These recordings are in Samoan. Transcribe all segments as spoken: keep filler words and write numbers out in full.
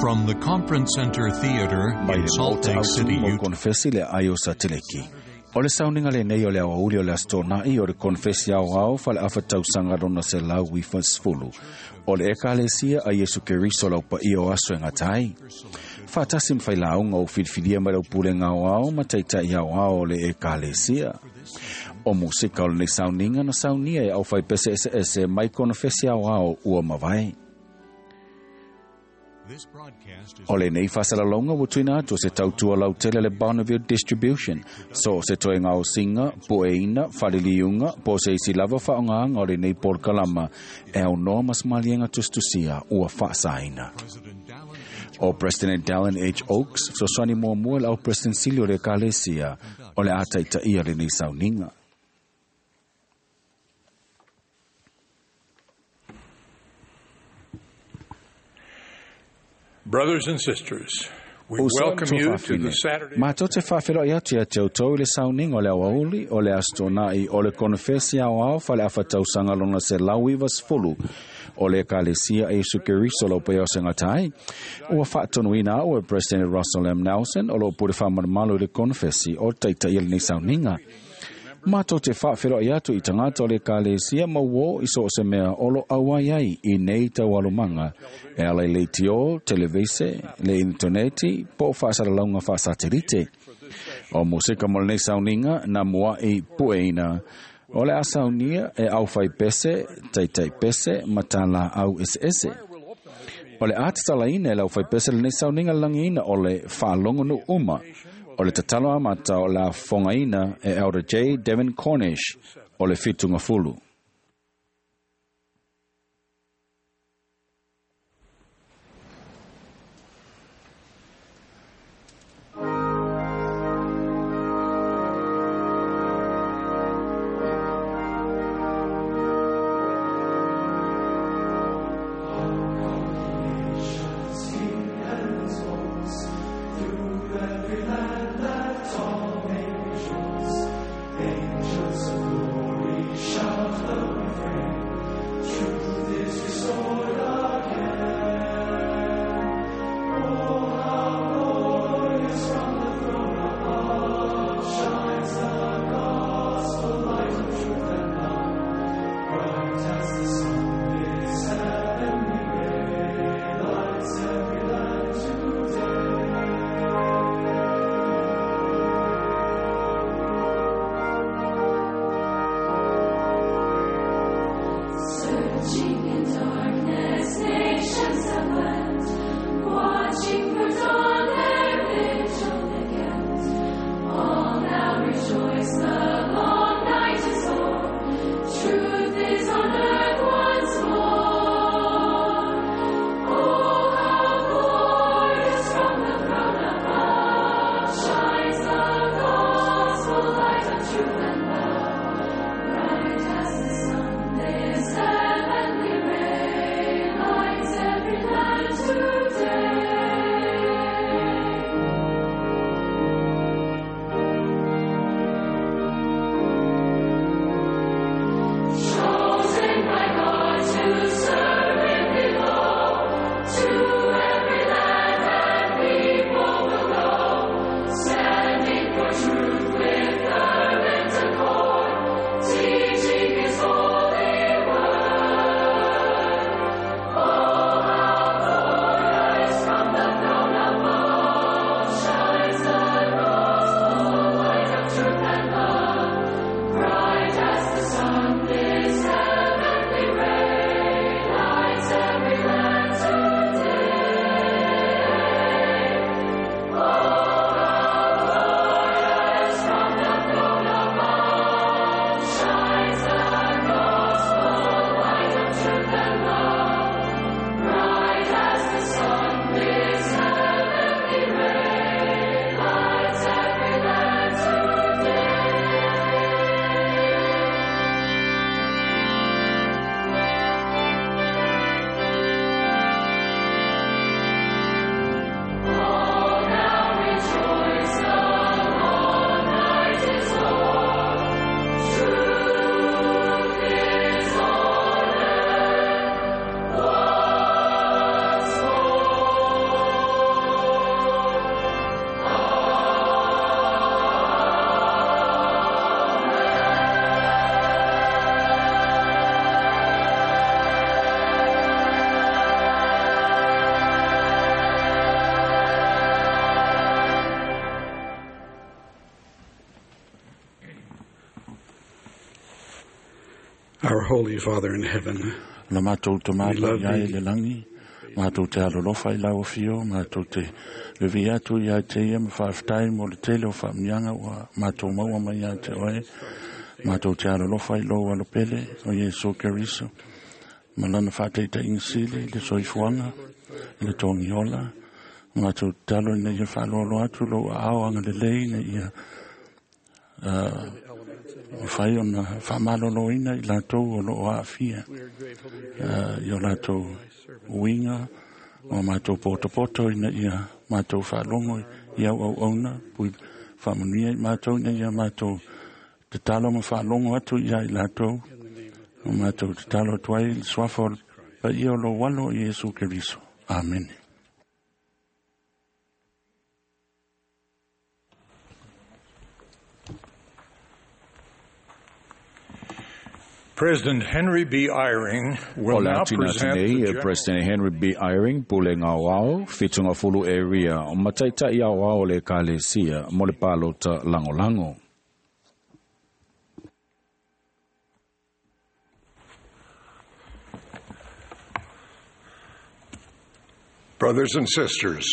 From the Conference Center Theater Mai in le Salt Maota Lake Autu City, mo Utah. konfesi le aio sateleki. O le sauniga lenei o le aoauli o le Aso Toonai o le konfesi aoao faaleafa-tausaga lona selau ifa sefulu. O le Ekalesia a Iesu Keriso lau paia o aso e gata ai. Faatasi ma failauga o filifilia mai lau pulega aoao ma taita'i aoao o le Ekalesia. O musika o lenei sauniga na saunia e aufaipese eseese mai konofesi aoao ua mavae. This broadcast is O lenei faasalalauga ua tuuina atu o se tautua lautele le Bonneville Distribution. So o se toega osiga, pueina, faliliuga, po o se isi lava faaogāga o lenei polokalama e aunoa ma se maliega tusitusia ua faasaina. President Dallin H. O President Dallin H. Oaks, fesoasoani muamua le au President sili o le Ekalesia o le a taitaia lenei sauniga. Brothers and sisters, we O sa welcome to you to faafine. the Saturday Matou te faafeloai atu ia te outou i le sauniga o le aoauli o le Aso Toonai o le konofesi aoao faaleafa-tausaga lona selau iva sefulu o le Ekalesia a Iesu Keriso lau paia o se gata ai. Ua faatonuina au e President Russell M. Nelson o loo pule faamalumalu i le konofesi o taitaia lenei sauniga. Matou te faafeloai atu i tagata o le Ekalesia ma uō i so o se mea o lo auai ai i nei taualumaga e ala i leitio, televise, le initoneti po o faasalalauga faasatelite. O musika mo lenei sauniga na mua'i pueina o le a saunia e aufaipese, taitaipese ma talaau eseese. O le a tatalaina e le aufaipese lenei sauniga lalagiina o le faalogo uma. O le tatalo amata o le a fofogaina e Elder J. Devin Cornish o le fitugafulu. Angels of glory shout the refrain. Truth is restored again. Oh, how glorious from the throne above shines the gospel light of truth and love. Bright as the sun, this heavenly ray lights every land today. Searching in darkness, nations have wept, watching for dawn, their vigil they kept. All now rejoice, the long night is o'er. Truth is on earth once more. Oh, how glorious from the throne above shines the gospel light of truth and love. Bright as the sun, this heavenly Our Holy Father in heaven, La mātou te We mātou love ia i thee. le langi, mātou te alolofa i lau whio, mātou te levi atu ia te ia ma whaaftai mo le tele o whaamnianga ua mātou maua mai ia te oe, mātou te alolofa i lou alopele o Iesu Keriso, ma lana whaateita ingisile i le soifuanga, i le tongi ola, mātou te talo ina ia whaaloalo atu lou ao anga le lei ina ia uh, whai ona whaamaloloina i lātou o loo aafia we are grateful to you uh, i o lātou uiga o mātou potopoto ina ia mātou faalogo i au auauna pui faamanuia i mātou ina ia mātou tatalo ma faalogo atu ia i lātou o mātou tatalo atu ai i le suafa o le paia o lou alo i Iesu Keriso. Amene. President Henry B. Eyring will O le now atina present atu the nei, e general President Henry B. Eyring, pule ngā wao, whitunga fulu area, o mataitai au ao le ekalesia, mo le palota langolango. Brothers and sisters,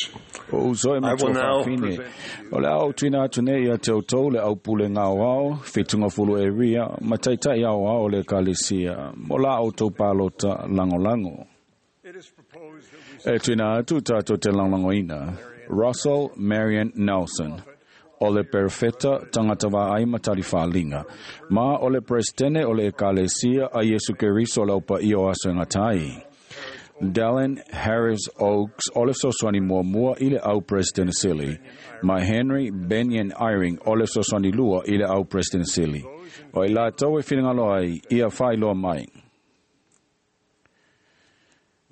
O uso e I will matua now whawhine. present O le au tuina atu nei ia te autou le au pule ngā wao, whitunga fulu area, mataitai au ao le ekalesia, mo la autou palota langolango. it is proposed that we E tuina atu tātou te langlangoina, Russell Marion Nelson, o le perfeta tangata vaai matari whalinga, ma o le presidente o le ekalesia a Yesu Keriso o le aupa i o aso e ngatai. Dallin Harris Oaks, o le soswani muamua i le au president sili, ma Henry Benyon Eyring, o le soswani lua i le au president sili. O i lātou e whiringalo ai, ia whailoa mai.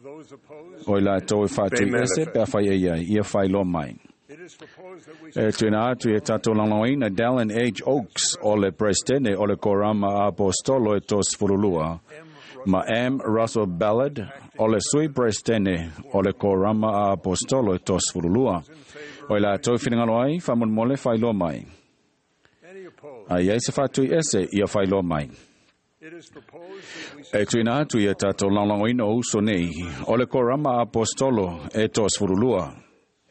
those opposed, O i lātou e whātui Be ese, manifest. pea whai e iai, ia whailoa mai. it is proposed that we E tuina atu e tātou langloina Dallin H. Oaks o le presidente o le Korama Apostolo e tos furulua. Ma M. Russell Ballard o le sui presidente o le Korama Apostolo e tos furulua. O i lātou whiringalo ai, whamonmole whailoa mai. any opposed. A iai se whātui ese ia whailoa mai. It is proposed that we E tuina atu ia tātou langlangoina o uso nei, o le Korama Apostolo e tos furulua.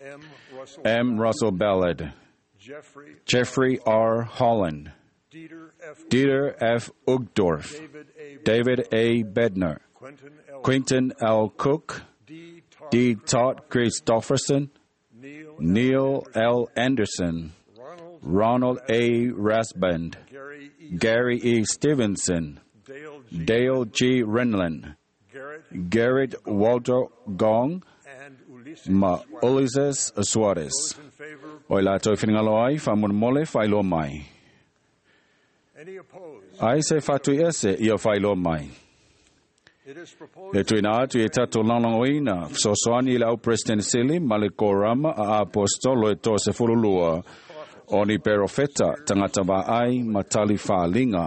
M. Russell M. Russell Ballard, Jeffrey Jeffrey R. Holland, Dieter F. Dieter F. Uchtdorf, David A. David A. Bednar, Quentin L. Quentin L. Cook, D. Todd D. Todd Christofferson, Neil Neil L. Anderson, Ronald Ronald A. Rasband, Gary E. Gary E. Stevenson, Dale G. Dale G. Renlund, Garrett Garrett Walter Gong, and Ulysses ma Suarez. Ulises Suarez. Those in favor, O i lātou whiringalo ai, whamonmole whailoa mai. any opposed. Ai se whātui ese ia whailoa mai. It is proposed E tuina atu e tātou langlangoina, sosoani i le au President Sili, ma le korama a apostolo e tō se furulua, o ni perofeta, tangata vaai, matali whaalinga,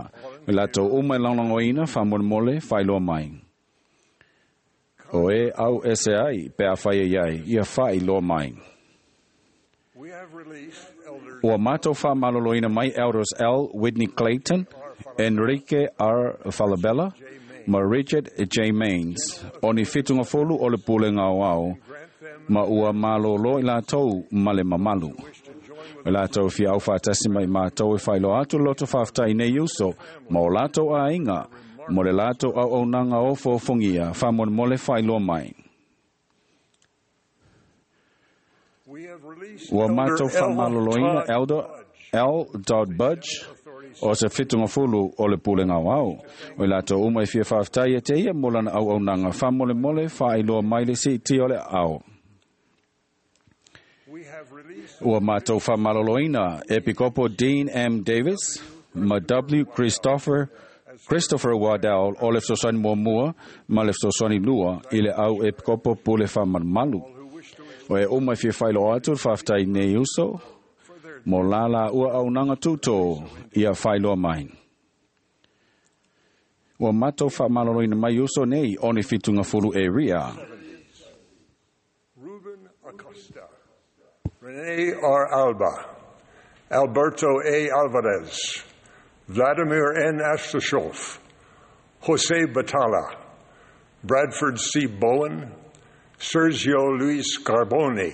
me lātou uma e langlangoina, whamonmole, whailoa mai. O e au ese ai, pe a whai e ai, ia whailoa mai. we have released elders Ua mātou whāmaloloina mai Elders L. Whitney Clayton, Enrique R. Falabella, ma Richard J. Maines. O ni whitunga folu o le pule ngau au, grant them ma ua malolo i lātou ma le mamalu. wish to join with O lātou fia au whātasi mai mātou e whailo atu loto whāwhtai nei uso, ma o lātou āinga, mo le lātou au au nanga o fōfongia, whamon whailoa mai. we have released Ua Elder mātou L. whamaloloina Todd Elder Budge. L. Dodd Budge, o se whitunga fulu o le pule ngau au. O i lātou uma i fia whāwhtai e te ia molana au au nanga whamole mole whailoa mai le si ti o le au. We have released Ua mātou whamaloloina Epikopo Dean M. Davis, ma W. Christopher Christopher Waddell o le fesoasoani muamua ma le fesoasoani lua i le au Epikopo pule whamalumalu. who wish to O e uma i fia whailoa atu le whāwhtai nei uso, mo lala ua au nanga tūtō ia whailoa mai. Ua mātou whamaloloina mai uso nei o ni whitunga fulu e ria. Ruben Acosta, Rene R. Alba, Alberto A. Alvarez, Vladimir N. Astashov, Jose Batala, Bradford C. Bowen, Sergio Luis Carboni,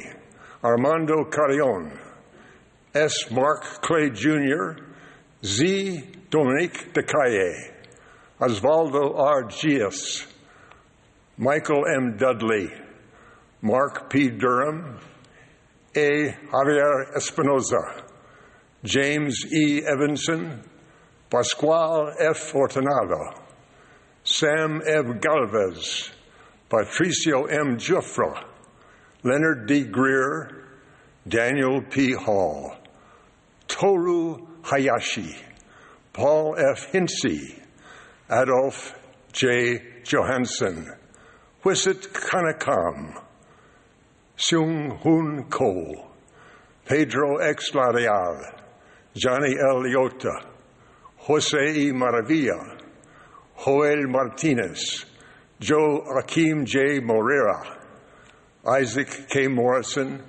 Armando Carrion, S. Mark Clay Junior, Z. Dominique DeCalle, Osvaldo R. Gias, Michael M. Dudley, Mark P. Durham, A. Javier Espinoza, James E. Evanson, Pascual F. Fortunado, Sam F. Galvez, Patricio M. Jufra, Leonard D. Greer, Daniel P. Hall, Toru Hayashi, Paul F. Hinsey, Adolf J. Johansson, Wisit Kanakam, Seung Hoon Ko, Pedro X. Larial, Johnny L. Liotta, Jose E. Maravilla, Joel Martinez, Joe Akim J. Moreira, Isaac K. Morrison,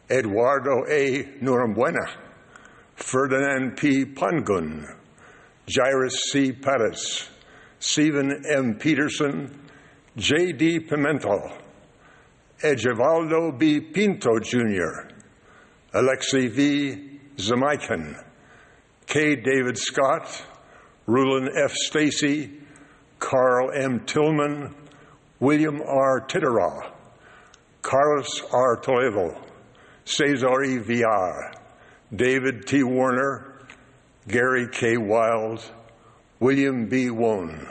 Eduardo A. Norambuena, Ferdinand P. Pangun, Jairus C. Perez, Stephen M. Peterson, J. D. Pimentel, Ejivaldo B. Pinto Junior, Alexei V. Zamaikin, K. David Scott, Rulon F. Stacy, Carl M. Tillman, William R. Titterah, Carlos R. Toledo, Cesar E. Villar, David T. Warner, Gary K. Wild, William B. Wone.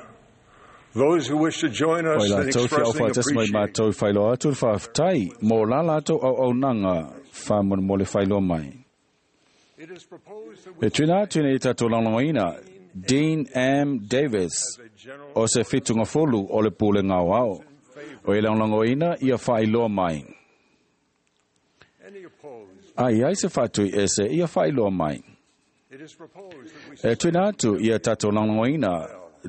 Those who wish to join us O in i latou expressing fiaufaatasi mai appreciation matou i whailoa atu le faafetai mo la latou auaunaga faamolemole whailoa mai. It is proposed that we E tuina atu nei tatou lagolagoina Dean M. Davis o se fitugafulu o le pulega aoao. O e lagolagoina ia faailoa mai. any opposed. Ai ai se faatui ese ia faailoa mai. It is proposed that we E tuina atu ia tatou lagolagoina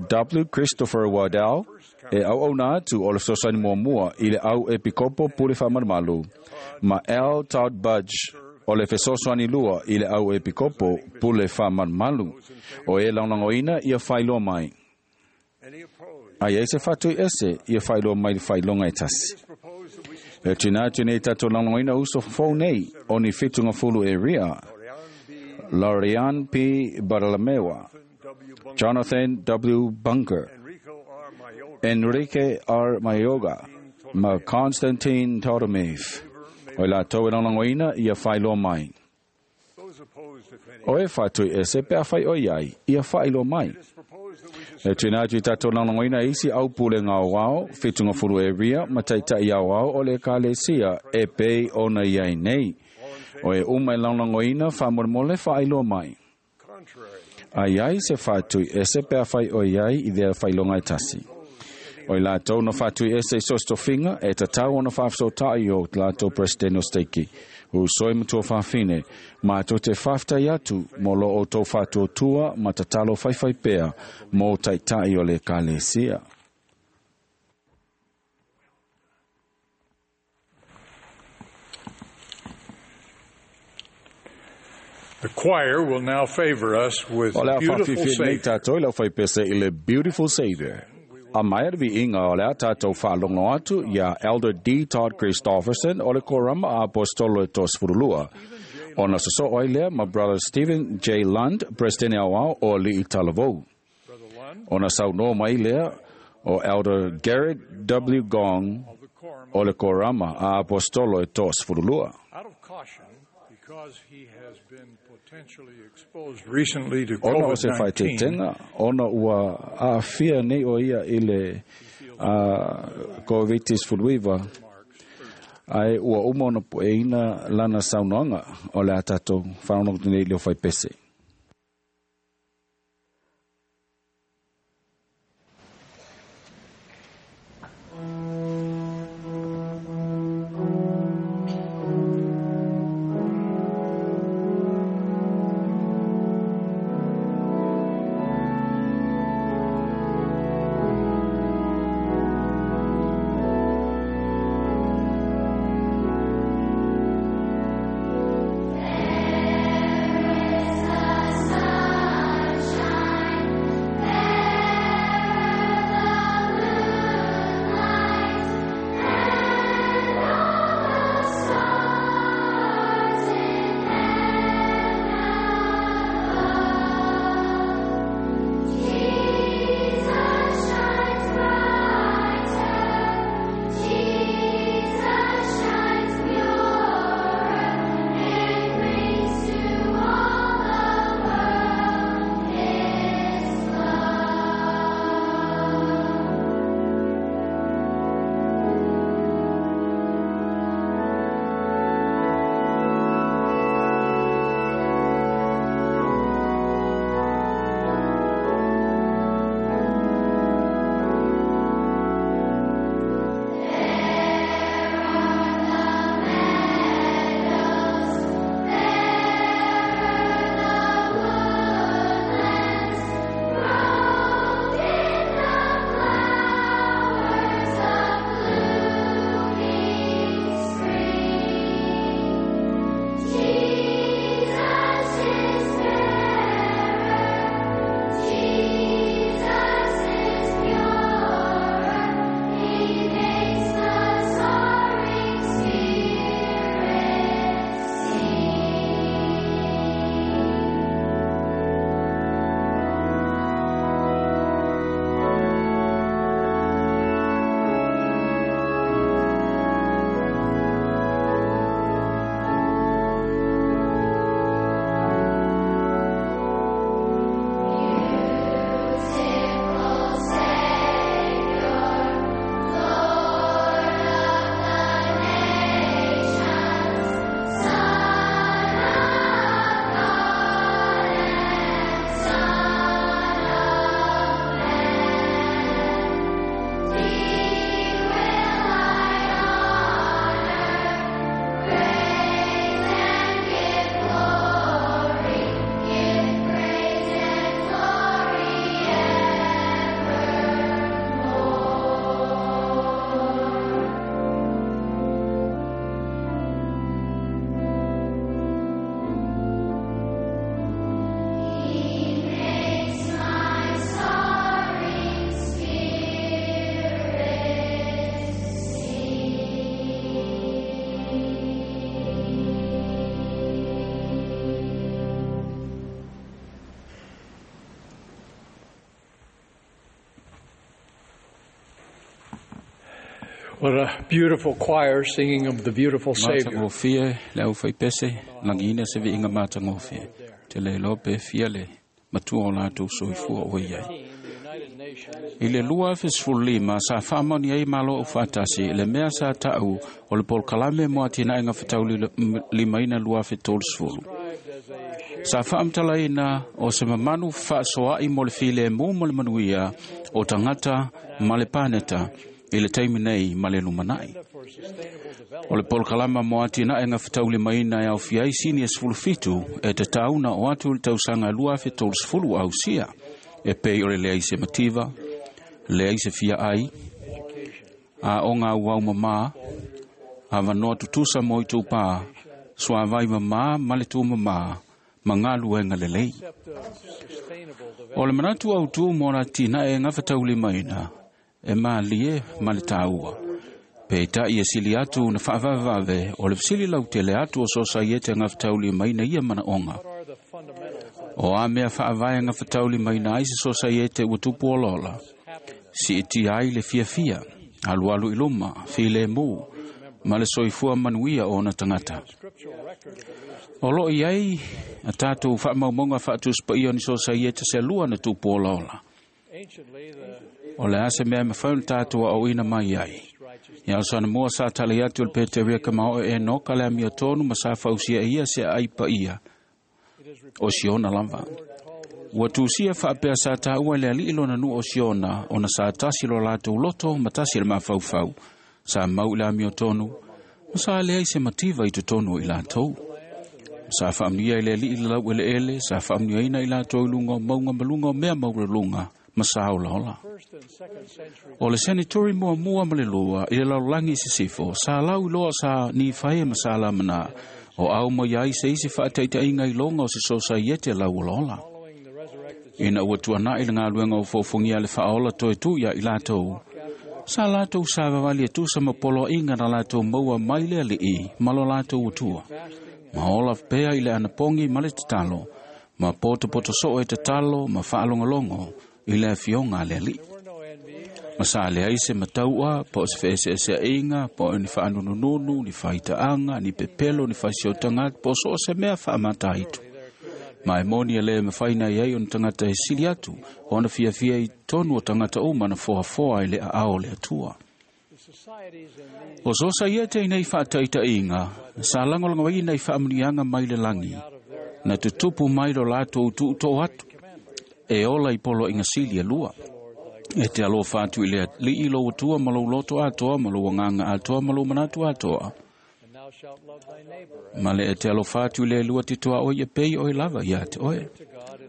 W. Christopher Waddell e auauna atu o le fesoasoani muamua i le au epikopo pule faamalumalu ma L. Todd Budge o le fesoasoani lua i le au epikopo pule faamalumalu o e lagolagoina ia faailoa mai. any opposed. Ai ai se faatui ese ia faailoa mai le faailoga e tasi. It is proposed that we suspend E tuina atu nei tatou lagolagoina uso fou nei o ni fitugafulu e ria Lorian B. Lorian P. Baralamewa, W. Bunker, Jonathan W. Bunker, Enrico R. Mayorga, Enrique R. Mayoga, ma Constantine Totomev. O i latou e lagolagoina ia faailoa mai. those opposed, if any. O e faatui ese pe a whai o iai, ia faailoa mai. It is proposed that we suspend E tuina atu i tatou lagolagoina isi au pule ngā wao, fitugafulu e ria, ma taitai au ao o le ekalesia e pei ona iai nei. O e uma e lagolagoina faamolemole faailoa mai. contrary. Ai ai se faatui ese pe a whai o iai i thea whailonga e tasi. O i latou na faatui ese i sostofinga e tatau ona whaafsotai o latou presidente o steiki. U soi matua whawhine, mātou te whaftai atu mō lo o tō whātuatua ma tatalo whaiwhai pea mō taitai o le ekalesia. The choir will now favor us with O le a Beautiful whawhiwhi nei Savior. tātou i lau whaipese i le Beautiful Savior. A mai ar viinga o le a tātou whaalongo atu ia Elder D. Todd Christofferson o le korama a apostolo e tosfurulua. Ona soso oi lea ma Brother Stephen J. Lund, President au o li i talavou. Ona saunoa mai lea o Elder Garrett W. Gong o le korama a apostolo e tosfurulua. Out of caution, because he has been potentially exposed recently to Ona o se COVID nineteen, whaitetenga, ona ua aafia nei o ia i le uh, COVID sefuluiva, ai ua uma ona pueina lana saunoaga o le a tatou faalogologo nei i le ofaipese. There is a What a beautiful choir singing of the beautiful Savior. Matagofie le au faipese lagiina se viiga matagofie. Te le iloa pe fia le matua o latou soifua o i ai. I le lua afe sefulu lima sa faamaoni ai malo aufaatasi le mea sa ta'u o le polokalame mo atinaega fetaulimaina lua afe tolusefulu. Sa faamatalaina o se mamanu faasoa'i mo le filemu ma le manuia o tagata ma le paneta i le taimi nei ma le lumana'i. O le polokalama mo atinaega fetaulimaina e aofia ai sini e sefulu fitu e tatauna o atu i le tausaga lua afe tolusefulu ausia e pei o le leai se mativa, leai se fia ai, a o ngā uau mamā, avanoa tutusa mo i tūpā, suavai mamā ma le tū mamā, ma ngā luenga lelei. O le manatu au tū mō la tina e ngā whataulimaina, e mālie ma le tāua. Peitai e sili atu na whaavavave o le fisili lau tele atu o sosaiete ngā whataulimaina ia mana onga. O a mea whaavae ngā whataulimaina ai se sosaiete ua tupu olola. Si iti ai le fiafia, alualu i luma, file mū, ma le soifua manuia o ona tangata. O loo i ai a tātou whaamaumonga whaatuspaia ni sosaiete se lua na tupu olaola. O le ase mea mawhai na tātou a oina mai ai. Ia o sana mua sa tali atu le Peteria ka mao e noka le amia tonu ma sa fausia ia se ai pa ia. O siona lava. Ua tusia whaapea sa tāua le alii lona nu o siona ona sa tasi lo lātou loto ma tasi le mafaufau. Sa mau i le amio tonu ma sa leai se mativa i totonu i lātou. Sa whaamnia i le alii le lau ele ele, sa whaamniaina i lātou i lunga o maunga malunga o mea mauralunga ma sa ola ola. O le senatori mua mua ma le lua i le lalolagi i sisifo, sa lau i loa sa ni whae ma sa lamana, o au mai ai se isi whaataitaiga i longa o se sosaiete lau ola ola. Ina ua tuanai le ngā luenga o fōfongia le whaola toe tu ia i lātou. Sa lātou sa vavali e tusa ma polo inga na lātou maua mai le alii, ma lo lātou utua. Ma ola pea i le anapongi ma le tatalo, ma poto poto soo e tatalo ma whaalongolongo i le afionga le alii. Ma sa le ai se mataua, po o se whaeseesea inga, po o ni whaanunununu, ni whaitaanga, ni pepelo, ni whaisiotanga, po o so o se mea whaamata itu. Ma e moni e le mawhaina i ai o ni tangata e sili atu, o na fiafia i tonu o tangata uma na foafoa i le aao le atua. O sosa ia te inei whaataita inga, sa langolongo i nei whaamunianga mai le langi, na tutupu mai lo lātou tuuto atu, e ola i polo inga sili e lua. E te alofa atu i le alii lo atua ma lou loto atoa, ma lou agaga atoa, ma lou manatu atoa. Ma le e te alofa atu i le lua titoa oi e pei oi lava ia te oe.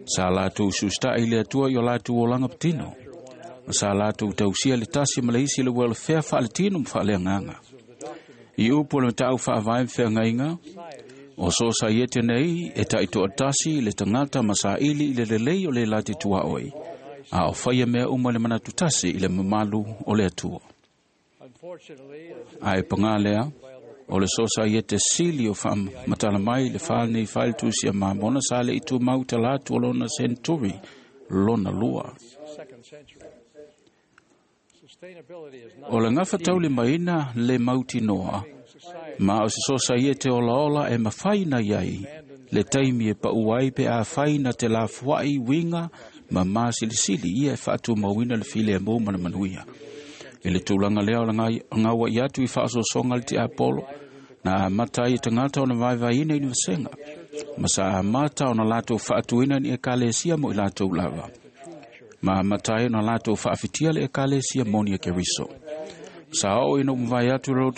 Sa lātou susta'i le atua i o lātou olanga patino. Ma sa lātou tausia le tasi ma le isi le welfare whaaletino ma whaaleanganga. I upu le matau whaavae mwheangainga, o sosa i ete nei e taito atasi le tangata ma sa ili i le lelei o le lati tua oi. A o whaia mea uma le manatu tasi i le mamalu o le atua. A e pangā lea, o le sosa i ete sili o whaamatala mai le whānei whailtusia mamona sa le itu mau talatu o lona century lona lua. O le ngafa tauli maina le mauti noa, ma o se sosa i ete ola ola e mawhaina iai, le taimi e pau ai pe a whaina te la fuai winga ma masilisili ia e whaatu mawina le file e mō mana manuia. I le tūlanga lea o le ngaua i atu i whaasosonga le te Apollo, na amata i tangata o na vaivaiina i ni vasenga, ma sa amata o na lātou whaatuina ni ekalesia mo i lātou lava. Ma amata ai o na lātou whaafitia le ekalesia moni e Keriso. Sa o ina umvai atu le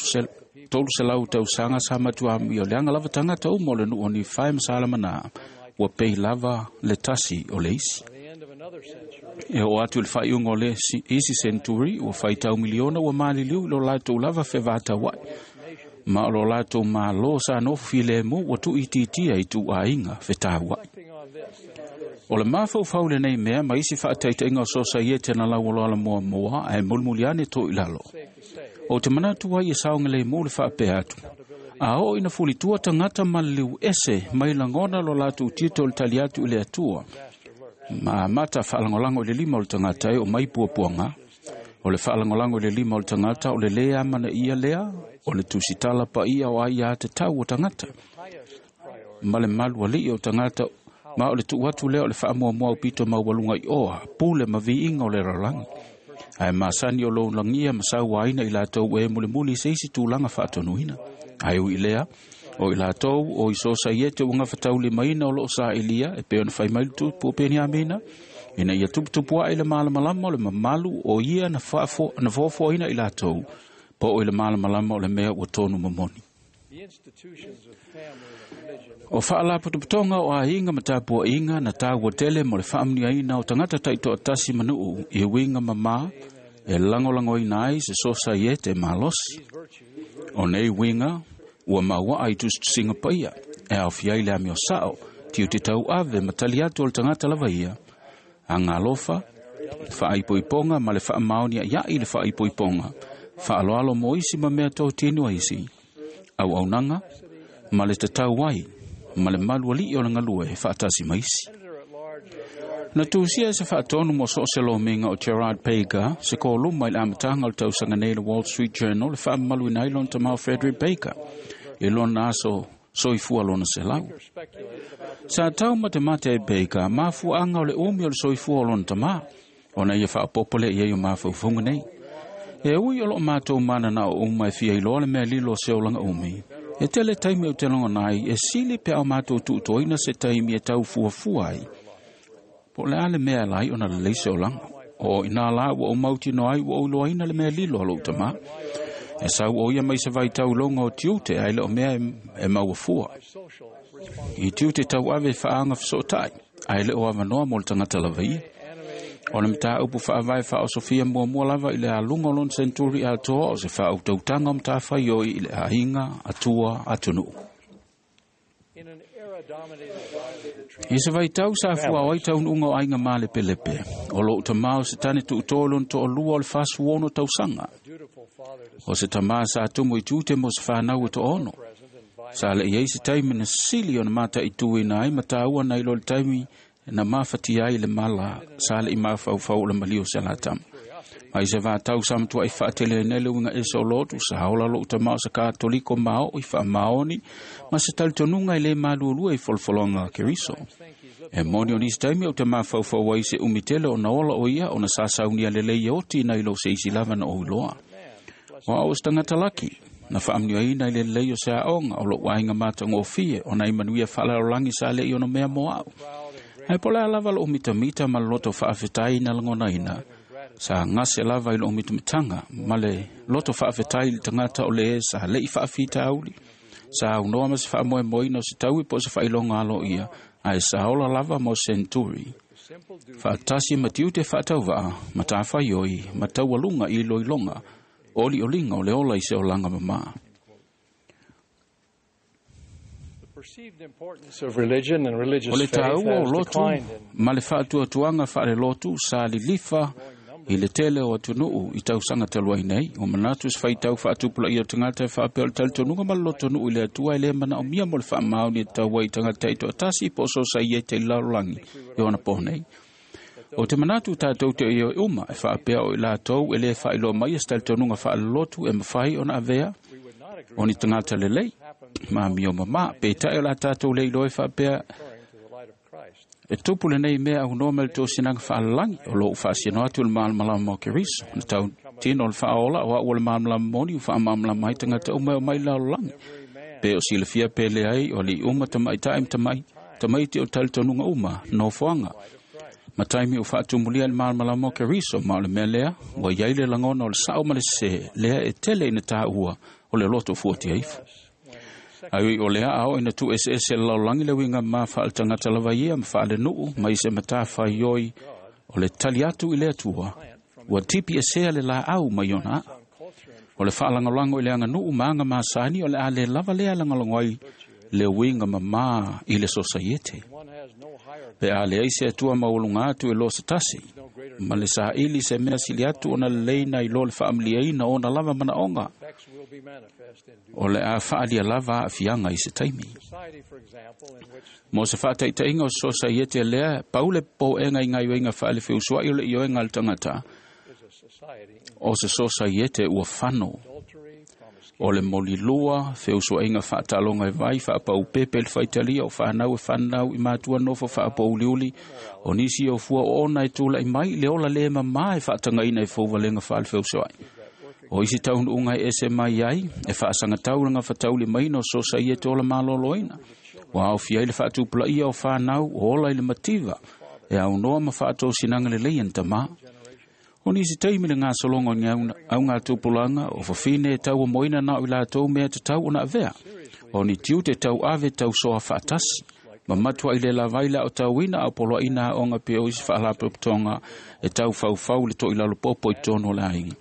tolu selau tausaga sa matua ami o leaga lava tagata uma o le nuu o ni fae ma salamana, ua pei lava le tasi o le isi. E o atu le whaiunga o le isi century ua whaitau miliona ua maliliu i lo lātou lava whewātawai. Ma o lo lātou mālo sa nofu filemu ua tuititia i tu ainga whetawai. O le mafaufau lenei mea ma isi whaataitainga o sosaiete na lau aloala mua mua ae mulimuliane tō i lalo. O te manatu ai e saonga le mō le whaapea atu. A o ina fulitua tangata maliliu ese mai langona lo lātou tito le tali atu i le atua. Ma mata whaalangolango i le lima o le tangata e o mai puapuanga. O le faalagolago i le lima o le tagata o le lē amanaia lea o le tusitala paia o aiā tatau o tagata ma le malualii o tagata ma o le tuu atu lea o le faamuamua aupito maualuga i oa pule ma viiga o le lalolagi ae masani o lou lagia ma sauaina i latou e mulimuli i se isi tulaga faatonuina. Ae ui i lea, o i latou o i sosaiete ua gafataulimaina o loo saʻilia e pei ona fai mai le tupu o Peniamina, ina ia tuputupu aʻe le malamalama o le mamalu o ia na faafo na foafoaina i latou po o i le malamalama o le mea ua tonu momoni. The institutions of family and religion O faalapotopotoga o aiga ma tapuaʻiga na taua tele mo le faamanuiaina o tagata taitoatasi manuu i uiga mamā e lagolagoina ai se sosaiete malosi. O nei uiga ua mauaa i tusitusiga paia e aofia ai le amio sao tiute tauave ma tali atu o le tagata lava ia agalofa faaipoipoga ma le faamaoniaʻiaʻi le faaipoipoga faaloalo mo isi ma mea totino a isi auaunaga ma le tatau ai ma le malualii o le galue faatasi ma isi. Na tusia e se faatonu mo so o se lomiga o Gerard Baker se koluma i le amataga o le tausaga nei le Wall Street Journal le faamamaluina ai lona tamao Frederick Baker i lona aso soifua lona selau. Sa tau matemate ai Baker mafuaaga o le umi o le soifua o lona tamā ona ia faaopoopo lea i ai o mafaufauga nei. E ui o loo matou mananao uma e fia iloa le mea lilo o se olaga umi. E tele taimi o te logona ai e sili pe ao matou tuutoina se taimi e tau fuafua ai. Po o le a le mea e lai ona lelei se olaga. O inā la ua ou mautinoa ai ua ou iloaina le mea lilo a lou tamā. E sau o ia mai se vaitauloga o tiute ae le o mea e maua fua. I tiute tauave e faaaga fesootai ae le o avanoa mo le tagata lava ia. O le mataupu faavae faaosofia muamua lava i le aluga o lona senturi atoa o se faautautaga o matafaioi i le aiga atua atunuu. in an era dominated by the I se vaitau sa fuao ai taunuuga o aiga malepelepe, o lou tamā o se tane tuutō lona toalua o le fasuono tausaga. dutiful father to O se tamā sa tumu i tiute mo se whanau e toono. present and vice Sa le iai se taimi na sili o na mata i tuina ai ma tāua na ilo le taimi na mafatia ai le mala sa le i mafaufau o le malio se la tama. Mai se vatau sa matua i whaatele nei le uiga ese o lotu sa ola lou tamao sa katoliko mao i whaamaoni ma se talitonuga i le malualua i folofologa a Keriso. E moni o nisi taimi o te mafaufau ai se umitele o na ola o ia o na sasaunia lelei e oti na ilo se isi lava na o iloa. O au o se tagata laki, na faamanuiaina i le lelei o se aoga o lou aiga matagofie ona i manuia faalalolagi sa leʻi ona mea mo au. Ae po o le a lava lou mitamita ma le loto faafetai na lagonaina, sa gase lava i lou mitamitaga ma le loto faafetai i le tagata o le e sa leʻi faafitauli. Sa aunoa ma se faamoemoeina o se taui po o se faailoga aloaia, ae sa ola lava mo senturi. Faatasi ma tiute faatauvaa, ma tafaioi, ma taualuga i iloiloga, olioliga o le ola i se olaga mamā. The perceived importance of religion and religious O le faith taua o has lotu declined in ma le faatuatuaga faalelotu sa lilifa i le tele o atunuu i tausaga talu ai nei. O manatu se faitau faatupulaia o tagata e faapea o le talitonuga ma le lotonuu i le Atua e lē manaomia mo le faamaoni e tatau ai i tagata taitoatasi po o sosaiete i le lalolagi i ona po nei. O te manatu tatou te ioe uma e faapea o i latou e lē faailoa mai e se talitonuga faalelotu e mafai ona avea o ni tagata lelei ma amio mamā. Peitai o la tatou le iloa e faapea to the light of Christ. e tupu lenei mea aunoa ma le tosinaga faalalagi o lou faasino atu i le malamalama o Keriso. Na tau tino o le faaola o au o le malamalama moni ua faamalamalama ai tagata uma e omai i le lalolagi. Pe o silafia pe leai o alii uma tamaitaʻi ma tamai tamaiti o talitonuga uma nofoaga. Ma taimi o faatumulia i le malamalama o Keriso ma o le mea lea ua iai le lagona o le sao ma le sesē lea e tele ina tāua o le loto fuatia ifo. Ai ui o lea ao ina tu ese ese le lalolagi le uiga ma faaletagata lava ia ma faalenuu mai se matafaioi o le tali atu i le Atua ua tipi esea le laau mai ona aa. O le faalagolago i le aganuu ma aga masani o le a le lava lea lagolago ai le uiga mamā i le sosaiete. One has no higher Pe a leai se Atua maualuga atu e lo se tasi, ma le saili se mea sili atu ona lelei na i lo le faamaliaina ona lava manaoga, effects will be manifest in due o le a faalia lava aafiaga i se taimi. society, for example, in which Mo se faataitaiga o se sosaiete lea, pau le popoega i gaioiga faalefeusoaʻi o le ioega a le tagata, O se sosaiete ua fano. O le molilua, feusuaiga faataloga e vai faapaupepe le faitalia o fanau e fanau i matua nofo faapouliuli o nisi o fua oona e tula'i mai i le ola lē mamā e faatagaina i fouvalega faalefeusoa'i. O isi taunuuga e ese mai ai e faasagatau le gafataulimaina o sosaiete ola malōlōina ua aofia ai le faatupulaia o fanau o ola i le mativa e aunoa ma faatosinaga lelei ana tamā. O nisi taimi le gasologa o ni augatupulaga o fafine e tauamoina na o i latou mea tatau ona avea. O ni tiute tauave tausoa faatasi. Ma matua'i le lavai le aotauina a o poloaʻina aoga pe o isi faalapotopotoga e taufaufau le toʻilalopopo i totonu o le aiga.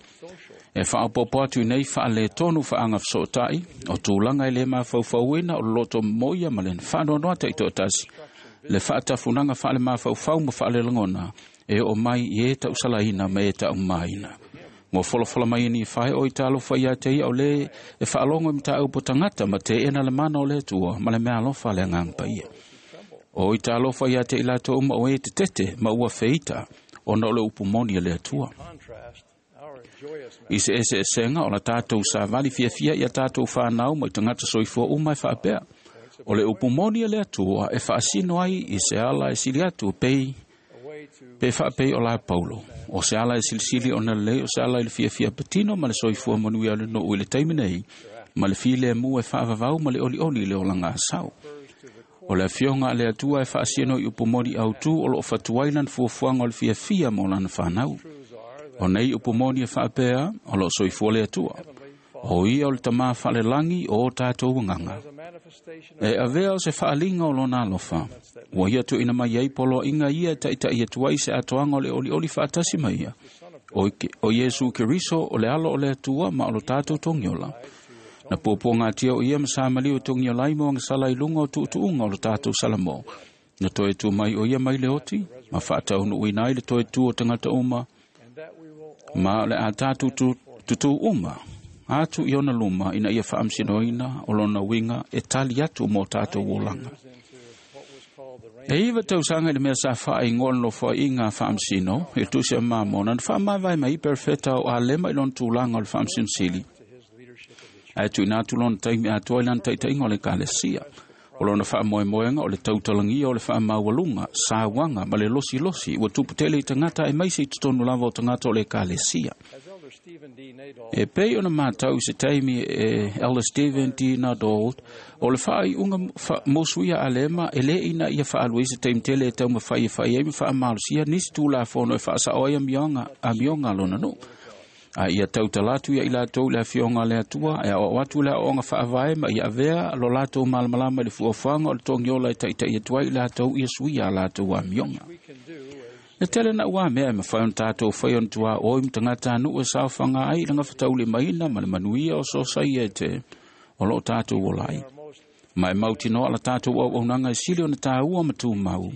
E faaopoopo atu i nei faaletonu faagafesootaʻi o tulaga e lē mafaufauina o le loto momoia ma le faanoanoa taʻitoatasi le faatafunaga faalemafaufau ma faalelagona e oo mai i e tausalaina ma e taʻumāina. Ua folafola mai e Nifae o i talofa ia te ia o lē e faalogo i mataupu tagata ma teʻena le mana o le Atua ma le meaalofa a le Agaga Paia. O i talofa ia te i latou uma o e tetete ma ua feita ona o le upu moni a le Atua. I se eseesega o la tatou savali fiafia ia tatou fanau ma i tagata soifua uma e faapea. O le upu moni a le Atua e faasino ai i se ala e sili atu pei pe faapei o la Paulo. O se ala e silisili ona lelei o se ala i le fiafia patino ma le soifua manuia o le nuu i le taimi nei ma le filemu e faavavau ma le olioli i le olaga asau. O le afioga a le Atua e faasino i upu moni autū o loo fatuai lana fuafuaga o le fiafia mo lana fanau. O nei upu moni e faapea o loo soifua le Atua. O ia o le tamā faalelagi o o tatou agaga. E avea o se faaliga o lona alofa. Ua ia tuuina mai ai poloaiga ia e taʻitaʻi atu ai se atoaga o le olioli faatasi ma ia. O, o Iesu Keriso o le alo o le Atua ma o lo tatou togiola. Na puapuagatia o ia ma samaliu e togiola ai mo agasala i luga o tuutuuga o lo tatou salamo. Na toe tu mai o ia mai le oti ma faataunuuina ai le toe tu o tagata uma ma o le a tatou tutū uma atu i ona luma ina ia faamasinoina o lona uiga e tali atu mo tatou olaga. E iva tausaga i le mea sa faaigoa le nofoaiga faamasino i le tusi a Mamona na faamavae mai perofeta o Alema i lona tulaga o le faamasino ae tuuina atu lona taimi atoa i lana taʻitaʻiga o le ekalesia. O lona faamoemoega o le tautalagia o le faamaualuga, sauaga ma le losilosi ua tupu tele i tagata aemaise i totonu lava o tagata o le ekalesia. E pei ona matau i se taimi e Elder Stephen D. Nadauld o le faaiuga fa, mosuia Alema e lē ina ia faalua i se taimi tele e taumafai e fai ai ma faamalosia nisi tulafono e faasaʻo ai amioga amioga a lona nuu. A ia tautala atu ia i latou le afioga a le Atua e aoao atu le aoaoga faavae ma ia avea lo latou malamalama i le fuafuaga o le togiola e taʻitaʻi atu ai i latou ia suia a latou amioga. Le tele na ua mea e mafai ona tatou fai ona tuaoi ma tagatanuu e saofaga ai i le gafataulimaina ma le manuia o sosaiete o loo tatou ola ai. Ma e mautinoa la tatou auaunaga e sili ona tāua ma tumau.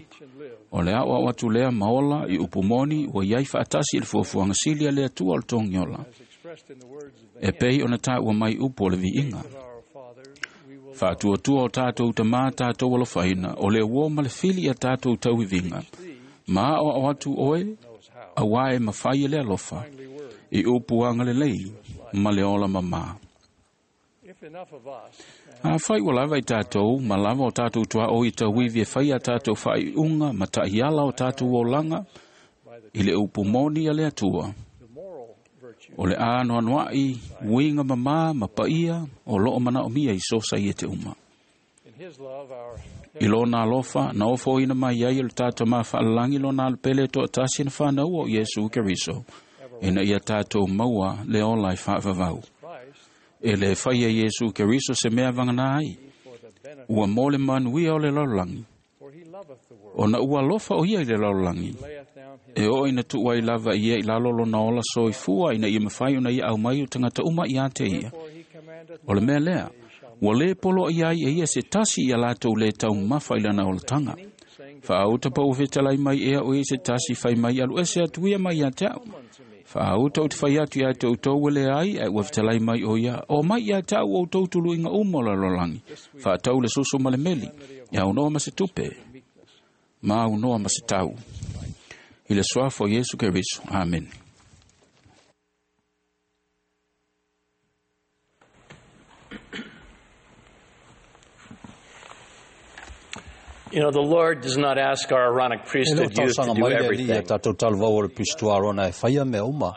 O le aoao atu lea ma ola i upu moni ua iai faatasi i le fuafuaga sili a le Atua o le togiola. E pei ona tāua mai upu o le viiga. Faatuatua o tatou tamā tatou alofaina o le uō ma le fili ia tatou tauiviga. Ma aoao atu oe auā e mafai e le alofa i upu agalelei ma le ola mamā. Afai ua lava i tatou ma lava o tatou tuaoi i tauivi e fai a tatou faaiuga ma taʻiala o tatou olaga i le upu moni a le Atua. O le anoanoaʻi uiga mamā ma paia o loo manaomia i sosaiete uma. I lona alofa na ofoina mai ai o le tatou mafaalelagi lona alopele e toatasi na fanaua o Iesu Keriso ina ia tatou maua le ola e faavavau. E le fai e Iesu Keriso se mea vagana ai. Ua mo le manuia o le lalolagi. Ona ua alofa o ia i le lalolagi. E oo ina tuu ai lava ia i lalo lona ola soifua ina ia mafai ona ia aumai o tagata uma ia te ia. O le mea lea, ua lē poloai ai e ia se tasi ia latou lē taumafa i lana olataga. Faauta pa ua fetalai mai ea o ia se tasi fai mai alu ese atu ia mai ia te au. Faauta o te fai atu ia te outou e leai ae ua fetalai mai o ia o mai ia te au outou tuluiga uma o le lalolagi. Faatau le soso ma le meli, e aunoa ma se tupe, ma aunoa ma se tau. I le suafa o Iesu Keriso. Amen. You know, the Lord does not ask our Aaronic E le o priesthood youth to talosaga do mai le alii ia everything. tatou talavou o le pisto Arona e faia mea uma,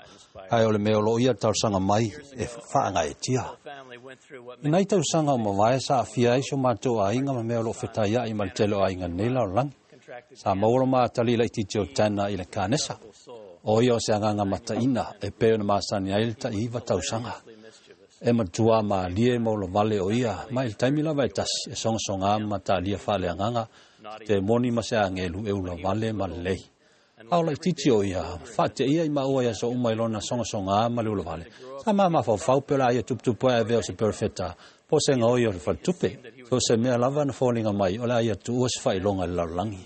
ae o le mea o loo ia talosaga mai e faagaetia. Family went through what I nai tausaga o mavae sa aafia ai si o matou aiga ma mea o loo fetaia'i ma le tele o aiga nei lalolagi. Sa maua lo matali laitiiti o Tana i le kanesa. O ia o se agaga mataina e pei ona masani ai le ta'iiva tausaga. E matua malie ma ulavale o ia, ma i le taimi lava e tasi e sogasogā ma matalia faaleagaga, te moni ma se agelu e ulavale ma lelei. A o laitiiti o ia, faateia i maua ia so uma i lona sogasogā ma le ulavale. Sa mamafaufau pe o le a ia tuputupu ae avea o se perofeta, po o se gaoi o le faletupe. So se mea lava na foliga mai o le a ia tuua se faailoga i le lalolagi.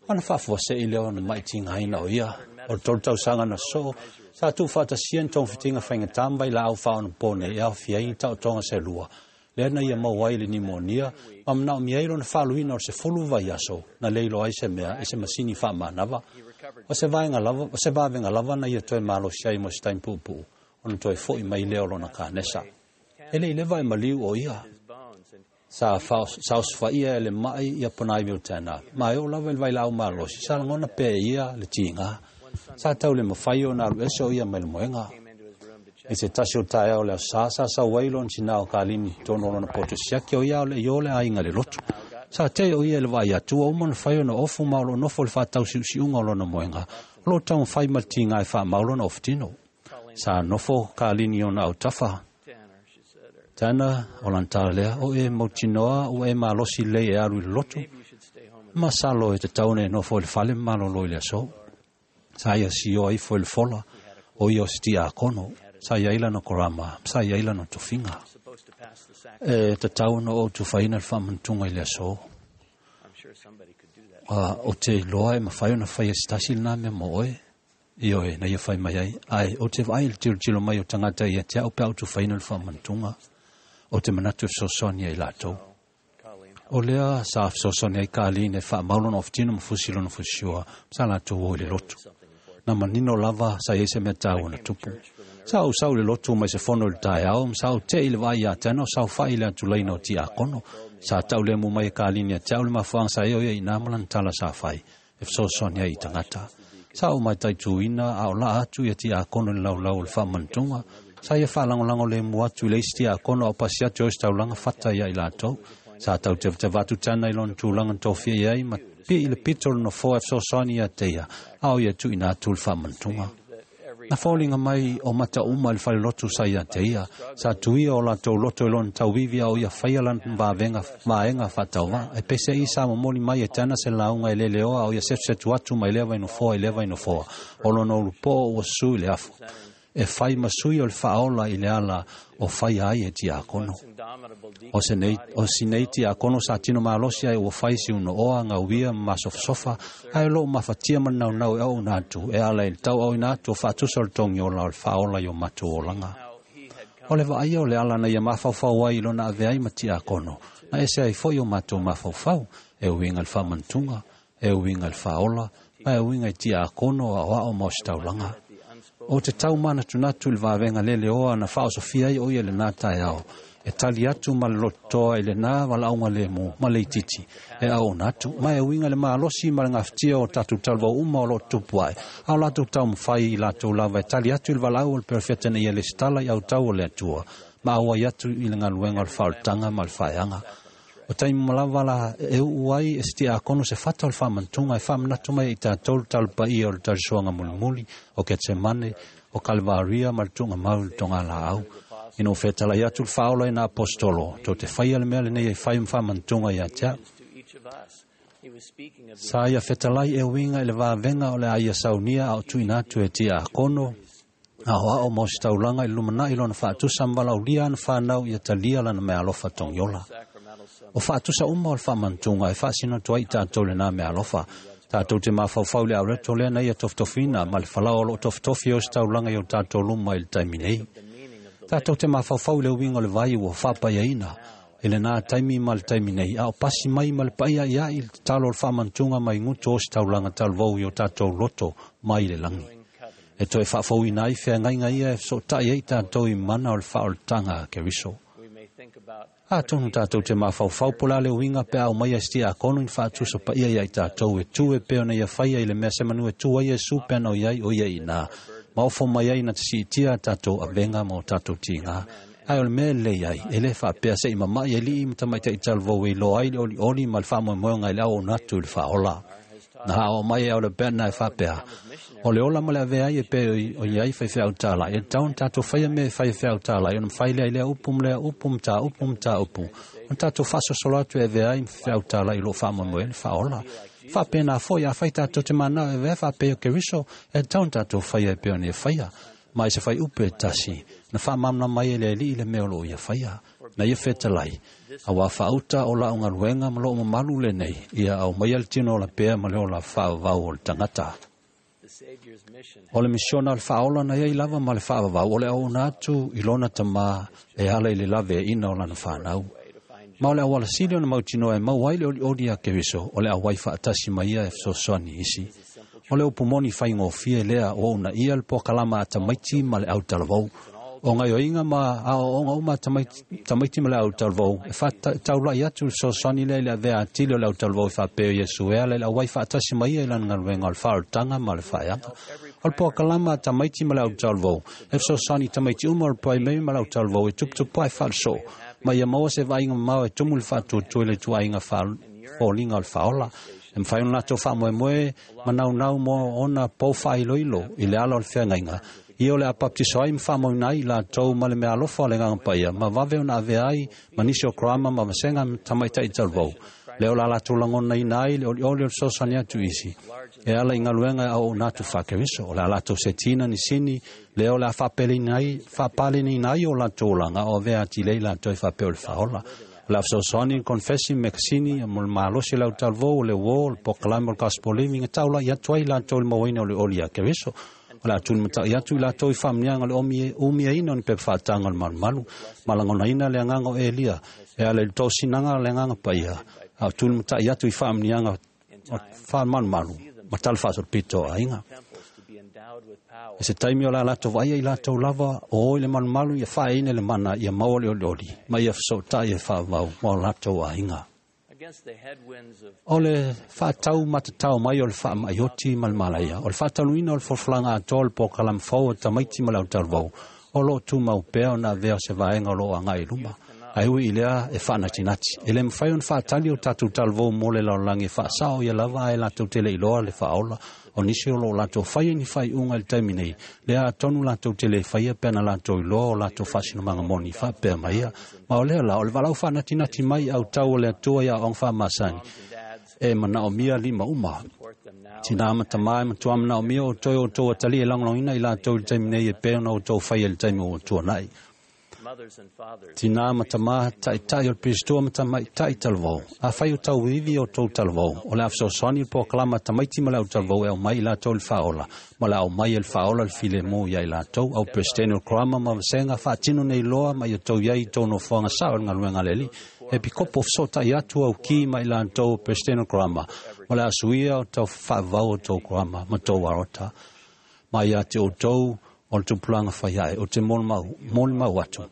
Ona faafuase'i lea ona maitigaina o ia. O le tolu tausaga na soo, sa tuufaatasia ni togafitiga faigatā ma vailaau faaonapo nei e aofia ai ni taotoga se lua. Lea na ia maua ai le nimonia, ma manaomia ai lona faaluina o le sefulu vaiaso, na le iloa ai se mea i se masini faamanava. O se vaega lava, o se vavega lava na ia toe malosi ai mo se taimi puupuu, ona toe fo'i mai lea o lona kanesa. E le i leva e maliu o ia. Sa sa osofaia e le ma'i ia ponaivi o Tana. Ma e oo lava i le vailaau malosi, sa lagona pea e ia le tiga. Sa tau le mafai ona alu ese o ia mai le moega. I se tasi o taeao o le aso Sā, sa sau ai lona tinā o Kalini tonu o lona poto siaki o ia o le i o le aiga i le lotu. Sa tea o ia i le vaai atu ua uma ona fai ona ofu ma o loo nofo i le faatausiusiuga o lona moega. O loo taumafai ma le tiga e faamau lona ofutino. Sa nofo Kalini i ona autafa. Tana, o lana tala lea, o e mautinoa ua e malosi lelei e alu i le lotu. Masalo e tatau ona e nofo i le fale ma malolo i le aso. Sa ia sioa ifo i le fola, o ia o se tiakono. Sa iai lana korama, sa iai lana tofiga. E tatau ona ou tufaina le faamanatuga i le aso. A, o te iloa e mafai ona faia se tasi lenā mea mo oe. Ioe, na ia fai mai ai. Ae, o te vaai i le tilotilo mai o tagata ia te au pe a ou tufaina le faamanatuga. O te manatu e fesoasoani ai latou. O lea sa fesoasoani ai Kalini e faamau lona ofutino ma fusi lona fusisiua, sa latou o i le lotu. Na manino lava sa iai se mea taua na tupu. Sa ou sau i le lotu mai se fono i le taeao, ma sa ou te'i i le vaai ia Tana o saofa'i i le atulaina o tiakono. Sa taulemu mai e Kalini ia te au le mafuaaga sa i ai o ia inā ma lana tala sa fai, e fesoasoani ai i tagata. Sa ou mataituina a o laa atu ia tiakono i le laulau o le faamanatuga. Sa ia faalagolago lemu atu i le isi tiakono a o pasi atu e ositaulaga fata ia i latou. Sa tautevateva atu Tana i lona tulaga na tofia i ai ma pi'i i le pito o le nofoa e fesoasoani ia te ia, a o ia tuuina atu le faamanatuga. Na foliga mai o mata uma i le falelotu sa ia te ia. Sa tuia o latou loto i lona tauivi a o ia faia lana vavega vaega faatauvaa. E pese'i sa momoli mai e Tana se lauga e leleoa a o ia setusetu atu mai lea vainofoa i lea vainofoa. O lona ulupoo ua susu i le afu. E fai ma sui o le faaola i le ala o faia ai e tiakono. O se nei, o si nei tiakono sa tino malosi ai ua fai si unooa, gauia ma masofasofa, ae o loo mafatia ma le naunau e auauna atu, e ala i le tauauina atu o faatusa o le togiola o le faaola i o matou olaga. O le vaaia o le ala na ia mafaufau ai i lona avea ai ma tiakono, na ese ai foi o matou mafaufau, e uiga i le faamanatuga, e uiga i le faaola, ma e uiga i tiakono, aoao ma ositaulaga. O te tau manatunatu i le vavega leleoa na faaosofia ai o ia i lenā taeao, e tali atu ma le lototoa i lenā valaauga lemu ma le itiiti e auauna atu, ma e uiga i le malosi ma le gafatia o tatou talavou uma o loo tutupu ae, a o latou taumafai i latou lava e tali atu i le valaau a le perofeta ina ia lesitala i autau o le Atua, ma auai atu i le galuega o le faaolataga ma le faeaga. O taimi uma lava la e uu ai e se tiakono se fata o le faamanatuga e faamanatu mai ai i tatou le talopaia o le talisoaga mulimuli, o Ketsemane, o Kalevaria ma le tuugamau i le togalaau. Ina ua fetalai atu le faaola i nā aposetolo, tou te faia le mea lenei e fai ma faamanatuga ia te au. Sa ia fetalai e uiga i le vavega o le a ia saunia a o tuuina atu e tiakono, aoao ma ositaulaga i le lumanai lona faatusa ma valaaulia ana fanau ia talia lana meaalofa togiola. O faatusa uma o le faamanatuga e faasino atu ai i tatou lenā meaalofa. Tatou te mafaufau i le aureto lea na ia tofitofiina ma le falao o loo tofitofi e ositaulaga i o tatou luma i le taimi nei. Tatou te mafaufau i le uiga o le vai ua faapaiaina i lenā taimi ma le taimi nei, a o pasi mai ma le pa'ia'ia'i le tatalo o le faamanatuga mai gutu o ositaulaga talavou i o tatou loto mai le lagi. E toe faafouina ai feagaiga ia e fesoota'i ai tatou i mana o le faaolataga a Keriso. Atonu tātou te mafaufau po la le uiga pe a aumai ai se tiakono i ni faatusa paia iā i tatou e tu e pei ona ia faia i le mea semanu e tu ai Iesu pe ana o i ai o ia iinā ma ofo mai ai na te siitia a tatou avega ma o tatou tigā. Ae o le mea e lelei ai, e lē faapea seʻi mamaʻi aliʻi ma tamaitaʻi talavou e iloa ai le olioli ma le faamoemoega i le auauna atu i le faaola. Na aoao mai e ao le Bednar e faapea, O le ola ma le avea ai e pei o i ai faifeau tālaʻi, e tatau ona tatou faia mea e fai e feau tālaʻi, ona mafai lea i lea upu ma lea upu ma tā upu ma tā upu, ona tatou faasolosolo atu e avea ai ma feau tālaʻi o lo o faamoemoe ai le faaola. Faapena foi, afai tatou te manao e avea faapei o Keriso, e tatau ona tatou faia e pei ona ia faia. Ma i se faiupu e tasi, na faamalamalama ai e le Alii le mea o lo o ia faia. Na ia fetalai, auā faauta o la'u galuega ma lo'u mamalu lenei, ia aumaia le tino ola pea ma le ola faavavau o le tagata. O le misiona o le faaola na iai lava ma le faavavau o le auauna atu i lona Tamā e ala i le laveaiina o lana fanau. Ma o le auala sili ona mautinoa e maua ai le olioli a Keriso o le auai faatasi ma ia e fesoasoani i isi. O le upu moni faigofie lea ua uunaia le pokalama a tamaiti ma le autalavou. O gaoioiga ma aoaoga uma a tamaiti ma le autalavou e faataulaʻi atu le fesoasoani lea i le avea atili o le autalavou e faapea o Iesu e ala i le auai faatasi ma ia i lana galuega o le faaolataga ma le faeaga. O le pokalama a tamaiti ma le autalavou e fesoasoani i tamaiti uma o le Primary ma le autalavou e tuputupu ae faalesoo ma ia maua se vaaiga mamao e tumu le faatuatua i le ituaiga foliga o le faaola. E mafai ona latou faamoemoe ma naunau mo ona pou faailoilo i le ala o le feagaiga, ia o le a baptiso ai ma faamauina ai i latou ma le meaalofa o le Agaga Paia, ma vave ona avea ai ma nisi o Karama ma vasega tamaitai talavou, lea o le a latou lagonaina ai le olioli o le fesoasoani atu i isi e ala i galuega e auauna atu faa-Keriso. O le a latou setiina ni sini, lea o le a faapaleniina ai o latou olaga o avea atili ai latou e faapea o le faaola. O le a fesoasoani le konefesi mekasini mo le malosi o le autalavou, o le uō, o le pokalame o le Gospel Living e taulaʻi atu ai latou i le mauaina o le oli a Keriso. O le a tulimataʻi atu i latou i faamanuiaga o le umiaina o ni pepa faataga o le malumalu, ma lagonaina le agaga o Elia e ala i le tosinaga o le Agaga Paia, a o tulimataʻi atu i faamanuiaga o faamalumalu ma tala faasolopito o aiga. I se taimi o le a latou vaaia i latou lava o o i le malumalu ia faaeaina i le mana ia maua le olioli ma ia fesootai e faavavau ma o latou aiga. O le faatau matatao mai o le faamaʻi oti ma le malaia, o le faataluina o le folafolaga atoa o le pokalama fou a tamaiti ma le autalavou, o lo o tumau pea ona avea o se vaega o lo o agai i luma. Ae ui i lea e faanatinati, e le mafai ona faatali o tatou talavou mo le lalolagi e faasao ia lava ae latou te le iloa le faaola o nisi o lo o latou faia ni faaiuga i le taimi nei, lea atonu latou te le faia pe ana latou iloa o latou faasinomaga moni faapea mai ia. Ma o lea la, o le valaau faanatinati mai autau o le Atua i aoaoga faamasani, e manaomia lima uma. Tinā ma tamā e matua manaomia outou e outou atalii e lagolagoina i latou i le taimi nei e pei ona outou faia i le taimi ua tuanai. Tinā ma tamā, taʻitaʻi o le Perisitoa ma tamaitai talavou. Afai o tauivi o tou talavou, o le a fesoasoani le pokalama a tamaiti ma le au talavou e aumai i latou i le faaola, ma le a aumai e le faaola le filemu ia i latou. Au Peresetene o le Karama ma Vasega, faatino nei loa ma ia outou i ai i tou nofoaga sao i le galuega a le Alii. E pikopo fesootai atu au ki ma i latou o Peresetene o le Karama, ma le a suia o tau faavavau o tou Karama ma tou arota. Ma ia te outou o le tupulaga fai ae, ou te molimau atu,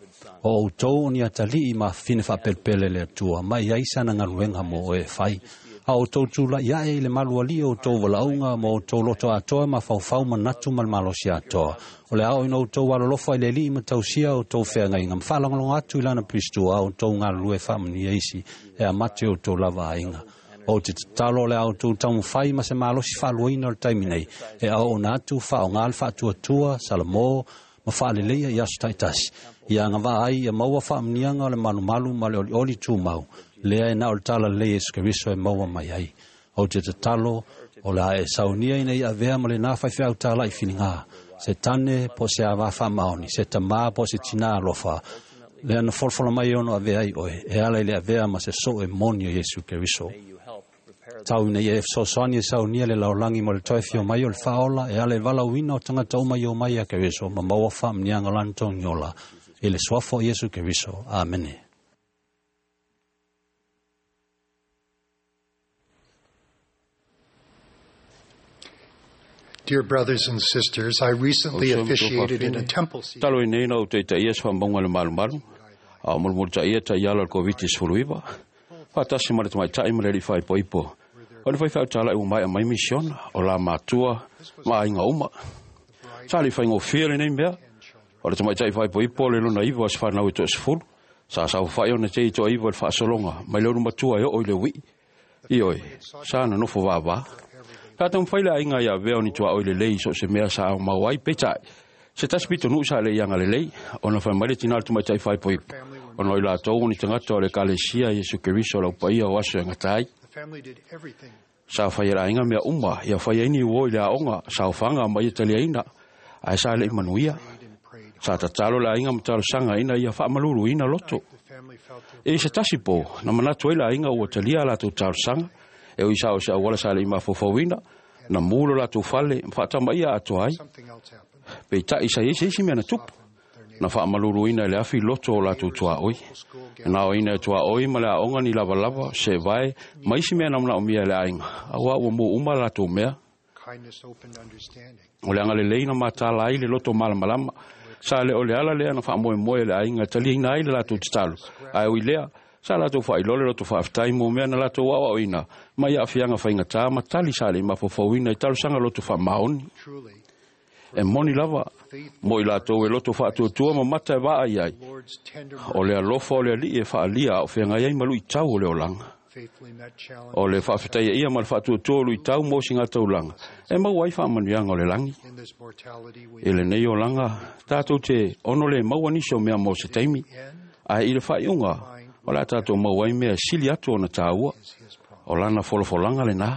o outou o ni atalii ma fafine faapelepele le Atua, ma e i ai sana galuega mo oe e fai. A outou tulaʻi ae i le malualii o outou valaauga ma outou loto atoa mafaufau manatu ma le malosi atoa, o le a oo ina outou alolofa i le Alii ma tausia outou feagaiga ma faalagolago atu i lana Pilistua a outou galulue faamanuia isi e amata i outou lava aiga. Ou te tatalo o le a outou taumafai ma se malosi faaluaina o le taimi nei, e auauna atu, faaaoga le faatuatua, salamo, ma faaleleia i aso taitasi, ia agavaa ai ia maua faamanuiaga o le malumalu ma le olioli tumau, lea e na o le talalelei Iesu Keriso e maua mai ai. Ou te tatalo o le a e saunia ina ia avea ma lenā faifeau tālaʻi filiga, se tane po o se avā faamaoni, se tamā po o se tinā alofa, lea na folafola mai e ono avea ai oe, e ala i le avea ma se soo e moni o Iesu Keriso. Tau ina ia e fesoasoani e saunia le lalolagi mo le toe afio mai o le faaola, e ala i le valaauina o tagata uma i omai ia Keriso ma maua faamanuiaga o lana togiola, i le suafa o Iesu Keriso. Amene. Dear brothers and sisters, I recently O se officiated in a fafine, temple season. Talu ai nei na ou taitaia se faamauga i le malumalu, A o mulimulitaia taiala o le Koviti sefuluiva, faatasi ma le tamaitai ma le alii faaipoipo. O le faifeau talai ua maea mai misiona, o la matua ma aiga uma. Sa le faigofie lenei mea, o le tamaitai faaipoipo le lona iva o se fanau e toasefulu. Sa saofai ona tei toaiva i le faasologa mai le ulumatua e oo i le uii. Ioe, sa nonofo vavā. Sa taumafai le aiga ia avea o ni tuaoi lelei so o se mea sa aumau ai, peitai, se tasi pitonuu sa le i agalelei, ona fai mai le tina o le tamaitai faaipoipo, ona o i latou o ni tagata o le Ekalesia Iesu Keriso o le aupaia o aso e gata ai. Sa fai e le aiga mea uma, ia fai ai ni uo i le aoga, saofaga ma ia taliaina, ae sa le i manuia. Sa tatalo le aiga ma talosaga ina ia faamaluluina loto. I se tasi po, na manatu ai le aiga ua talia a latou talosaga, e ui sa o se auala sa le i mafaufauina, na mu lo latou fale ma faatamaia atoa ai. Peitai sa i ai se isi mea na tupu, na faamaluluina e le afi loto o latou tuaoi. Na aoina e tuaoi ma le aoga ni lavalava, sevae, ma isi mea na manaomia e le aiga, auā ua mu uma a latou mea. O le agalelei na matala ai le loto malamalama, sa le o le ala lea na faamoemoe e le aiga e taliaina ai le latou tatalo, ae ui lea, sa latou faailoa le loto faafetai mo mea na latou aoaoina mai aafiaga faigata ma tali sa le i mafaufauina i talosaga loto faamaoni. E moni lava mo i latou e loto faatuatua ma mata e vaai ai, o le alofa o le Alii e faaalia a o feagai ai ma luitau o le olaga. O le faafetaia ia ma le faatuatua o luitau mo sigataulaga e maua ai faamanuiaga o le lagi. I lenei olaga, tatou te ono le maua nisi o mea mo se taimi, ae i le faaiuga, o le a tatou maua ai mea e sili atu ona taua, o lana folafolaga lenā.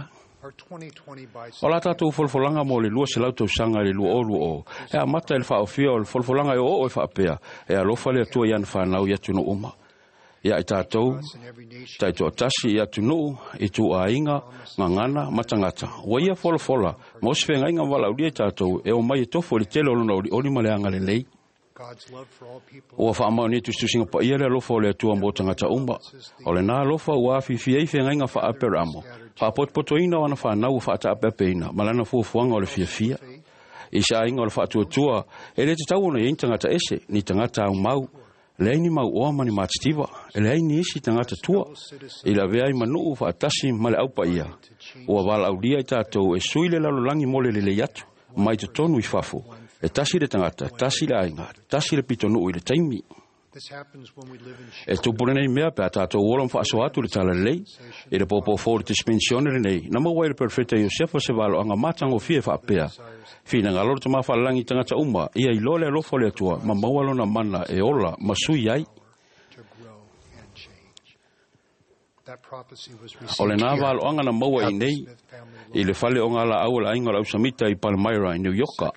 O la tatou folafolaga mo le lua selau tausaga i le lua o lua o, e amata i le faaofia o le folafolaga e o'oo'o e faapea, e alofa le Atua i ana fanau i atunuu uma. Ia i tatou, taitoatasi i atunuu, i tuaiga, gagana ma tagata. Ua ia folafola mo se feagaiga ma valaaulia i tatou e omai e tofo i le tele o lona olioli ma le agalelei. Ua faamaonia tusitusiga paia le alofa o le Atua mo tagata uma. O lenā alofa ua afifi ai feagaiga faa-Aperamo, faapotopotoina o ana fanau ua faataapeapeina ma lana fuafuaga o le fiafia. I se aiga o le faatuatua, e le tatau ona i ai ni tagata ese, ni tagata aumau, leai ni mauoa ma ni matitiva, e leai ni isi tagata tua, i lavea ai manuu faatasi ma le aupaia. Ua valaaulia i tatou e sui le lalolagi mo le lelei atu, mai totonu i fafo, e tasi le tagata, tasi le aiga, tasi le pitonuu i le taimi. E tupu lenei mea pe a tatou ola ma faasoa atu le talalelei. I le pōpō fou o le dispensione lenei, na maua ai le perofeta Iosefa se valoaga matagofie faapea. Finagalo le Tama Faalelagi i tagata uma, ia iloa le alofa o le Atua ma maua lona mana e ola ma sui ai. O lenā valoaga na maua i nei i le fale o galaau o le aiga o le Ausamita i Palmyra i New Yorka.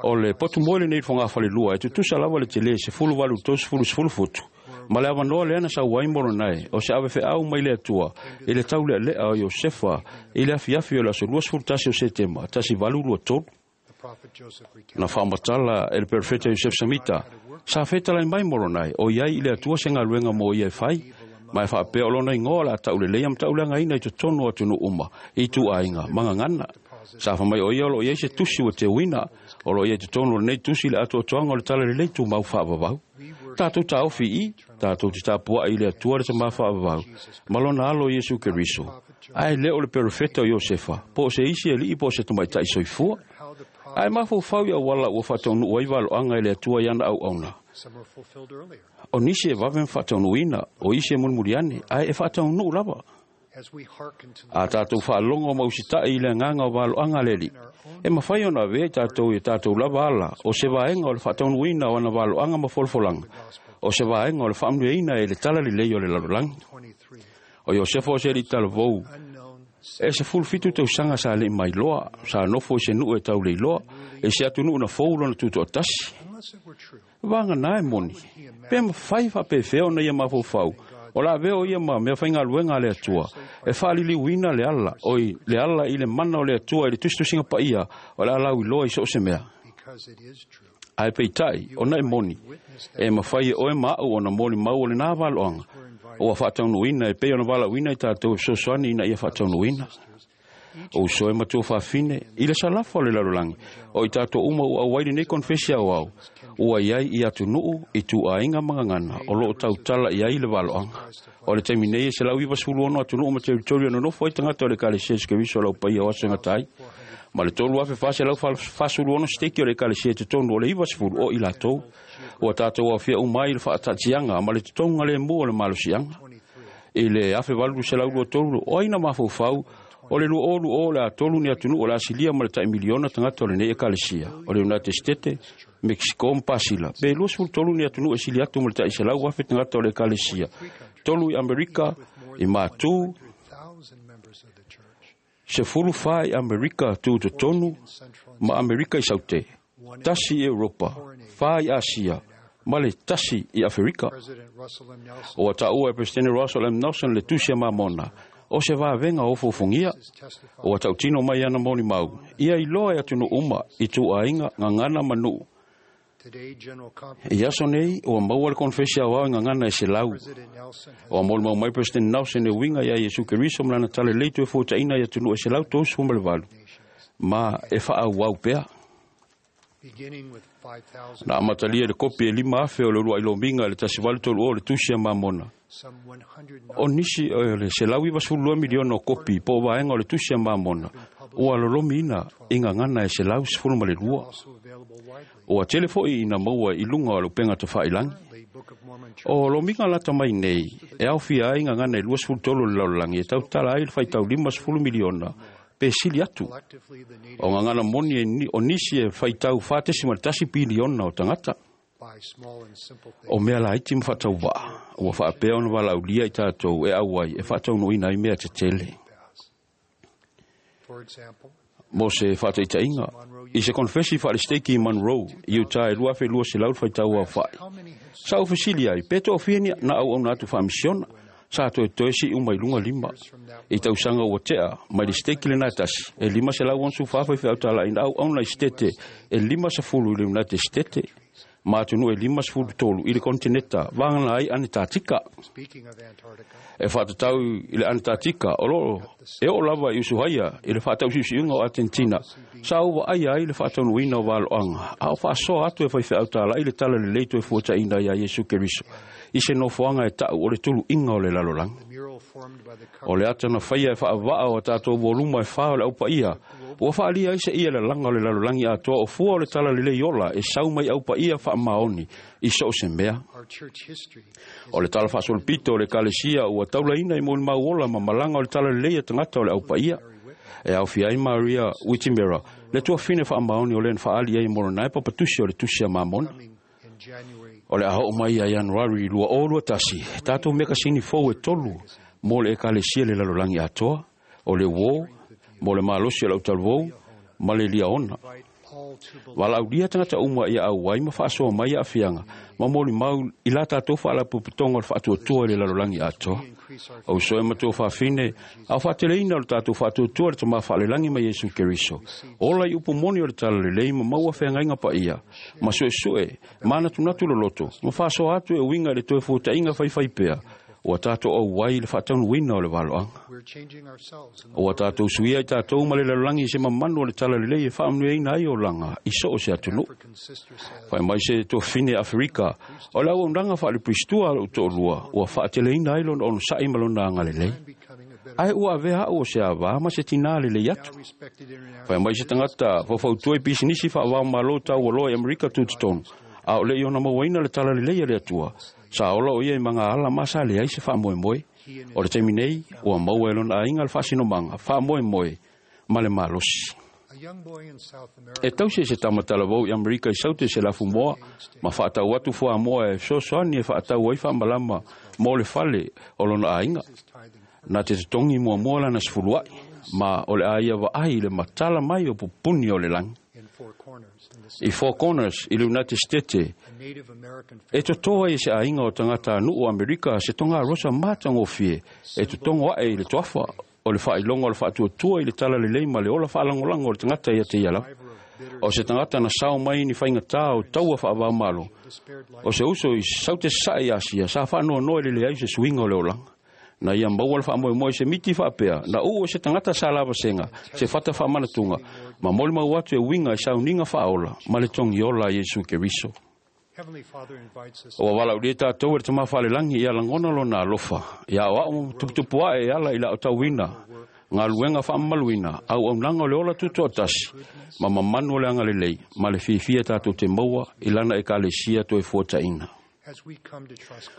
O le potu moe lenei i le fogafalelua e tutusa lava le telē sefulu valu tolusefulu sefulu futu, ma le avanoa lea na sau ai Moronae o se avefeau mai le Atua i le taulealea o Iosefa i le afiafi o le aso luasefulu tasi o Setema tasi valu lua tolu. Na faamatala e le perofeta Iosef Samita, sa fetalai mai Moronae o i ai i le Atua se galuega mo ia e fai, ma e faapea o lona igoa o le a tauleleia ma tauleagaina i totonu o atunuu uma, i ituaiga ma gagana. Sa fai mai o ia o loo i ai se tusi ua teuina, o loo i ai totonu o lenei tusi le atoatoaga o le talalelei tumau faavavau. Tatou taofi i i, tatou te tapuai i le Atua le Tama faavavau, ma lona alo Iesu Keriso. Ae le o le perofeta o Iosefa, po o se isi alii po o se tamaitai soifua. Ae mafaufau i auala ua faataunuu ai valoaga e le Atua i ana auauna. O nisi e vave ma faataunuuina, o isi e mulimuli ane, ae e faataunuu lava. A tatou faalogo ma usitai i le agaga o valoaga a le Alii, e mafai ona avea i tatou i a tatou lava ala o se vaega o le faataunuuina o ana valoaga ma folafolaga, o se vaega o le faamanuiaina e le talalelei o le lalolagi. O Iosefa o se alii talavou, e sefulu fitu tausaga sa le i mailoa, sa nofo i se nuu e tauleiloa, i se atunuu na fou lona tutoatasi. Vagana e moni, pe mafai faapefea ona ia mafaufau, o le a avea o ia ma mea faigaluega a le Atua, e faaliliuina le ala, oi le ala i le mana o le Atua i le tusitusiga paia o le a lauiloa i so o se mea. Ae peitai, ona e moni, e mafai e oe ma a'u ona molimau o lenā valoaga, ua faataunuuina e pei ona valaauina i tatou e fesoasoani ina ia faataunuuina. O uso e matua faafine i le salafa o le lalolagi o i tatou uma ua auai lenei konefesi aoao ua i ai i atunuu i tuaiga ma gagana o loo tautala i ai le valoaga. O le taimi nei e selau ivasefulu ono atunuu ma teritori o nonofo ai tagata o le Ekalesia Iesu Keriso o le aupaia o aso e gata ai ma le tolu afe faselau fasulu ono siteki o le Ekalesia i totonu o le ivasefulu o i latou. Ua tatou aofia uma ai i le faataatiaga ma le totoga lemu o le malosiaga. I le afe valu selau lua tolu o ai na mafaufau o le lua olu o le atolu ni atunuu o le asilia ma le tai miliona tagata o lenei Ekalesia o le United States, Mexico ma Pasila. Pe luasefulu tolu ni atunuu e sili atu ma le tai selau afe tagata o le Ekalesia. Tolu i Amerika i Matu, sefulu fa i Amerika tutotonu ma Amerika i Saute, tasi i Europa, fa i Asia, ma le tasi i Aferika. O taua e Presidente Russell M. Nelson le tusi a Mamona, o se vavenga o fofongia, o tautino mai ana moni mau, ia iloa e atunuu uma i tuaiga gagana ma nuu. I aso nei, ua maua le konefesi aoao i gagana e selau. Ua molimau mai President Nelson e uiga ia Iesu Keriso ma lana talalelei toe fuataʻina i atunuu e selau tolusefulu ma le valu, ma e faaauau pea. Na amatalia i le kopi e lima afe o le uluai lomiga i le tasi valu tolu o le tusi a Mamona. O nisi o le selau ivasefulu lua miliona o kopi po o vaega o le tusi a Mamona ua lolomiina i gagana e selau sefulu ma le lua. Ua tele foʻi ina maua i luga o le upega tafailagi. O lomiga lata mai nei e aofia ai gagana e luasefulu tolu o le lalolagi e tautala ai le faitau limasefulu miliona pe sili atu. O gagana moni o nisi e faitau fatesi ma le tasi piliona o tagata. O mea laiti ma faatauvaa ua faapea ona valaulia i tatou e auai e faataunuuina ai mea tetele. Mo se faataitaiga i se konefesi faalesiteiki i Monroe i Utah e lua afe lua selau le faitau aofaʻi, sa ou fesili ai pe toafia ni na auauna atu faamisiona sa toetoe siʻi uma i luga lima. I tausaga ua tea mai le siteki lena e tasi e lima selau onosefulu fa faifeau talaʻi na auauna i sitete e limasefulu i le United States ma atunuu e limasefulu tolu i le kontineta vagana ai Anetatika. E faatatau i le Anetatika o loo e oo lava i usuhaia i le faatausiusiuga o Atentina sa ou vaaia ai le faataunuuina o valoaga a o faasoa atu e faifeau talaʻi le talalelei toe fuataʻina iā Iesu Keriso i se nofoaga e taʻu o le tuluʻiga o le lalolagi. O le ata na faia e faavaa o tatou voluma e fa o le aupaia ua faalia ai se ia le laga o le lalolagi atoa o fua o le talalelei ola e sau mai aupaia faamaoni i so o se mea. O le tala faasolopito o le Ekalesia ua taulaina i molimau ola ma malaga o le talalelei a tagata o le aupaia. E aofia ai Maria Witimera, le tuafine faamaoni o le na faaali ai molonae papatusi o le tusi a Mamona. O le a oo mai ia Ianuari lua o lua tasi, tatou mekasini fou e tolu mo le Ekalesia le lalolagi atoa, o le Uō, mo le malosi o le autalavou, ma le Liaona. Valaaulia tagata uma ia auai ma faasoa mai aafiaga ma molimau i la tatou faalapotopotoga o le faatuatua i le lalolagi atoa. O uso e matua faafine, a o faateleina o le tatou faatuatua i le Tamā faalelagi ma Iesu Keriso. Ola i upu moni o le talalelei ma maua feagaiga paia, ma suesue, ma anatunatu loloto, ma faasoa atu e uiga i le toe fuataʻiga faifai pea, ua tatou auai i le faataunuuina o le valoaga. Ua tatou suia i tatou ma le lalolagi i se mamanu o le talalelei e faamanuiaina ai olaga i so o se atunuu. Fai mai se tuafine Aferika, o le auaunaga faalepuisitua a lou toalua ua faateleina ai lona onosaʻi ma lona agalelei. Ae ua avea aʻu o se avā ma se tinā lelei atu. Fai mai se tagata faufautua i pisinisi faavaomalo taualoa i Amerika tutotonu, a o leʻi ona mauaina le talalelei a le Atua, sa ola o ia i magaala ma sa leai se faamoemoe. O le taimi nei, ua maua e lona aiga le faasinomaga, faamoemoe ma le malosi. E tausi e se tamatalavou i Amerika i Saute se lafumoa, ma faatau atu fuamoa e fesoasoani e faatau ai faamalama mo le fale o lona aiga. Na te totogi muamua lana sefuluaʻi, ma o le a ia vaai i le matala mai o pupuni o le lagi. I Four Corners i le United States, e totoa ai se aiga o tagata anuʻu o Amerika se togarosa matagofie e totogo aʻe i le toafa o le faailoga o le faatuatua i le talalelei ma le ola faalagolago o le tagata ia te ia lava. O se tagata na sao mai ni faigatā o taua faavaomalo, o se uso i Saute sasaʻe i Asia sa faanoanoa i le leai o se suiga o le olaga. Na ia maua le faamoemoe se miti faapea, na uu e se tagata sa lavasega, se fata faamanatuga, ma molimau atu e uiga i sauniga faaola, ma le togiola a Iesu Keriso. Ua valaaulia tatou e le Tama Faalelagi ia lagona lona alofa, ia aoao tuputupu ae e ala i le aotauina, galuega faamamaluina, auaunaga o le ola tutoatasi, ma mamanu o le agalelei, ma le fiafia tatou te maua i lana ekalesia toe fuataina.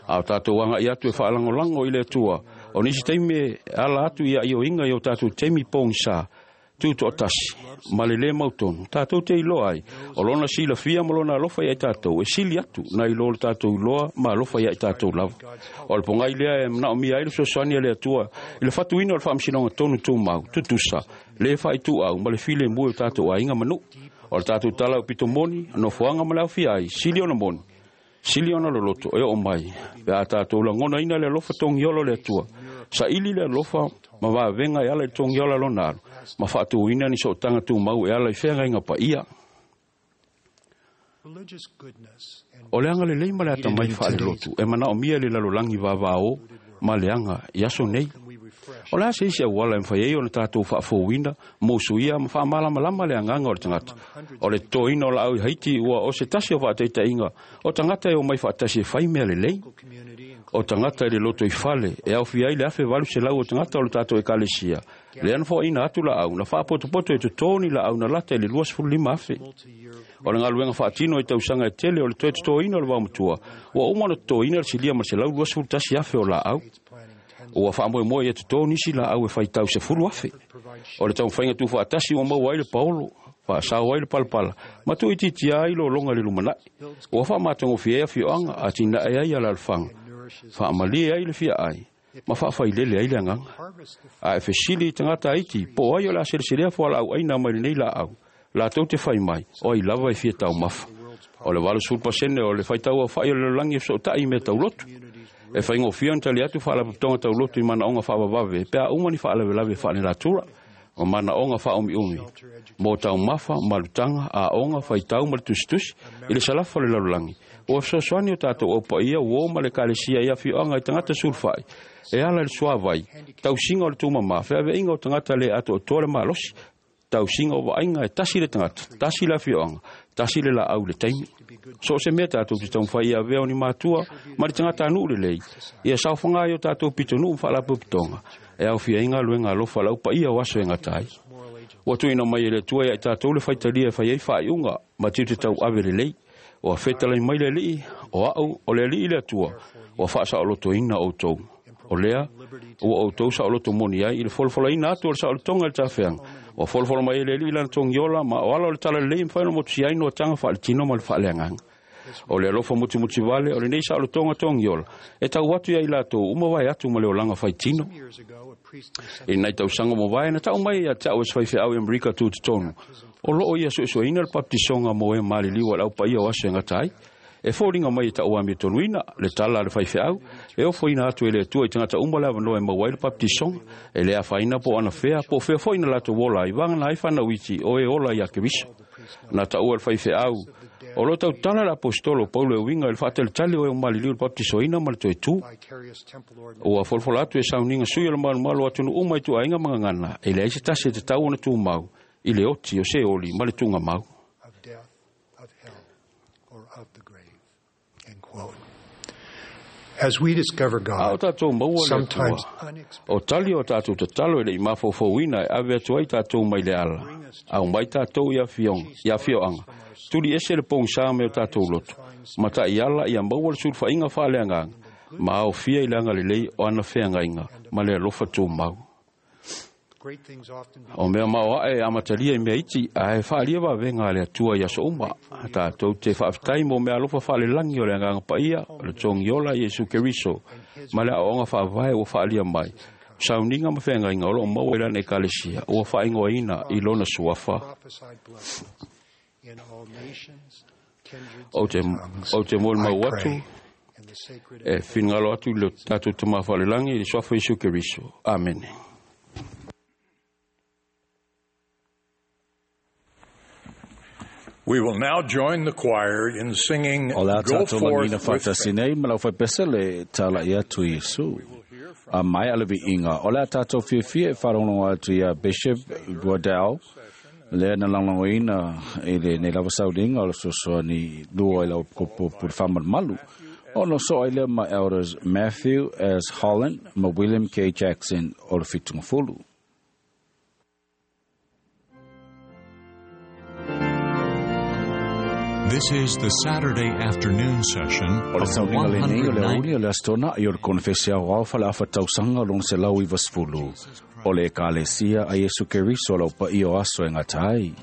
A o tatou agai atu e faalagolago i le Atua, o nisi taimi e ala atu ia ioiga i o tatou taimi pogisa, tutoatasi, ma le lē mautonu, tatou te iloa ai, o lona silafia ma lona alofa ia i tatou, e sili atu na i lo le tatou iloa ma alofa ia i tatou lava. O le pogai lea e manaomia ai le fesoasoani a le Atua i le fatuina o le faamasinoga tonu tumau, tutusa, lē faaituau ma le filemu e o tatou aiga ma nuu. O le tatou tala o pito moni, nofoaga ma le aofia ai, sili ona moni, sili ona loloto e oo mai, pe a tatou lagonaina le alofa togiola o le Atua, saili le alofa ma vavega e ala i le togiola lona alu, ma faatuina ni sootaga tumau e ala i feagaiga paia. O le agalelei ma le atamai faalelotu e manaomia i le lalolagi vavao ma le aga i aso nei. O le a se isi auala e mafai ai ona tatou faafouina, mousuia ma faamalamalama le agaga o le tagata. O le totoina o laau i Haiti ua o se tasi o faataitaiga o tagata e omai faatasi e fai mea lelei. O tagata i le loto i fale e aofia ai le afe valu selau o tagata o le tatou ekalesia. Lea na foaina atu laau na faapotopoto e totoni laau na lata i le luasefulu lima afe. O le galuega faatino i tausaga e tele o le toe totoina o le vaomatua, ua uma ona totoina le silia ma le selau luasefulu tasi afe o laau. Ua faamoemoe ia totō nisi laau e faitau sefulu afe. O le taumafaiga tuufaatasi ua maua ai le paolo, faasao ai le palapala, ma tuuitiitia ai lologa i le lumanai. Ua faamatagofie ai afioaga, atinae ai alalafaga, faamalie ai le fiaai, ma faafailele ai le agaga. A e fesili i tagata Haiti, po o ai o le a seleselea fualaau aina mai lenei laau, latou te fai mai, o ai lava e fia taumafa. O le valusefulu pasene o le faitau aofai o le lalolagi e fesootai i mea taulotu. E faigofie ona tali atu faalapotopotoga taulotu i manaoga faavavave, pe a uma ni faalavelave faalenatura, o manaoga faaumiumi, mo taumafa, malutaga, aoga, faitau ma le tusitusi, i le salafa o le lalolagi. Ua fesoasoani o tatou aupaia uo ma le ekalesia i afioaga i tagata sulufai, e ala i le suavai, tausiga o le tumama, feaveaiga o tagata le atoatoa le malosi, tausiga o vaaiga e tasi le tagata, tasi le afioaga, tasi le laau i le taimi. So o se mea tatou te taumafai ia avea o ni matua ma le tagatanuu lelei, ia saofaga ai o tatou pitonuu ma faalapotopotoga, e aofia ai galuega alofa a le aupaia o aso e gata ai. Ua tuuina mai e le Atua ia i tatou le faitalia e fai ai faaiuga ma tiute tauave lelei. Ua fetalai mai le Alii, o au o le Alii le Atua, ua faasaolotoina outou. O lea, ua outou saoloto moni ai i le folafolaina atu o le saolotoga i le tafeaga. Ua folafola mai e le Alii lana togiola ma o ala o le talalelei e mafai ona motusia ai noataga faaletino ma le faaleagaga. O le alofa mutimutivale o lenei saolotoga togiola e tau atu ia i latou uma vae atu ma le olaga faitino. I nai tausaga mavae na tau mai ia te au e se faifeau i Amerika tutotonu, o loo ia suesueina le baptisoga mo e maliliu a le aupaia o aso e gata ai. E foliga mai e taua amiatonuina le tala a le faifeau, e ofoina atu e le Atua i tagata uma le avanoa e maua ai le baptisoga, e le afaina po o anafea, po o fea foi na latou ola ai, vagana ai fanau iti o e ola ia Keriso. Na taua e le faifeau, o lo tautala le apostolo Paulo e uiga i le faatalitali o e maliliu i le baptisoina ma le toe tu. Ua folafola atu e sauniga sui o le malomalo o atunuu uma i tuaiga ma gagana, e leai se tasi e tatau ona tumau i le oti o se oli ma le tugamau. As we discover A o God, tatou maua le sometimes Atua, o tali o tatou tatalo e le i mafaufauina e ave atu ai tatou mai le ala, au mai tatou i afioga, i afioaga, tuli ese le pogisa me o tatou loto, ma taiala ia maua le sulufaiga faaleagaga, ma aofia i le agalelei o ana feagaiga ma le alofa tumau. great things often O mea maoae e amatalia i mea iti, ae faalia vavega a le Atua i aso uma. Tatou te faafetai mo mea alofa faalelagi o le agaga paia, o le togiola Iesu Keriso, ma le aoaoga faavae ua faalia mai. Sauniga ma feagaiga o loo maua i lana ekalesia, ua faaigoaina i lona suafa. prophesied blessings in all nations, kindreds, Ou te, and tongues. ou te I molimau atu, pray in the sacred e finagalo atu i le tatou Tama Faalelagi i le suafa Iesu Keriso. Amene. We will now join the choir in singing O le a Go tatou Forth lagina with Faith. faatasi nei ma lau faipese le tala i atu Iesu. A mai ala viiga o le a tatou fiafia e faalogologo atu ia Bishop Waddell lea na lagolagoina i lenei lava sauliga o le fesoasoani lua i lau kopo pule faamalumalu ona soa ai lea ma Elders Matthew S. Holland ma William K. Jackson o le Fitugafulu. This is the Saturday afternoon session O le of the sauliga lenei o le one hundred auli o le Aso Toonai o le konefesi aoao faleafatausaga lona selau ivasefulu o le Ekalesia a Iesu Keriso o lau paia o aso e gata ai.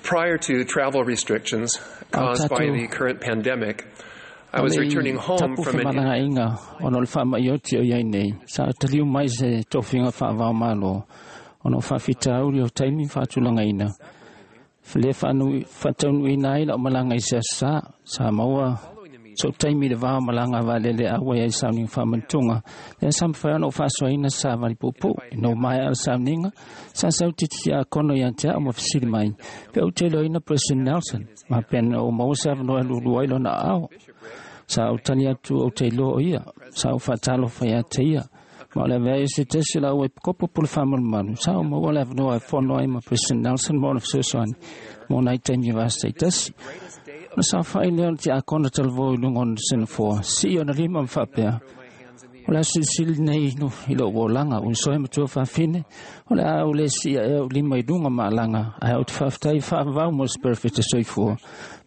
Prior to travel restrictions caused by the current pandemic, I was returning home from an malangaiga ona o le faamaʻioti o iai nei sa taliu mai se tofiga faavaomalo ona o faafitauli o taimi faatulagaina le faataunuuina ai la'u malaga i se aso sa sa maua so'u taimi i le va o malaga valele auai ai sauniga faamanatuga lea sa mafai ona ou faasoaina sa vali puupuu ina ua maea le sauniga sa sau titiakono ia te a'u ma fesili mai pe ou te iloaina President Nelson ma pena ou maua se avanoa e lulua ai lona aao sa ou tali atu ou te iloa o ia sa ou faatalofa ia te ia ma o le avea i se tasi lau e kopo pule faamalumalu sa ou maua le avanoa e fono ai ma President Nelson ma ona fesoasoani mo nai taimi vasa tasi na sa fa'i lea o le tiakona talavou i luga o na senafoa si'i ona lima ma faapea o le aso silisili nei i lo'u olaga uisoe matua faafine o le a ou lē si'i a'e ou lima i luga ma alaga ae ou te faafetai faavavau mo le perofeta soifua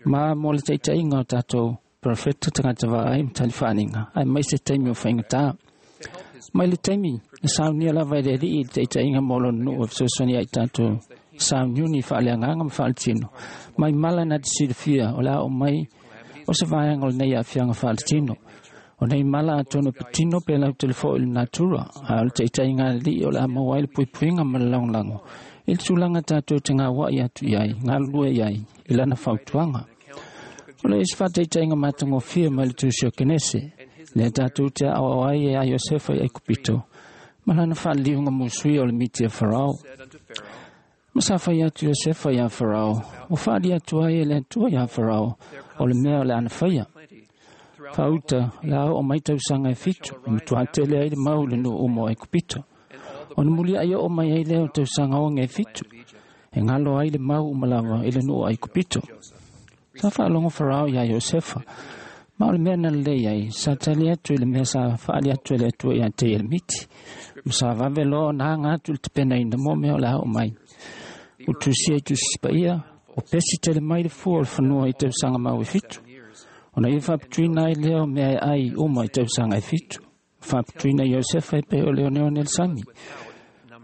ma mo le taʻitaʻiga o tatou perofeta tagata vaai ma talifaaniga ae mai se taimi o faigatā mai le taimi na saunia lava e le ali'i i le taʻitaʻiga mo lona nuu e fesoasoani ai tatou sauniuni faaleagaga ma faaletino mai mala na te silafia o le a oo mai o se vaega o lenei aafiaga faaletino o nei mala atonu e patino pe lau telefoʻi i le natura a o le taʻitaʻiga alii o le a maua ai le puipuiga ma le lagolago i le tulaga tatou te gauaʻi atu i ai galulue i ai i lana fautuaga o le isi faataʻitaʻiga matagofie mai le tusi o Kenese lea tatou te aʻoaʻo ai e a Iosefa i Aikupito ma lana faaliliuga musui o le miti a Farao ma sa fai atu Iosefa iā Farao ua faali atu ai e le Atua iā Farao o le mea o le ana faia Faauta la o mai tausaga e fitu, e matua tele ai le mau le nuu uma o Aikupito. Ona muliai oo mai ai lea o tausaga oge e fitu, e galo ai le mau uma lava i le nuu o Aikupito. Sa faalogo Farao iā Iosefa, ma o le mea na lelei ai, sa tali atu i le mea sa faali atu e le Atua ia te ia le miti, ma sa vave loa ona aga atu i le tapenaina mo mea o le a oo mai. Ua tusia i Tusi Paia, o pesi tele mai le fua o le fanua i tausaga mau e fitu. Ona ia faaputuina ai lea o mea e ai uma i tausaga e fitu. Faaputuina Iosefa e pei o le oneone le sami.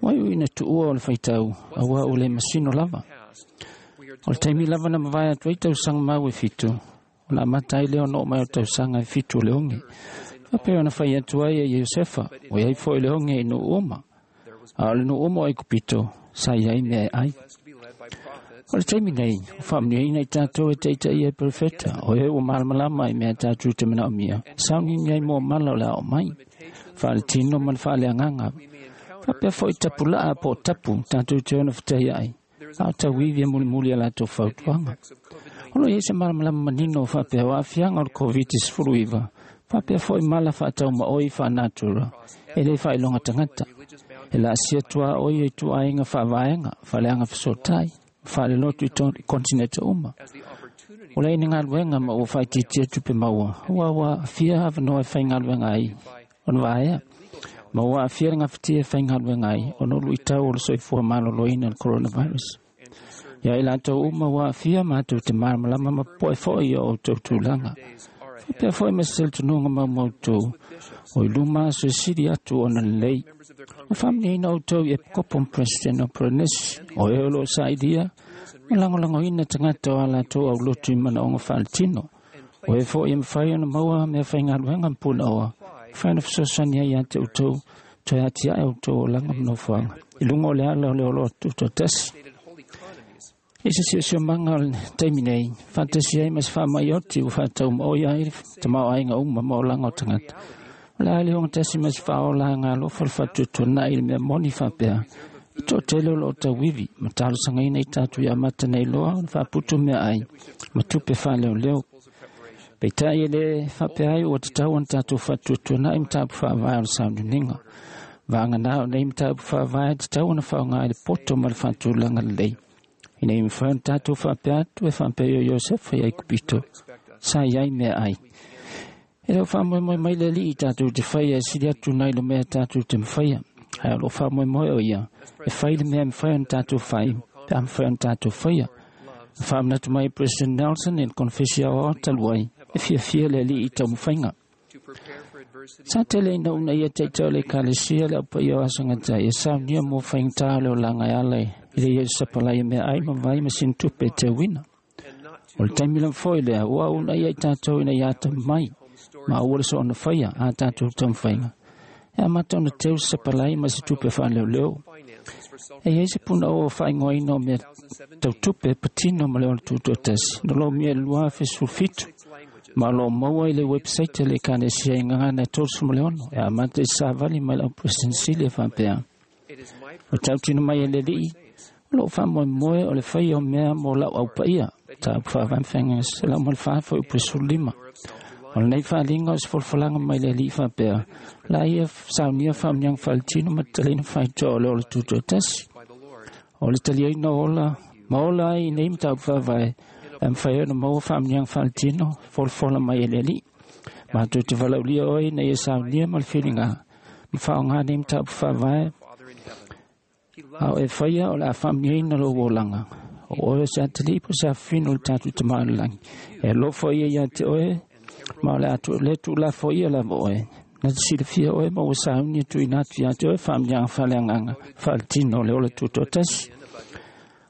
Ua iu ina tuua o le faitau, auā ua le masino lava. O le taimi lava na mavae atu ai tausaga mau e fitu, ona amata ai lea ona oo mai o tausaga e fitu o le oge. Faapea ona fai atu ai e Iosefa, ua iai foi le oge i nuu uma. A o le nuu uma o Aikupito, sa iai mea e ai. O le taimi nei, ua faamanuiaina i tatou e taitaia e perofeta, o e ua malamalama i mea tatou te manaomia, sauniuni ai mo mala o le a oo mai, faaletino ma le faaleagaga. Faapea foi tapulaa po o tapu tatou te ono fetaiai, a o tauivi e mulimuli a latou fautuaga. O lo o i ai se malamalama manino faapea o aafiaga o le COVID sefuluiva, faapea foi mala faataumaoi faanatura, e le faailoga tagata. E laasia tuaoi e ituaiga faavaega, faaleaga fesootai, faalelotu i kontinete uma. O le ai ni galuega ma ua faaitiitia tupe maua, ua ua aafia avanoa e faigaluega ai ona vaea, ma ua aafia le gafatia e faigaluega ai ona o luitau o le soifua maloloina o le coronavirus. Ia i latou uma ua aafia matou te malamalama ma popoe foi i o outou tulaga. Faapea foi ma se talitonuga maumautu, o i luma aso e sili atu ona lelei. Ua faamanuiaina outou i Epikopo ma Peresetene o Polenesi, o e o loo sailia ma lagolagoina tagata o a latou aulotu i manaoga faaletino. O e foi e mafai ona maua mea faigaluega ma punaoa, mafai ona fesoasoani ai ia te outou, toe atiae outou olaga ma nofoaga, i luga o le ala o le oloa tutoatasi. I se siosiomaga o le taimi nei, faatasi ai ma se faamai oti ua faataumaoi ai le tamaoaiga uma ma olaga o tagata. O le a le ogatasi ma se faaola agalofa le faatuatuanai i le mea moni faapea, e toatele o loo tauivi ma talosagaina i tatou ia amata nei loa ona faaputu meaai ma tupe faaleoleo. Peitai e le faapea ai ua tatau ona tatou faatuatuanai mataupu faavae o le sauniuniga. Vagana o nei mataupu faavae tatau ona faaaoga i le poto ma le faatulaga lelei. Ina ia mafai ona tatou faapea atu e faapea o Iosefa i Aikupito, sa iai meaai. E le o faamoemoe mai le Alii tatou te faia e sili atu nai lo mea tatou te mafaia. Ae o loo faamoemoe o ia e fai le mea e mafai ona tatou fai, pe a mafai ona tatou faia. Na faamanatu mai President Nelson i le konefesi aoao talu ai, e fiafia le Alii i taumafaiga. Sa tele ina una ia taitau o le Ekalesia le aupaia o aso gatai e saunia mo faigata o le olaga e ala i le ia sapalai meaai ma vai ma sina tupe e teuina. O le taimi lava foi lea, ua una ia i tatou ina ia atamamai, ma aua le soona faia a tatou taumafaiga. E amata ona teu se sapalai ma se tupe faaleoleo. E iai se punaoa o faaigoaina o mea tautupe patino ma le ola tutoatasi, na lomia i le lua afe sefulu fitu, ma o loo maua i le website a le Ekalesia i Gagana e tolusefulu ma le ono, e amata i savali mai lau President Sili e faapea. O tautino mai e le Alii, o loo faamoemoe o le faia o mea mo lau aupaia, mataupu faavae ma feagaiga selau ma le fa foi upu e sefulu lima. O lenei faaliga o se folafolaga mai le Alii faapea, la ia saunia faamanuiaga faaletino ma tatalaina faitoa o le ola tutoatasi. O le taliaina o ola ma ola ai i nei mataupu faavae, e mafai ona maua faamanuiaga faaletino folafola mai e le Alii. Matou te valaulia oe ina ia saunia ma le filiga ma faaaoga nei mataupu faavae, a o e faia o le a faamanuiaina lou olaga. O oe o se atalii po o se afafine o le tatou Tama o le lagi. E alofa ia ia te oe, ma o le a le tuulafo ia lava oe. Na te silafia oe ma ua sauni e tuuina atu ia te oe faamanuiaga faaleagaga faaletino o le ola tutoatasi.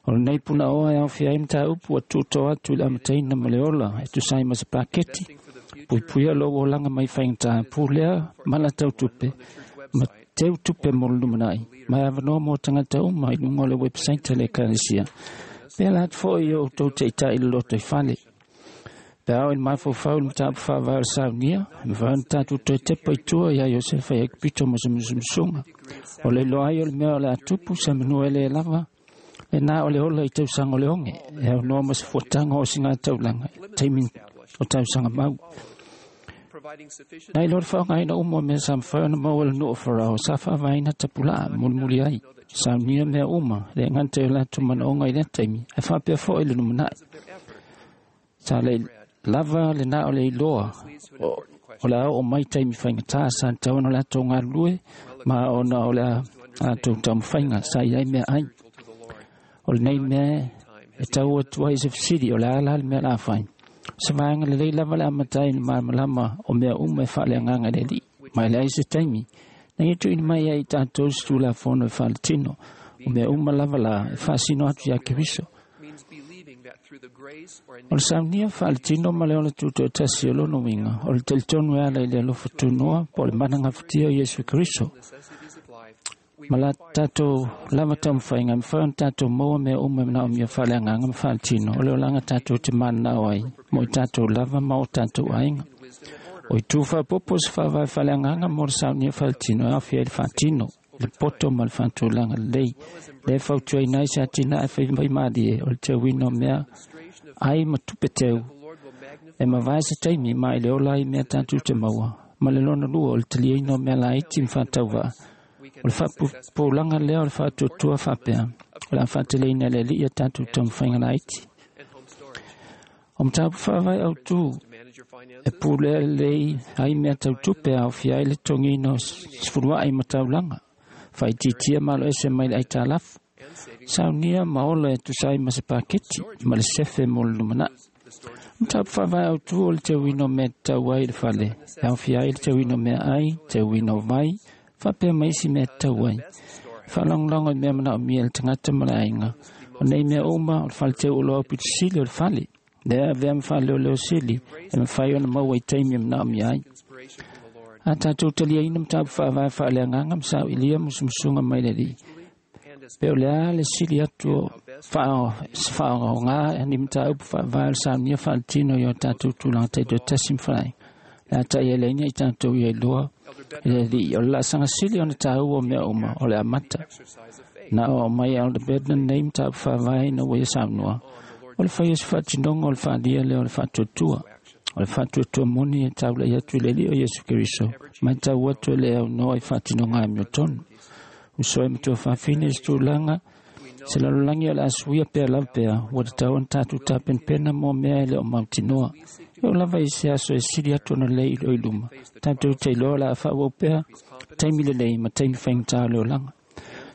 O lenei punaoa e aofia ai mataupu ua tuuto atu i le amataina ma le ola e tusa ai ma se paketi. Puipuia lou olaga mai faigata pulea mala tautupe ma teu tupe mo le lumanai. Ma e avanoa mo tagata uma i luga o le website a le Ekalesia. Pe ala atu foi i o outou taitai i le lotoifale. Pe ao i le mafaufau i le mataupu faavae o le saunia, e mafai ona tatou toe tepa i tua ia Iosefa i Aikupito ma se musumusuga. O le iloa ai o le mea o le a tupu se manua e le lava, lena o le ola i tausaga o le oge, e aunoa ma se fuataga o siga taulaga, taimi o tausaga mau. Nai lo le faaaogaina uma o mea sa mafai ona maua e le nuu o Farao sa faavaeina tapulaa mulimuli ai. Saunia mea uma, le gata i o latou manaoga i lea taimi, ae faapea foi le lumanai. Sa le lava lena o le iloa o, o le a oo mai taimi faigata sa tatau ona latou galulue ma ona o le a latou taumafaiga sa i ai mea ai. O lenei mea e tau atu ai se fesili o le a la le mea la fai. Se vaega lelei lava le amata ai i le malamalama o mea uma e faaleagaga i le Alii. Ma e leai se taimi na ia tuuina mai ai i tatou se Tulafono e faaletino o mea uma lava la e faasino atu iā Keriso. O le saunia faaletino ma le ola tutoatasi o lona uiga o le talitonu e ala i le alofa tunoa po o le mana gafatia o Iesu Keriso. Ma la tatou lava taumafaiga e mafai ona tatou maua mea uma e manaomia faaleagaga ma faaletino o le olaga tatou te mananao ai mo i tatou lava ma o tatou aiga. O itu faapopo se faavae faaleagaga mo le saunia faaletino e aofia ai le faatino, le poto ma le faatulaga lelei. Lea e fautuaina ai se atinae faimaimalie o le teuina o mea ai ma tupe teu e mavae se taimi ma i le ola ai mea tatou te maua. Ma le lona lua o le taliaina o mea laiti ma faatauvaa. O le faapupulaga lea o le faatuatua faapea o le a faateleina e le Alii a tatou taumafaiga laiti. O mataupu faavae autū e pulea lelei ai mea tau tupe a aofia ai le totogiina o sefuluai ma taulaga, faaitiitia maloese mai le aitalafu, saunia ma ola e tusa ai ma se paketi ma le sefe mo le lumanai. O mataupu faavae autū o le teuina o mea tatau ai i le fale, e aofia ai le teuina o meaai, teuina o vai, faapea ma isi mea tatau ai. Faalagolago i mea manaomia e le tagata ma le aiga. O nei mea uma o le fale teu oloa aupito sili o le fale. Lea avea ma faaleoleo sili e mafai ona maua i taimi e manaomia ai. A tatou taliaina mataupu faavae faaleagaga ma sauilia musumusuga mai le Alii. Pe o le a le sili atu o se faaaoga ni mataupu faavae o le saunia faaletino i o tatou tulaga taitoatasi ma faleaiga. Le a ta'ialaina i tatou ia iloa e le Alii o le laasaga sili ona taua o mea uma o le amata. Na o aumai e Elder Bednar nei mataupu faavae ina ua ia saunoa. O le fai o se faatinoga o le faalia lea o le faatuatua. O le faatuatua moni e taulai atu i le Alii o Iesu Keriso, mai tau atu e le aunoa i faatinoga amiotonu. Uso e matua faafine i se tulaga, se lalolagi o le a suia pea lava pea, ua tatau ona tatou tapenapena mo mea e le o mautinoa. E oo lava i se aso e sili atu ona lelei i lo i luma. Tatou te iloa o le a faaauau pea taimi lelei ma taimi faigata o le olaga.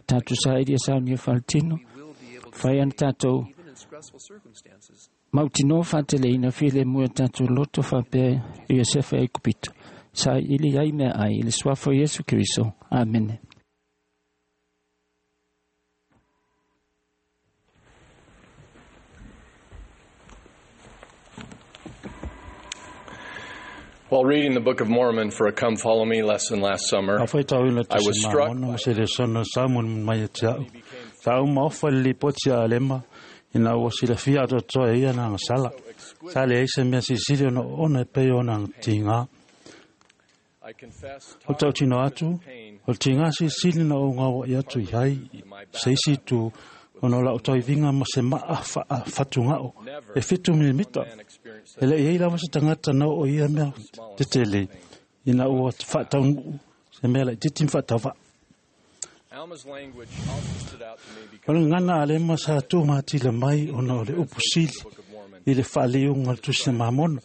Tatou saili e saunia faaletino, fai ana tatou mautinoa faateleina filemu e tatou loto faapea i Iosefa e Aikupito. Saili ai mea ai i le suafa o Iesu Keriso. Amene. While reading the Book of Mormon for a Come Follow Me lesson last summer, A faitau i le I was tusi struck Mamona ma se lesona sa mulimuli mai ia te a'u. Sa au maofa i le lipoti a Alema ina ua silafia atoatoa e ia na agasala. Sa leai se mea silisili ona oona e pei ona tigā. I confess O le tautino atu, o le tigā silisili na ou gaua'i atu i ai se isi itu ona o la'u tauiviga ma se ma'a fa'afatuga'o e fitu milimita. E le'i ai lava se tagata na oo i ia mea tetele ina ua fa'ataunu'u se mea la'itiiti ma fa'atauva'a. Alma's language also stood out to me O because le gagana a Alema sa tumatila mai ona o le upu sili i le fa'aliuga o le tusi a Mamona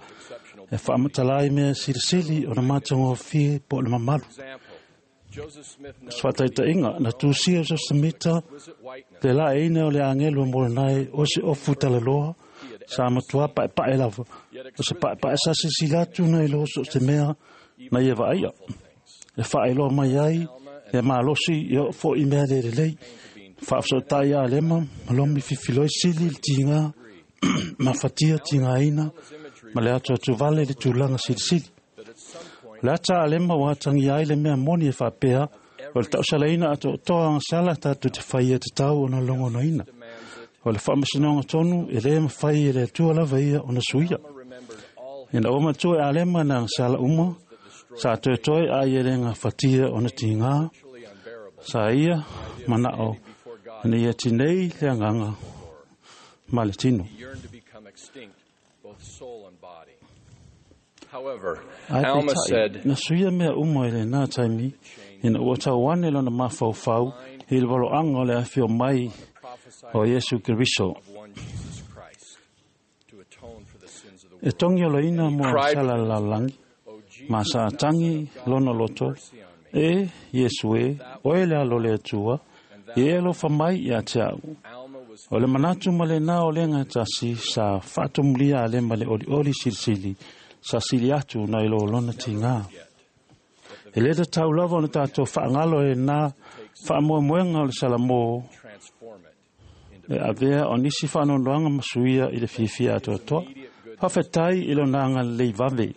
e fa'amatala ai mea silisili ona matagofie po o le mamalu. example, Joseph Smith Se fa'ataita'iga na tusia o Josemita le la'eina o le agelu e molonai o se ofu talaloa sa matuā pa'epa'e lava o se pa'epa'e sa silasila atu nai lo so o se mea na ia va'aia e fa'ailoa mai ai le malosi e oo fo'i mea le lelei fa'afeso'ota'i a Alema ma lomi fifiloi sili le tigā ma fatia tigāina ma le atu vale i le tulaga silisili. O le ata a Alema ua atagia ai le mea moni e fa'apea o le ta'usalaina ato'atoa agasala tatou te faia tatau ona logonoina. O le fa'amasinoga tonu e lē mafai e le Atua lava ia ona suia. Ina ua matua e Alema na agasala uma, sa toetoe a ia le gafatia ona tigā, sa ia mana'o ina ia tinei le agaga ma le tino. yearned to become extinct, both soul and body. However, Ai Alma peitai, said, na suia mea uma i lenā taimi, ina ua tauane lona mafaufau i le valoaga o le afio mai o Iesu Keriso. one Jesus Christ to atone for the sins of the E tongi oloina mo cried- sala lalagi, ma sa tangi lona loto, e Iesu e, oe le alo le Atua, e alofa mai ia te au. Alma was O le manatu ma lenā o le gatasi sa faatomulia a lema le olioli silisili, sa sili atu na i lo lona tigā. E le tatau lava ona tatou faagalo e lenā faamoemoega o le Salamō transform it e avea o nisi faanoanoaga ma suia i le fiafia atoatoa. Faafetai i lona agalelei vave.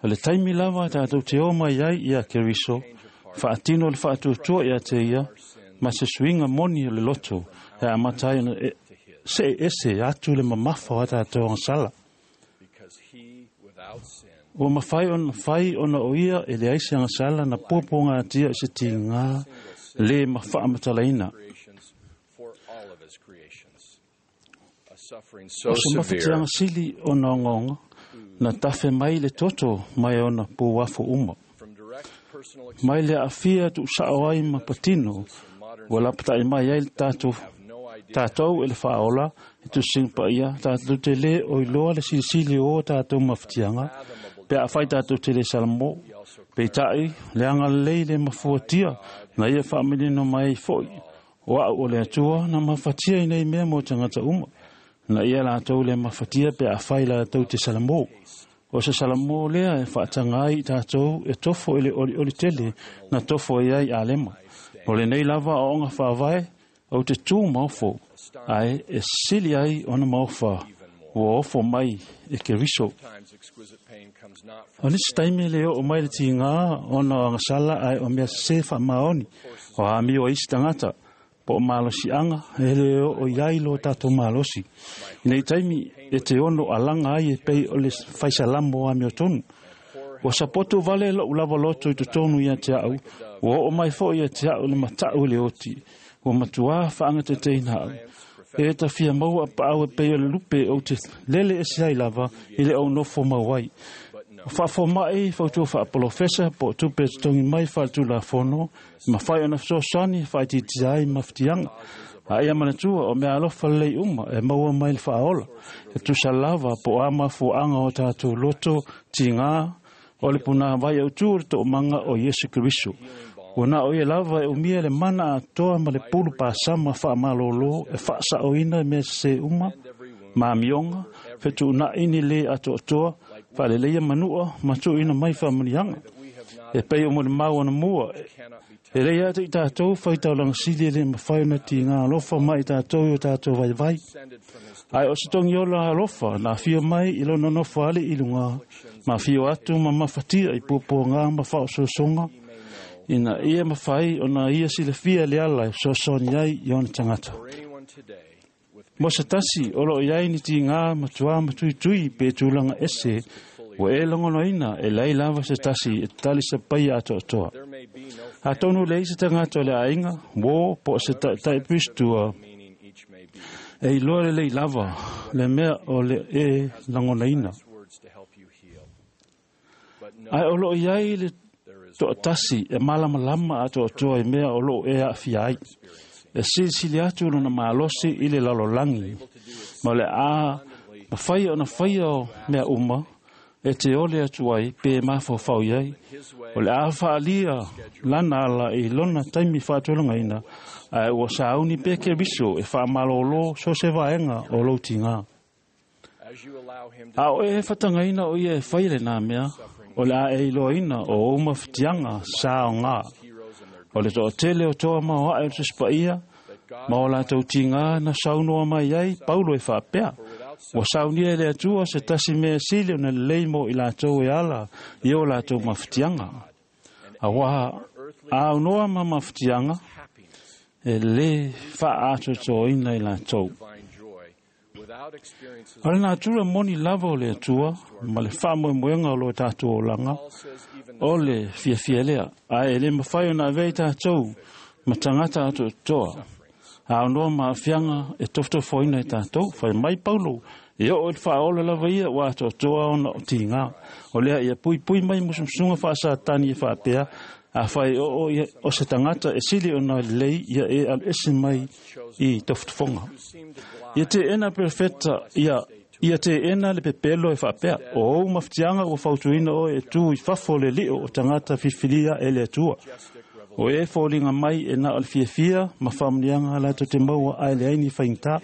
O le taimi lava tatou te o mai ai ia Keriso, faatino le faatuatua ia te ia, ma se suiga moni o le loto, e amata ai ona e, se ese atu le mamafa o a tatou agasala. because he without sin Ua mafai ona fai ona o ia e leai se agasala na puapuagatia i se tigā le ma faamatalaina. creations for all of his creations. A suffering so O se severe mafatiaga sili ona ogaoga, na tafe mai le toto mai ona pouafo uma. from direct personal Mai le aafia tuusao ai ma patino, ua lapatai mai ai le tatou tatou e le faaola e tusiga paia tatou te lē o iloa le silisili o tatou mafatiaga pe afai tatou te lē salamō. Peitai le agalelei le mafuatia na ia faamanino mai ai foʻi o a'u o le Atua na mafatia i nei mea mo tagata uma na ia latou le mafatia pe afai latou te salamō. O se salamō lea e faataga ai i tatou e tofo i le olioli tele na tofo ai ai Alema. O lenei lava aoaoga faavae ou te tū maofo, ae e sili ai ona maofa ua ofo mai e Keriso. times exquisite pain comes not O nisi taimi le oo mai le tigā ona o agasala ae o mea sesē faamaoni o amio ai isi tagata po o malosiaga e le oo i ai lo tatou malosi. I nei taimi e te ono alaga ai e pei o le faisalamo o amiotonu. Ua sapoto vale lo'u lava loto i totonu ia te a'u, ua oo mai fo'i ia te a'u le mata'u i le oti, ua matuā faagateteina a'u. E tafia maua apaau e pei o le lupe ou te lele ese ai lava i le ou nofo mau ai. O faafomaʻi fautua faapolofesa po o tupe e totogi mai faaletulafono, mafai ona fesoasoani faaitiitia ai mafatiaga. A ia manatua o mea alofa lelei uma e maua mai le faaola, e tusa lava po o a mafuaaga o tatou loto tigā o le punāvai autū o le toomaga o Iesu Keriso. Ua na o ia lava e umia le mana atoa ma le pulu pasama faamalōlō e faasaoina mea sesē uma, ma amioga, fetuunaʻi ni lē atoatoa, faaleleia manua ma tuuina mai faamanuiaga. E pei o mo le mau anamua, e lei a te i tatou faitaulaga sili e le mafai ona tigā alofa mai i tatou i o tatou vaivai. Ae o se togiola alofa na afio mai i lona nofo ale i lugā, ma afio atu ma mafatia i puapuagā ma faaososoga, ina ia mafai ona ia silafia le ala e fesoasoani ai i ona tagata. for anyone today with Mo se tasi o loo iai ni tigā matuā matuitui pe tulaga ese, ua e logonoina e lai lava se tasi e tali sapaia atoatoa. there may be no Atonu le ai se tagata o le aiga, uō po o se taʻitaʻi Piristua, meaning each may be e iloa lelei lava le mea o le e lagonaina. words to help you heal. But no Ae o loo iai le there is toʻatasi e malamalama atoatoa i mea o loo e aafia ai. E silisili atu lona malosi i le lalolagi, ma o le a mafai ona faia o mea uma e te ole atu ai pe mafaufau i ai. O le a faalia lana ala i lona taimi faatulagaina, ae ua sauni pea Keriso e faamalōlō so se vaega o lou tigā. as you allow him to A o e fatagaina o ia e fai lenā mea, o le a e iloaina o ou mafatiaga sa ogā. heroes and their O le toʻatele o toa ma o aʻe o le Tusi Paia, ma o latou tigā na saunoa mai ai Paulo e faapea. Ua saunia e le Atua se tasi mea sili ona lelei mo i latou e ala i o latou mafatiaga. Auā a aunoa ma mafatiaga, happiness, e lē faaatoatoaina i latou. divine joy, without experiences O le natura moni lava o le Atua ma le faamoemoega o lo tatou olaga, Paul says even the o le fiafia lea, ae e lē mafai ona avea i tatou ma tagata atoatoa. A aunoa ma aafiaga e tofotofoina i tatou, fai mai Paulo E o le whaola lava ia wa atoatoa ona o tīngā. O lea ia pui pui mai musumusunga whaasatani e whaapea, a whai o o ia o se tangata e sili ona lei ia e alu ese mai i tofutufonga. Ia te ena perfeta ia ia te ena le pepelo e whaapea. O ou maftianga ua fautuina o e tū i fafo le lio o tangata fifilia e le atua. O e fōlinga mai e na o le fiafia ma whamnianga la te maua ai le aini whaingta.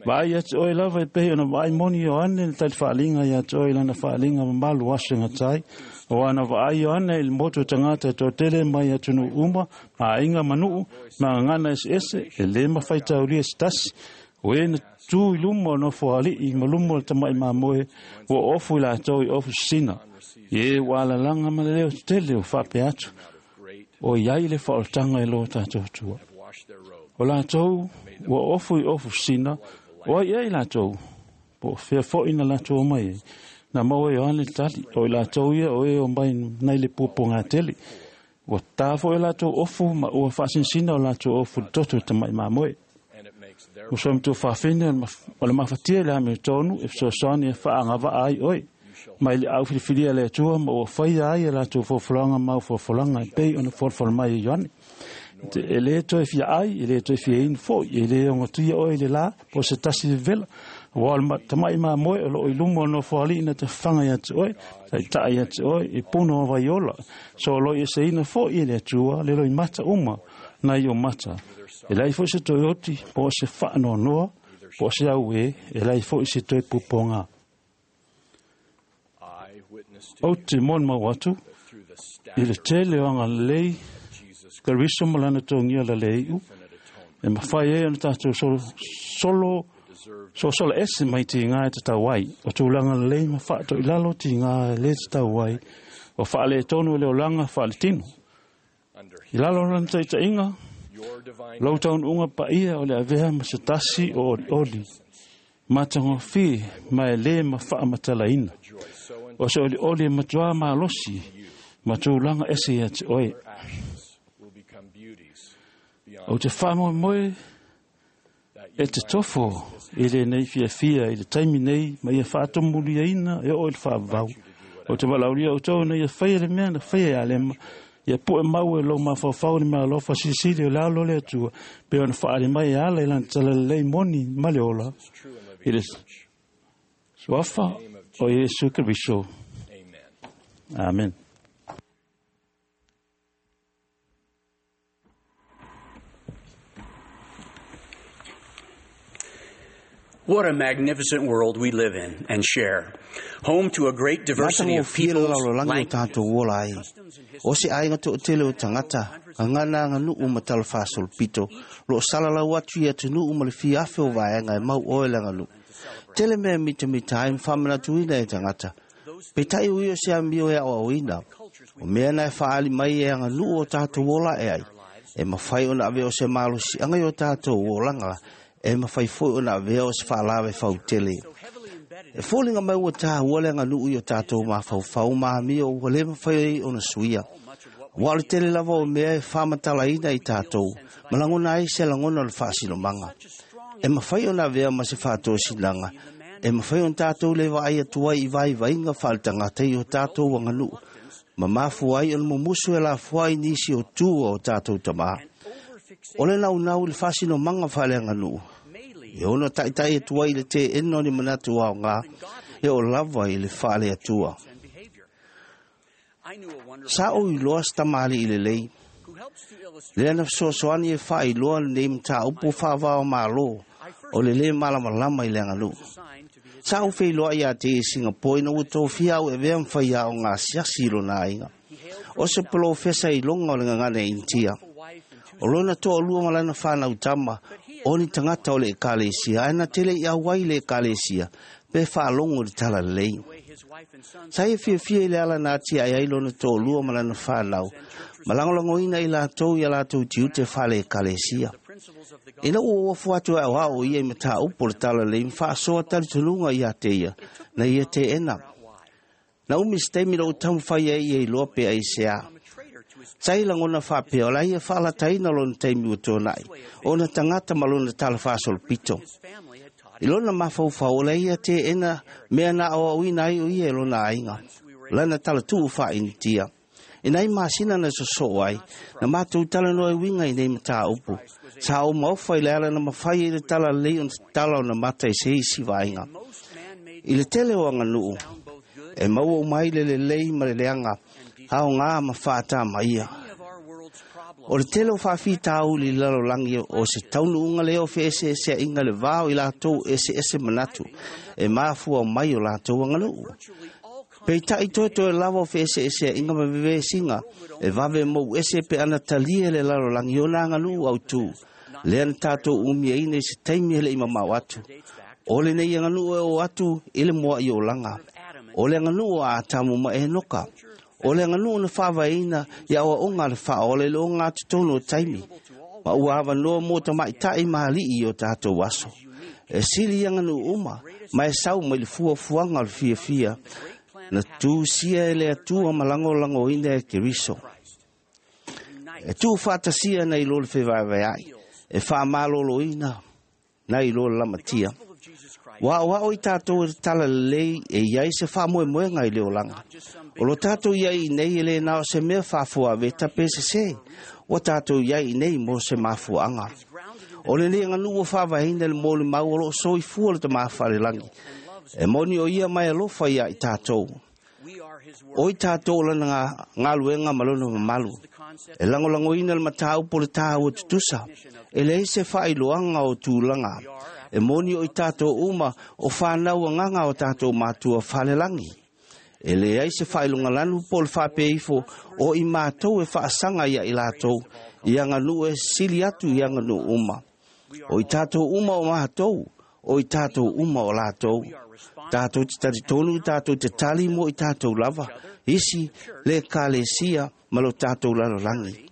Vai atu oe lava e pehi ona vai moni o ane le tali whaalinga ia atu oe lana whaalinga mamalu aso ngatai. O ana vaai o ane il motu tangata e tele mai atunu uma, ma ainga manuu, ma ngana ese ese, e le mawhai taulia se tasi. O e na tū i lumo no fuali i malumo le tamai mamoe, o ofu i lātou i ofu sina. I e wālalanga ma le leo tele o whape atu. O iai le whaoltanga e loa tātou tua. O lātou, ua ofu i ofu sina, o ai ai lātou, po fea foi na lātou o mai e. Nā maua e oane tali, o i lātou ia o e o mai nei le pupo ngā tele. Ua tā foi lātou ofu, ma ua whaasinsina o lātou ofu toto tamai mamoe. O so mtu whawhine o le mafatia le ame tonu e fesoasoani e whaangava ai oi. Mai le au filifilia le atua ma ua whaia ai e lātou fofolanga mau fofolanga e pei ona folfola mai e Ioane. E le toe fia ai, e le toe fia inu foi, e le ongotia oe le la, po se tasi le vela. Ua o le tamai maa moe o loo i lumo no foali ina te whanga ia te oe, tai tai ia te oe, e puno o vaiola. So loi e se ina foi e le atua, le loi mata uma, nai o mata. E lai foi se toe oti, po se whaanoa noa, po se au e, e lai foi se toe puponga. O te mon mau atu, i le tele o anga lei, Kariso malana tongia la lei u. E mawhai e ona tātou solo, solo, so solo ese mai ti ngā e te tauai. O tūlanga lei ma whaato i lalo ti ngā e le te tauai. O whaale e tonu e leo langa whaale tino. I lalo lana taita inga, lau taun unga pa ia o le avea ma se tasi o ori ori. Matango fi ma e le ma whaamatala ina. O se ori ori e matua malosi, ma tūlanga ese ia te oe. O te whaamo moe e te tofo i le nei fia fia i le taimi nei ma ia whaatomuli aina e o i le whaavau. O te walaulia o tau na ia whaia le mea na whaia ia lema. Ia poe mau e lau mawhawhau ni mea alofa sisili o lalo le atua. Pe ona whaare mai e ala i lana talalei moni ma le ola. I le suafa o Iesu Keriso. Amen. What a magnificent world we live in and share. Home to a great diversity of peoples, languages, o se aiga to'atele o tagata gagana aganuu ma talafasolopito loo salalau atu i atunuu ma le fiafe o vaega e mau oe le aganuu. Tele mea mitamita ai ma faamanatuina e tagata. Peitai ui o se amio e aoaoina. O mea na e faaali mai e aganuu o tatou ola e ai. E mafai ona ave o se malosiaga i o tatou olaga e mawhai foi o na vea o se whaalawe whautele. E fōlinga mai ua tāhua le aganuu i o tātou mawhaufau mahamia o ua le mawhai ai ona suia. Ua le tele lava o mea e whamatalaina i tātou, ma langona ai se langona o le whaasilomanga. E mawhai o na vea ma se whaatōsinanga, e mawhai o tātou le vaai atua i vai vainga whaalitangata i o tātou aganuu, ma mafu ai o le mumusu e la fuai nisi o tua o tātou tamaa. O le naunau i le whaasinomanga whaale aganuu. E ono taitai atua i le te eno ni manatu ao ngā, e o lava i le whaale atua. Sa o iloa sa tamali i le lei. Le ana fesoasoani e whaailoa nei mata upu whaavao malo, o le le malamalama i le aganuu. Sa o wheiloa ia te i Singapore ina ua tōfia au e vea mwhai ao ngā siasi i lona aiga. O se polo fesa i longa o le ngangana Intia. O lona toa lua malana whanau tama, o ni tangata o le ekalesia, ae na tele i awai le ekalesia, pe whaalongo le tala lei. Sa e fiafia i le ala nā tia ai ai lona toa lua malana whanau, malangolangoina i lātou i a lātou tiute whale ekalesia. Ina ua uafu atu e au ia i mata upo le tala lei, mwhaasoa tali tununga i a te ia, na ia te ena. Na umi steimi lo utamu whai ai ia i loa pe ai se a. Sa i langona whapea o la ia whaalataina lona taimi ua tōnai, o na tangata ma lona tala whaasolopito. I lona mafaufau o le ia teena mea na aoaoina ai o ia e lona aiga. Lana talatuu faainitia. I nai masina na sosoo ai, na matou talanoa e uiga i nei mataupu. Sa ou maofa i le ala na mafai ai le talalelei ona tatala ona mata i se isi vaega. I le tele o aganuu, e maua uma ai le lelei ma le leaga, aogā ma faatamaia. O le tele o faafitauli i le lalolagi o se taunuuga lea o feeseeseaiga le va o i latou eseese manatu e mafua mai o latou aganuu. Peitai toetoe lava o feeseeseaiga ma vevesiga e vave mou ese pe ana talia le lalolagi ona aganuu autū. Lea na tatou umiaina i se taimi e le'i mamao atu. O lenei aganuu e o atu i le moa'i olaga. O le aganuu o Atamu ma Enoka. O le aganuu na faavaeina i aoaoga a le faaola i le ogatotonu o taimi. Ma ua avanoa mo tamaita'i ma ali'i i o tatou aso. E sili i aganuu uma, ma e sau mai le fuafuaga o le fiafia. Na tusia e le Atua ma lagolagoina e Keriso. E tuufaatasia nai lo le fevaevaea'i, e faamalōlōina nai lo le lamatia. Ua aoao i tatou e le talalelei e iai se faamoemoega i le olaga. O lo tatou iai i nei e lē na o se mea faafuaveta pe sesē. Ua tatou iai i nei mo se mafuaaga. O lenei aganuu ua faavaeina i le molimau o loo soifua le Tamā Falelagi. E moni o ia mai alofa ia i tatou. O i tatou o lana galuega ma lona mamalu. E lagolagoina le mataupu o le tāua tutusa. E leai se faailoaga o tulaga. E moni o i tatou uma o whanau agaga o tatou matua falelagi. E leai se faailogalanu po o le faapeifo o i matou e faasaga ia i latou i aganuu e sili atu i aganuu uma. O i tatou uma o matou, o i tatou uma o latou. Tatou te talitonu, tatou te tali mo i tatou lava, isi le ekalesia ma lo tatou lalolagi.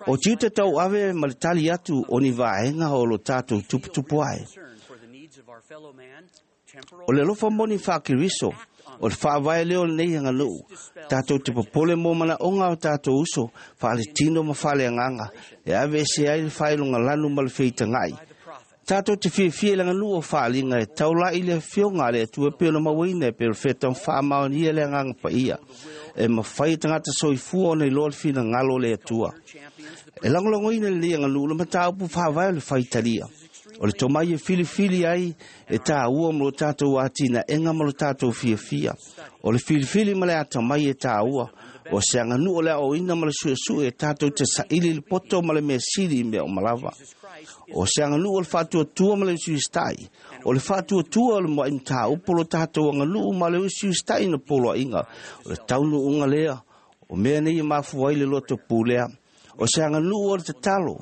O tiute tauave ma le tali atu o ni vaega o lo tatou tuputupu ae. O le alofa moni faa-Keriso, o le faavae lea o lenei aganuu, tatou te popole mo manaoga o tatou uso, faaletino ma faaleagaga, e aveese ai le faailogalanu ma le feitaga'i. Tatou te fiafia i le aganuu o faaliga e taula'i i le afioga a le Atua e pei ona mauaina e perofeta ma faamaonia le agaga paia. E mafai e tagata soifua ona iloa le finagalo o le Atua. E lagolagoina lenei aganuu le mataupu faavae o le faitalia. O le tomai e filifili ai e tāua ma lo tatou atinaega ma lo tatou fiafia. O le filifili ma le atamai e tāua. O se aganuu o le aoaoina ma le suesue e tatou te saili le poto ma le mea sili i mea uma lava. O se aganuu o le faatuatua ma le usiusitai. O le faatuatua o le mua'i mataupu o lo tatou aganuu ma le usiusitai na poloaiga. O le taunuuga lea, o mea nei e mafua ai le loto pulea. O se aganuu o le tatalo.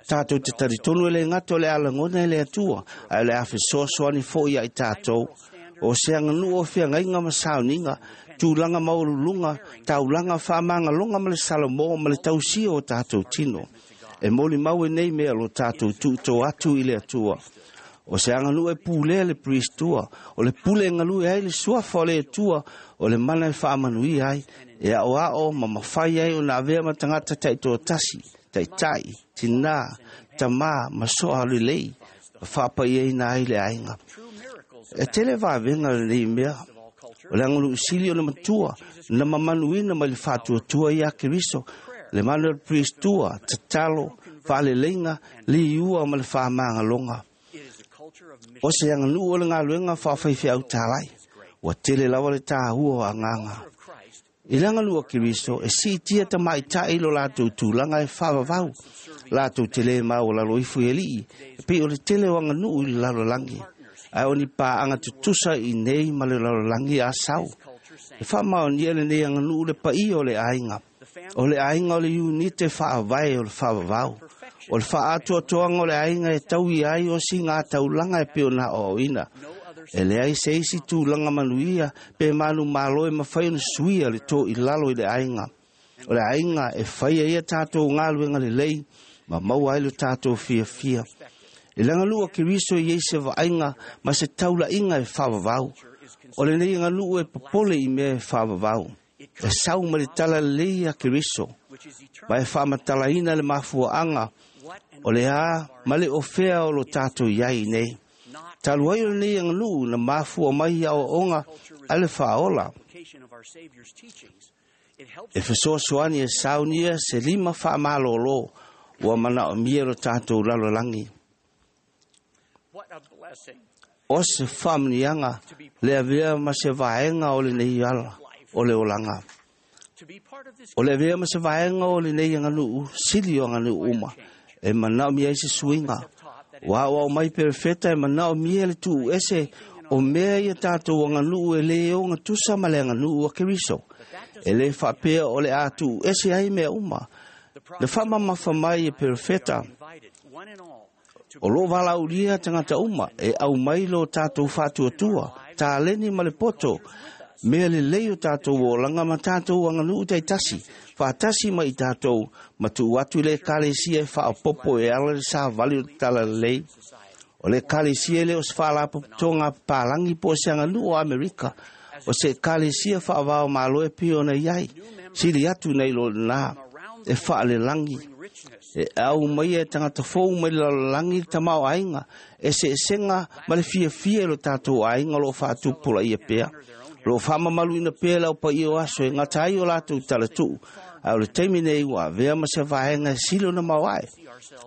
Tatou te talitonu e le gata o le a lagona e le Atua, ae o le a fesoasoani foi ia i tatou. O se aganuu o feagaiga ma sauniga, tulaga maualuluga, taulaga faamagaloga ma le salamo ma le tausia o tatou tino. E molimau e nei mea lo tatou tuuto atu i le Atua. O se aganuu e pulea le Pristua, o le pule e galue ai le suafa o le Atua, o le mana e faamanuia ai, e aoao ma mafai ai ona avea ma tagata taitoatasi, taitai, tinā, tamā ma soa lelei, ma faapaiaina ai le aiga. E tele vavega lenei mea. O le aganuu sili o le matua, na mamanuina mai le faatuatua ia Keriso, le mana o le Pristua, tatalo, faaleleiga, liua ma le faamagaloga. O se aganuu o le galuega faafaifeau talai. Ua tele lava le tāua o agaga. I le aganuu a Keriso, e siitia tamaita'i lo latou tulaga e faavavau. Latou te lē maualalo ifo i alii, e pei o le tele o aganuu i le lalolagi. Ae o ni paaga tutusa i nei ma le lalolagi a sau. E faamaonia lenei aganuu le paia o le aiga. O le aiga o le iunite faavae o le faavavau. O le faaatoatoaga o le aiga e taui ai o siga taulaga e pei ona aoaoina. E leai se isi tulaga manuia pe manumalo e mafai ona suia le toilalo i le aiga. O le aiga e faia ia tatou galuega lelei ma maua ai lo tatou fiafia. I le aganuu a Keriso i ai se vaaiga ma se taula'iga e faavavau. O lenei aganuu e popole i mea e faavavau. E sau ma le talalelei a Keriso, ma e faamatalaina le mafuaaga o le a ma le ofea o lo tatou iai nei. Talu ai o lenei aganuu na mafua mai i aoaoga a le Faaola. E fesoasoani e saunia se lima faamalōlō ua manaomia lo tatou lalolagi. O se faamanuiaga le avea ma se vaega o lenei ala o le olaga. O le avea ma se vaega o lenei aganuu sili o aganuu uma e manaomia ai se suiga. Ua aoao mai perefeta e manaomia le tuu ese o mea ia tatou aganuu e lē ogatusa ma le aganuu a Keriso. E lē faapea o le a tuu ese ai mea uma. Na faamamafa mai e perefeta o loo valaaulia tagata uma e aumai lo tatou faatuatua, taleni ma le poto, mea lelei o tatou olaga ma tatou aganuu taitasi, faatasi ma i tatou ma tuu atu i le ekalesia e faaopopo e ala le savali o le talalelei. O le ekalesia e le o se faalapotopotoga papalagi po o se aganuu o Amerika, o se ekalesia faavao malo e pei ona i ai, sili atu nei lo lena e faalelagi. E au mai e tagata fou mai le lalolagi le tamaoaiga e seesega ma le fiafia i lo tatou aiga o loo faatupulaia pea. Loo faamamaluina pea le aupaia o aso e gata ai o latou talatuu, ae o le taimi nei ua avea ma se vaega e sili ona maoae.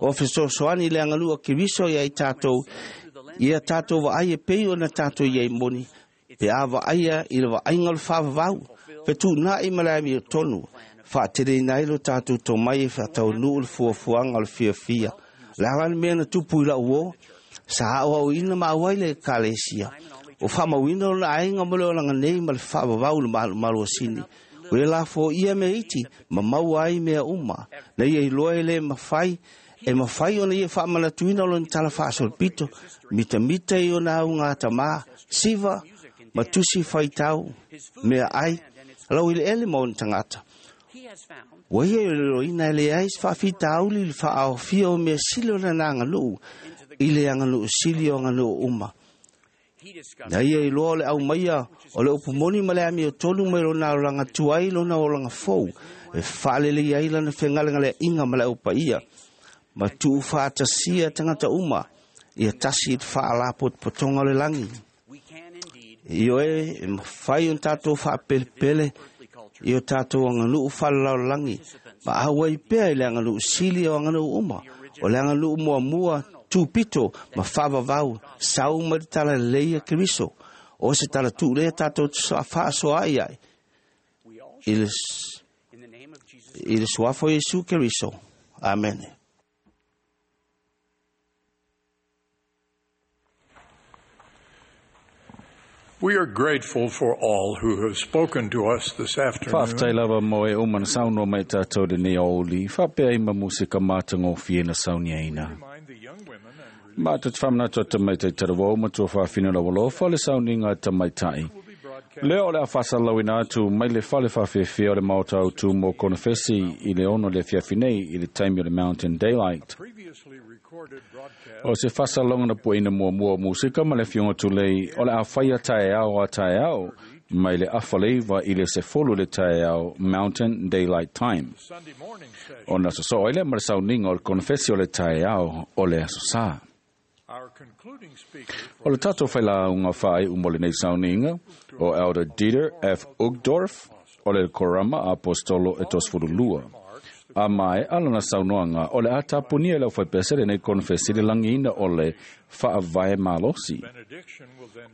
O fesoasoani i le aganuu a Keriso ia i tatou, ia tatou vaai e pei ona tatou iai moni, pe a vaaia i le vaaiga o le faavavau, fetuunai ma le amiotonu, faateleina ai lo tatou tomai e faataunuu le fuafuaga o le fiafia. Le ala le mea na tupu i lau uō, sa aoaoina ma auai le ekalesia. O faamauina lona aiga mo le olaga nei ma le faavavau i le malumalu asini. O ia lafoia mea iti ma maua ai mea uma. Na ia iloa e lē mafai e mafai ona ia faamanatuina lona tala faasolopito, mitamita i ona augatamā, siva ma tusi faitau, mea ai, lau eleele ma ona tagata. Ua ia iloiloina e leai se faafitauli i le faaaofia o mea sili o lana aganuu i le aganuu sili o aganuu uma. Na ia iloa o le aumaia o le upu moni ma le amiotonu mai lona olaga tuai lona olaga fou e faalelei ai lana fegalegaleaiga ma le aupaia ma tuufaatasia tagata uma ia tasi i le faalapotopotoga o le lagi. Ioe e mafai ona tatou faapelepele i o tatou aganuu faalelalolagi ma auai pea i le aganuu sili o aganuu uma, o le aganuu muamua tupito ma faavavau sau mai le talalelei a Keriso. O se talatuu lea tatou faasoaai ai i le, i le suafa o Iesu Keriso. Amene. We are grateful for all who have spoken to us this Faafetai afternoon. lava mo e uma na saunoa mai tatou lenei aoauli, faapea ai ma musika matagofie na sauniaina. Ma te whamanatu a tamaitai tarawau matua whawhina la walofa le sauniga a tamaitai. Lea o le a faasalalauina atu mai le fale faafeafea o le maota autu mo konofesi i le ono le afiafi nei i le taimi o le Mountain Daylight. O se faasalauga na puaina muamua o musika ma le afioga tulei o le a faia taeao a taeao mai le afaleiva i le sefulu le taeao Mountain Daylight Time. Ona sosoo ai lea ma le sauniga o le konofesi o le taeao o le aso sā. O le tatou failauga faaiu mo lenei sauniga o Elder Dieter F. Uchtdorf o le Korama Apostolo e tosefululua. A mae alana saunoaga o le a tapunia i le aufaipese lenei konofesi le lagiina o le faavae malosi.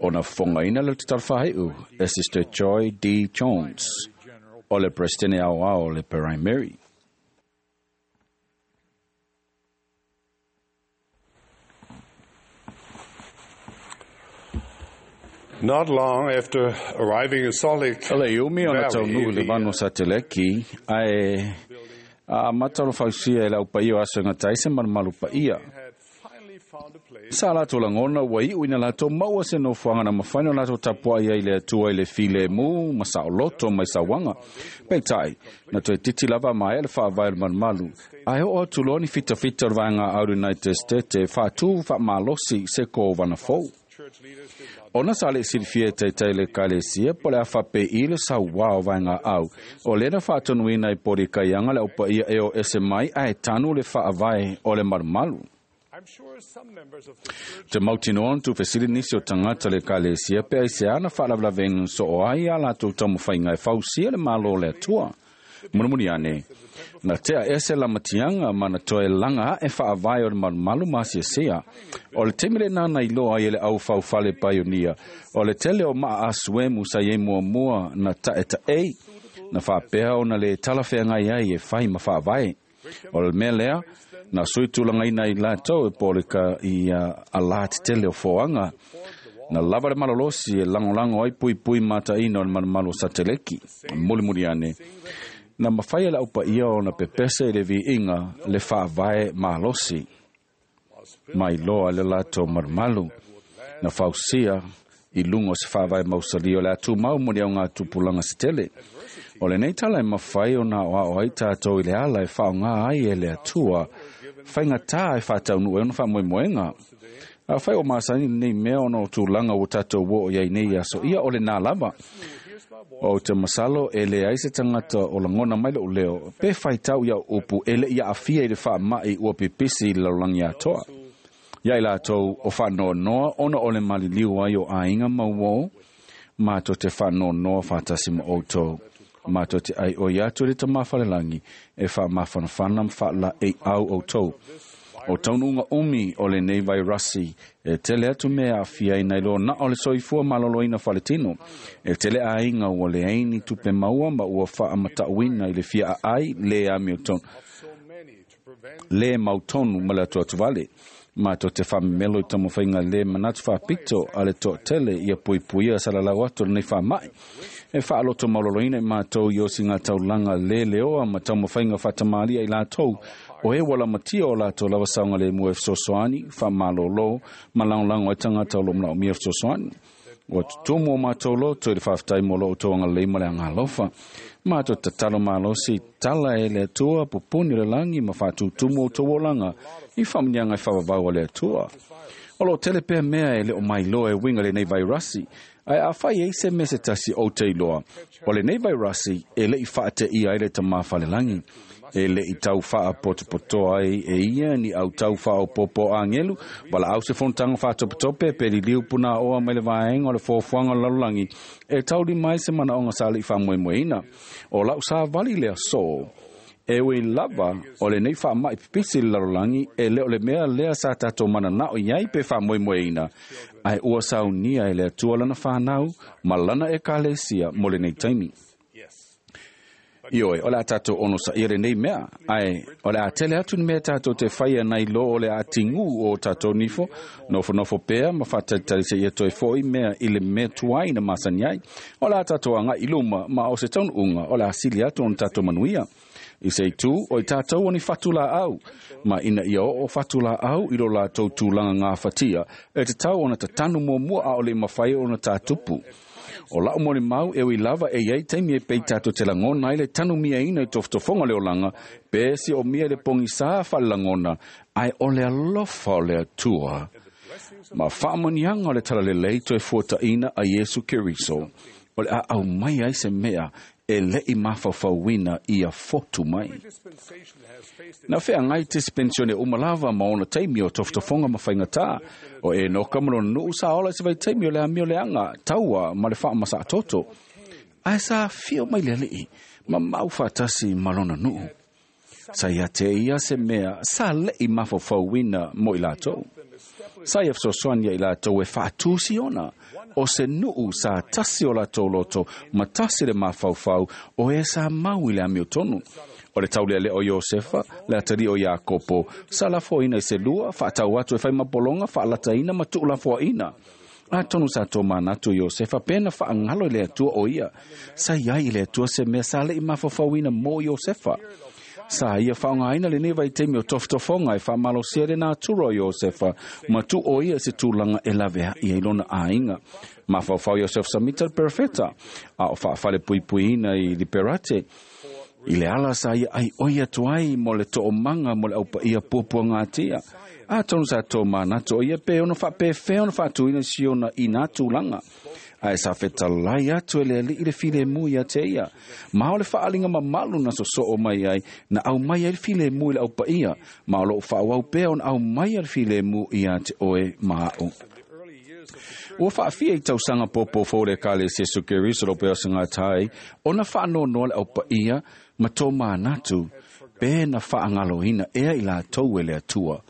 Ona fofogaina le tatalo faaiu e Sister Joy D. Jones o le Presidente aoao o le Primary. Not long after arriving in Salt Lake O le iumi ona Valley, taunuu i le the, vanu o Sateleki, ae a matalo fausia e le aupaia o aso e gata ai se malumalu paia. Sa latou lagona ua iu ina latou maua se nofoaga na mafai ona latou tapuai ai le Atua i le filemu ma saoloto mai sauaga. Peitai, na toe titi lava maea le faavae o le malumalu, ae oo atu loa ni fitafita o le vaega au United States e faatū faamalosi se kovana fou. Ona sa le silafia e taitai le ekalesia po o le a faapei le sauā o vaega au. O lea na faatonuina i poli kaiaga le aupaia e o ese mai ae tanu le faavae o le malumalu. Te mautinoa tu fesili nisi o tagata le ekalesia pe aisea na faalavelavega soo ai a latou taumafaiga e fausia le malo o le Atua. Mulimuli ane, na tea ese lamatiaga ma na toe laga aʻe faavae o le malumalu ma asiasia. O le taimi lenā na iloa ai e le aufaufale paionia, o le tele o maa asuemu sa iai muamua na taʻetaʻei, na faapea ona le talafeagai ai e fai ma faavae. O le mea lea, na sui tulagaina i latou e po o le ka i alā tetele o foaga, na lava le malolosi e lagolago ai puipui mataʻina o le malumalu o sateleki. Mulimuli ane, na mafai e le aupaia ona pepese i le viiga le faavae malosi mai loa le latou malumalu na fausia i luga o se faavae mausalī o le atumau mo le augatupulaga se tele. O lenei tala e mafai ona aoao ai tatou i le ala e faaaogā ai e le Atua faigatā e faataunuu ai ona faamoemoega. Afai o masani lenei mea ona o tulaga ua tatou oo i ai nei aso ia o lenā lava. O te masalo e leai se tagata o lagona mai loʻu leo, pe faitau ia upu e leʻi aafia i le faamaʻi ua pipisi i le lalolagi atoa. Ia i latou o faanoanoa ona o le maliliu ai o aiga ma uō, matou te faanoanoa faatasi ma outou. Matou te ʻaiʻoi atu i le Tamā Falelagi e faamafanafana ma faalaeiau outou. O taunuuga umi o lenei vairasi e tele atu mea e aafia ai nai lo na o le soifua maloloina faletino. E tele aiga ua leai ni tupe maua ma ua faamatauina i le fia aai le amiotonu le mautonu ma le atuatuvale. Matou te faamemelo i taumafaiga le manatu faapito a le toatele ia puipuia salalau atu o lenei faamaʻi. E faaloto maloloina i matou i osiga taulaga le leoa ma taumafaiga faatamalia i latou o e ua lamatia o latou lava saogalemu e fesoasoani, faamalōlō ma lagolago ai tagata o loo manaomia fesoasoani. Ua tutumu o matou loto i le faafetai mo lo outou agalelei ma le agalofa. Matou tatalo malosi tala e le Atua pupuni o le lagi ma faatutumu outou olaga i faamanuiaga e faavavau a le Atua. O loo tele pea mea e le o mailoa e uiga lenei vairasi, ae afai ai se mea se tasi ou te iloa, o lenei vairasi e leʻi faateia ai le Tamā Falelagi, e leʻi tau faapotopotoa ai e ia ni autau faaopoopo agelu, valaau se fonotaga faatopetope pe liliu punaoa mai le vaega o le foafoaga o le lalolagi e taulima ai se manaoga sa leʻi faamoemoeina. O lau savali le asō, e ui lava o lenei faamaʻi pipisi i le lalolagi e le o le mea lea sa tatou mananao i ai pe faamoemoeina, ae ua saunia e le Atua lana fanau ma lana ekalesia mo lenei taimi. Ioe, o le a tatou onosaia lenei mea, ae o le a tele atu ni mea tatou te faia nai lo o le atigū o tatou nifo, nofonofo pea ma faatalitali seia toe foʻi mea i le mea tuai na masani ai. O le a tatou agaʻi i luma ma o se taunuuga o le a sili atu ona tatou manuia. I se itu, o i tatou o ni fatulaau, ma ina ia oo fatulaau i lo latou tulaga gafatia, e tatau ona tatanu muamua a o le mafai ona tatupu. O lau molimau e ui lava e iai taimi e pei tatou te lagona ai le tanumiaina i tofotofoga o le olaga, pe siomia i le pogisā faalelagona, ae o le alofa o le Atua ma faamanuiaga o le talalelei toe fuataʻina a Iesu Keriso, o le a aumai ai se mea e leʻi mafaufauina ia fotu mai. Na feagai dispensasione uma lava ma ona taimi o tofotofoga ma faigatā. O Enoka ma lona nuu sa ola i se vaitaimi o le amio leaga taua ma le faamasaatoto. Ae sa afio mai le Alii ma mau faatasi ma lona nuu. Sa ia te ia se mea sa leʻi mafaufauina mo i latou. Sa ia fesoasoani i latou e faatusi ona o se nuu sa tasi o latou loto ma tasi le mafaufau o e sa mau i le amiotonu. O le taulealea o Iosefa, le atalii o Iakopo, sa lafoaina i se lua, faatau atu e fai ma pologa, faalataina ma tuulafoaina. Atonu sa tomanatu Iosefa pe na faagalo i le Atua o ia. Sa iai i le Atua se mea sa leʻi mafaufauina mo Iosefa. Sa ia faaaogāina lenei vaitaimi o tofotofoga e faamalosia le natura o Iosefa ma tuu o ia se tulaga e laveaʻi ai lona aiga. Mafaufau Iosefa Samita le perofeta, a o faafalepuipuiina i Liberate, i le ala sa ia ai oi atu ai mo le toomaga mo le aupaia puapuagatia. Atonu sa tomanatu o ia pe ono faapefea ona faatuina si ona i nā tulaga. Ae sa fetalai atu e le ali'i le filemu ia te ia. Ma o le faaaliga mamalu na sosoo mai ai, na aumai ai le filemu i le aupaia, ma o loo faaauau pea ona aumaia le filemu ia te oe ma a'u. Ua faafia i tausaga popofou le Ekalesia Iesu Keriso lo pea o segatai, ona faanoanoa le aupaia ma tomanatu pe na faagaloina ea i latou e le Atua.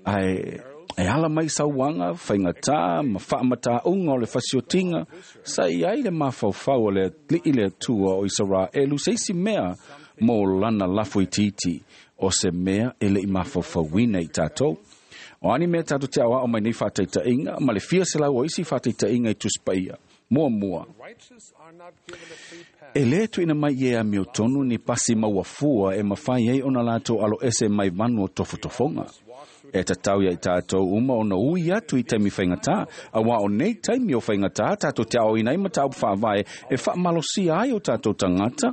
Ae e ala mai sauaga, faigatā ma faamatāuga o le fasiotiga, sa i ai le mafaufau o le ali'i le Atua o Isaraelu se isi mea mo lana lafo itiiti, o se mea e le'i mafaufauina i tatou. O ani mea tatou te aoao mai nei faataitaiga ma le fia selau o isi faataitaiga i Tusi Paia. Muamua, e lē tuuina mai i e amiotonu ni pasi mauafua e mafai ai ona latou aloese mai vanu o tofotofoga. E tatau ia i tatou uma ona ui atu i taimi faigatā, auā o nei taimi o faigatā tatou te aoina ai mataupu faavae e faamalosia ai o tatou tagata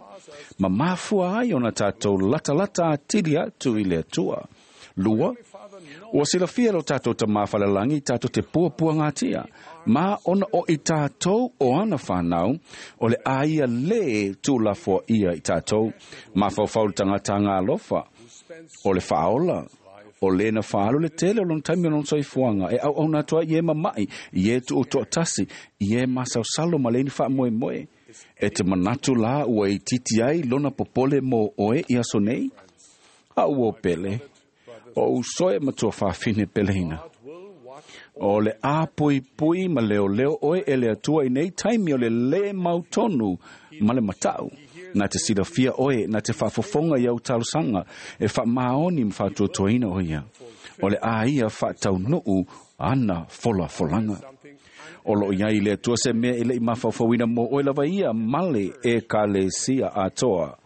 ma mafua ai ona tatou latalata atili atu i le Atua. Lua, ua silafia lo tatou Tamā falelagi tatou te puapuagatia, ma ona o i tatou o ana fanau, o le a ia lē tuulafoaia i tatou. Mafaufau le tagata alofa o le faaola, o lē na faaalu le tele o lona taimi o lona soifuaga e auauna atu ai i e mama'i, i e tuuto'atasi, i e masaosalo ma lei ni faamoemoe. E te manatu la ua itiiti ai lona popole mo oe i aso nei? A ua pele, o uso e matua fafine peleina. O le a pui ma leoleo oe e le Atua i nei taimi o le lē mautonu ma le mata'u. Na te silafia oe, na te faafofoga i au talosaga, e faamaoni ma faatuatuaina o ia. O le a ia faataunu'u ana folafolaga. O loo iai le Atua se mea e le'i mafaufauina mo oe lava ia male Ekalesia atoa.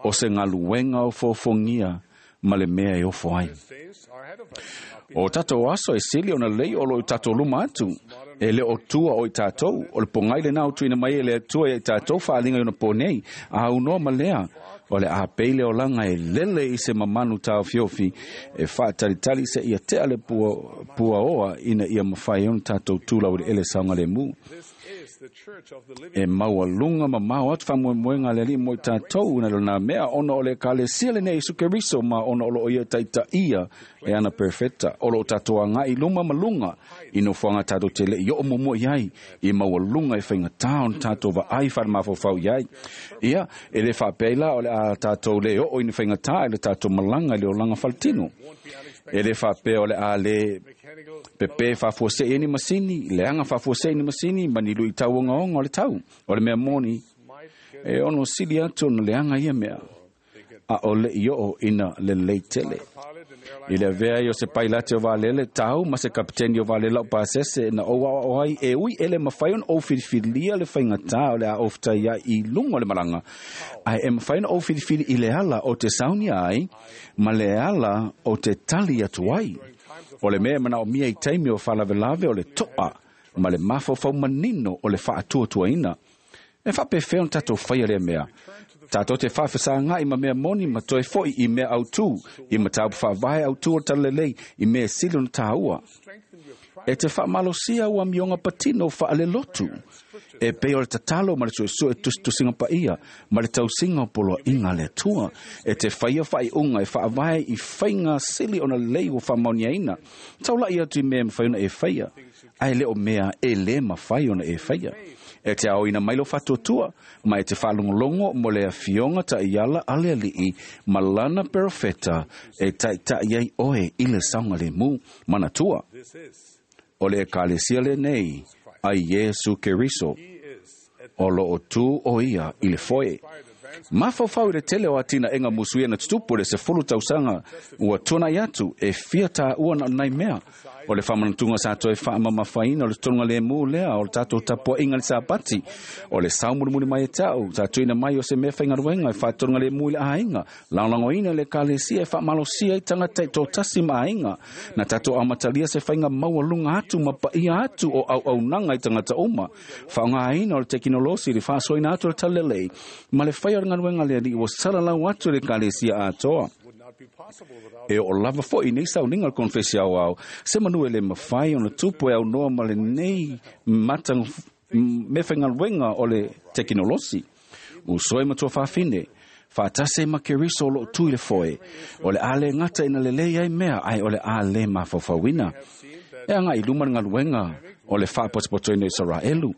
O se galuega o fofogia ma le mea e ofo ai. O tatou aso e sili ona lei o lo i tatou luma atu. E le o tua o i tatou, o le pogai lenā o tuuina mai e le Atua ia i tatou faaaliga i ona po nei. A aunoa ma lea, o le a pei le olaga e lele i se mamanu taofiofi, e faatalitali seia tea le pua, puaoa ina ia mafai ona tatou tulau i le ele saogalemu. E maualuga mamao atu faamoemoega a le Alii mo i tatou na lona mea ona o le Ekalesia lenei Iesu Keriso ma ona o loo ia taitaia e ana perfeta. O loo tatou agaʻi luma ma luga i nofoaga tatou te leʻi oo muamua i ai i maualuga e faigatā ona tatou vaai faale-mafaufau i ai. Ia, e lē faapea ai la o le a tatou lē oo i ni faigatā i le tatou malaga i le olaga faletino. E lē faapea o le a lē pepē faafuaseʻi ai ni masini, leaga faafuaseʻi ni masini ma ni luʻitau ogaoga o le tau. O le mea moni, e ono sili atu ona leaga ia mea, a o leʻi oo ina lelei tele. I le avea ai o se pailate o valele tau ma se kapiteni o valele lau pasese na ou aoao ai e ui ele mafai ona ou filifilia le faigatā o le a ou fetai ai i luga o le malaga, ae e mafai ona ou filifili i le ala o te saunia ai ma le ala o te tali atu ai. O le mea e manaomia i taimi o faalavelave o le to'a ma le mafaufau manino o le faatuatuaina. E faapefea ona tatou faia lea mea? Tatou te faafesagaʻi ma mea moni ma toe foʻi i mea autū, i mataupu faavae autū o le talalelei, i mea e sili ona tāua. E te faamalosia ua amioga patino faalelotu, e pei o le tatalo ma le suesue tusitusiga paia ma le tausiga o poloaʻiga a le Atua. E te faia faaiuga e faavae i faiga sili ona lelei ua faamaoniaina. Taulaʻi atu i mea e mafai ona e faia, ae le o mea e lē mafai ona e faia. E te aoina mai lo faatuatua, ma e te faalogologo mo le afioga taʻiala a le Aliʻi ma lana perofeta e taʻitaʻi ai oe i le saogalemu. Manatua, o le Ekalesia lenei a Iesu Keriso, o loo tu o ia i le foe. Mafaufau i le tele o atinaʻega musuia na tutupu le sefulu tausaga ua tuanaʻi atu e fia tāua na onai mea. O le faamanatuga sa toe faamamafaina o le totoga lemu lea o le tatou tapuaʻiga le Sapati. O le saumulimuli mai e ta'u sa tuuina mai o se mea faigaluega e faatotoga lemu i le aiga. Lagolagoina le Ekalesia e faamalosia ai tagata i tōtasi ma aiga. Na tatou amatalia se faiga maualuga atu ma paia atu o auaunaga i tagata uma. Faaaogāina o le tekinolosi le faasoaina atu o le talalelei ma le faia o le galuega le Alii ua salalau atu le Ekalesia atoa. E oo lava foʻi nei sauniga o le konefesi aoao se manu e le mafai ona tupu e aunoa ma lenei mata me faigaluega o le tekinolosi. Uso e ma tuafafine, faatasi ma Keriso o loo tu i le foe, o le a le gata ina lelei ai mea, ae o le a le mafaufauina. E agaʻi luma le galuega o le faapotopotoina o Isaraelu.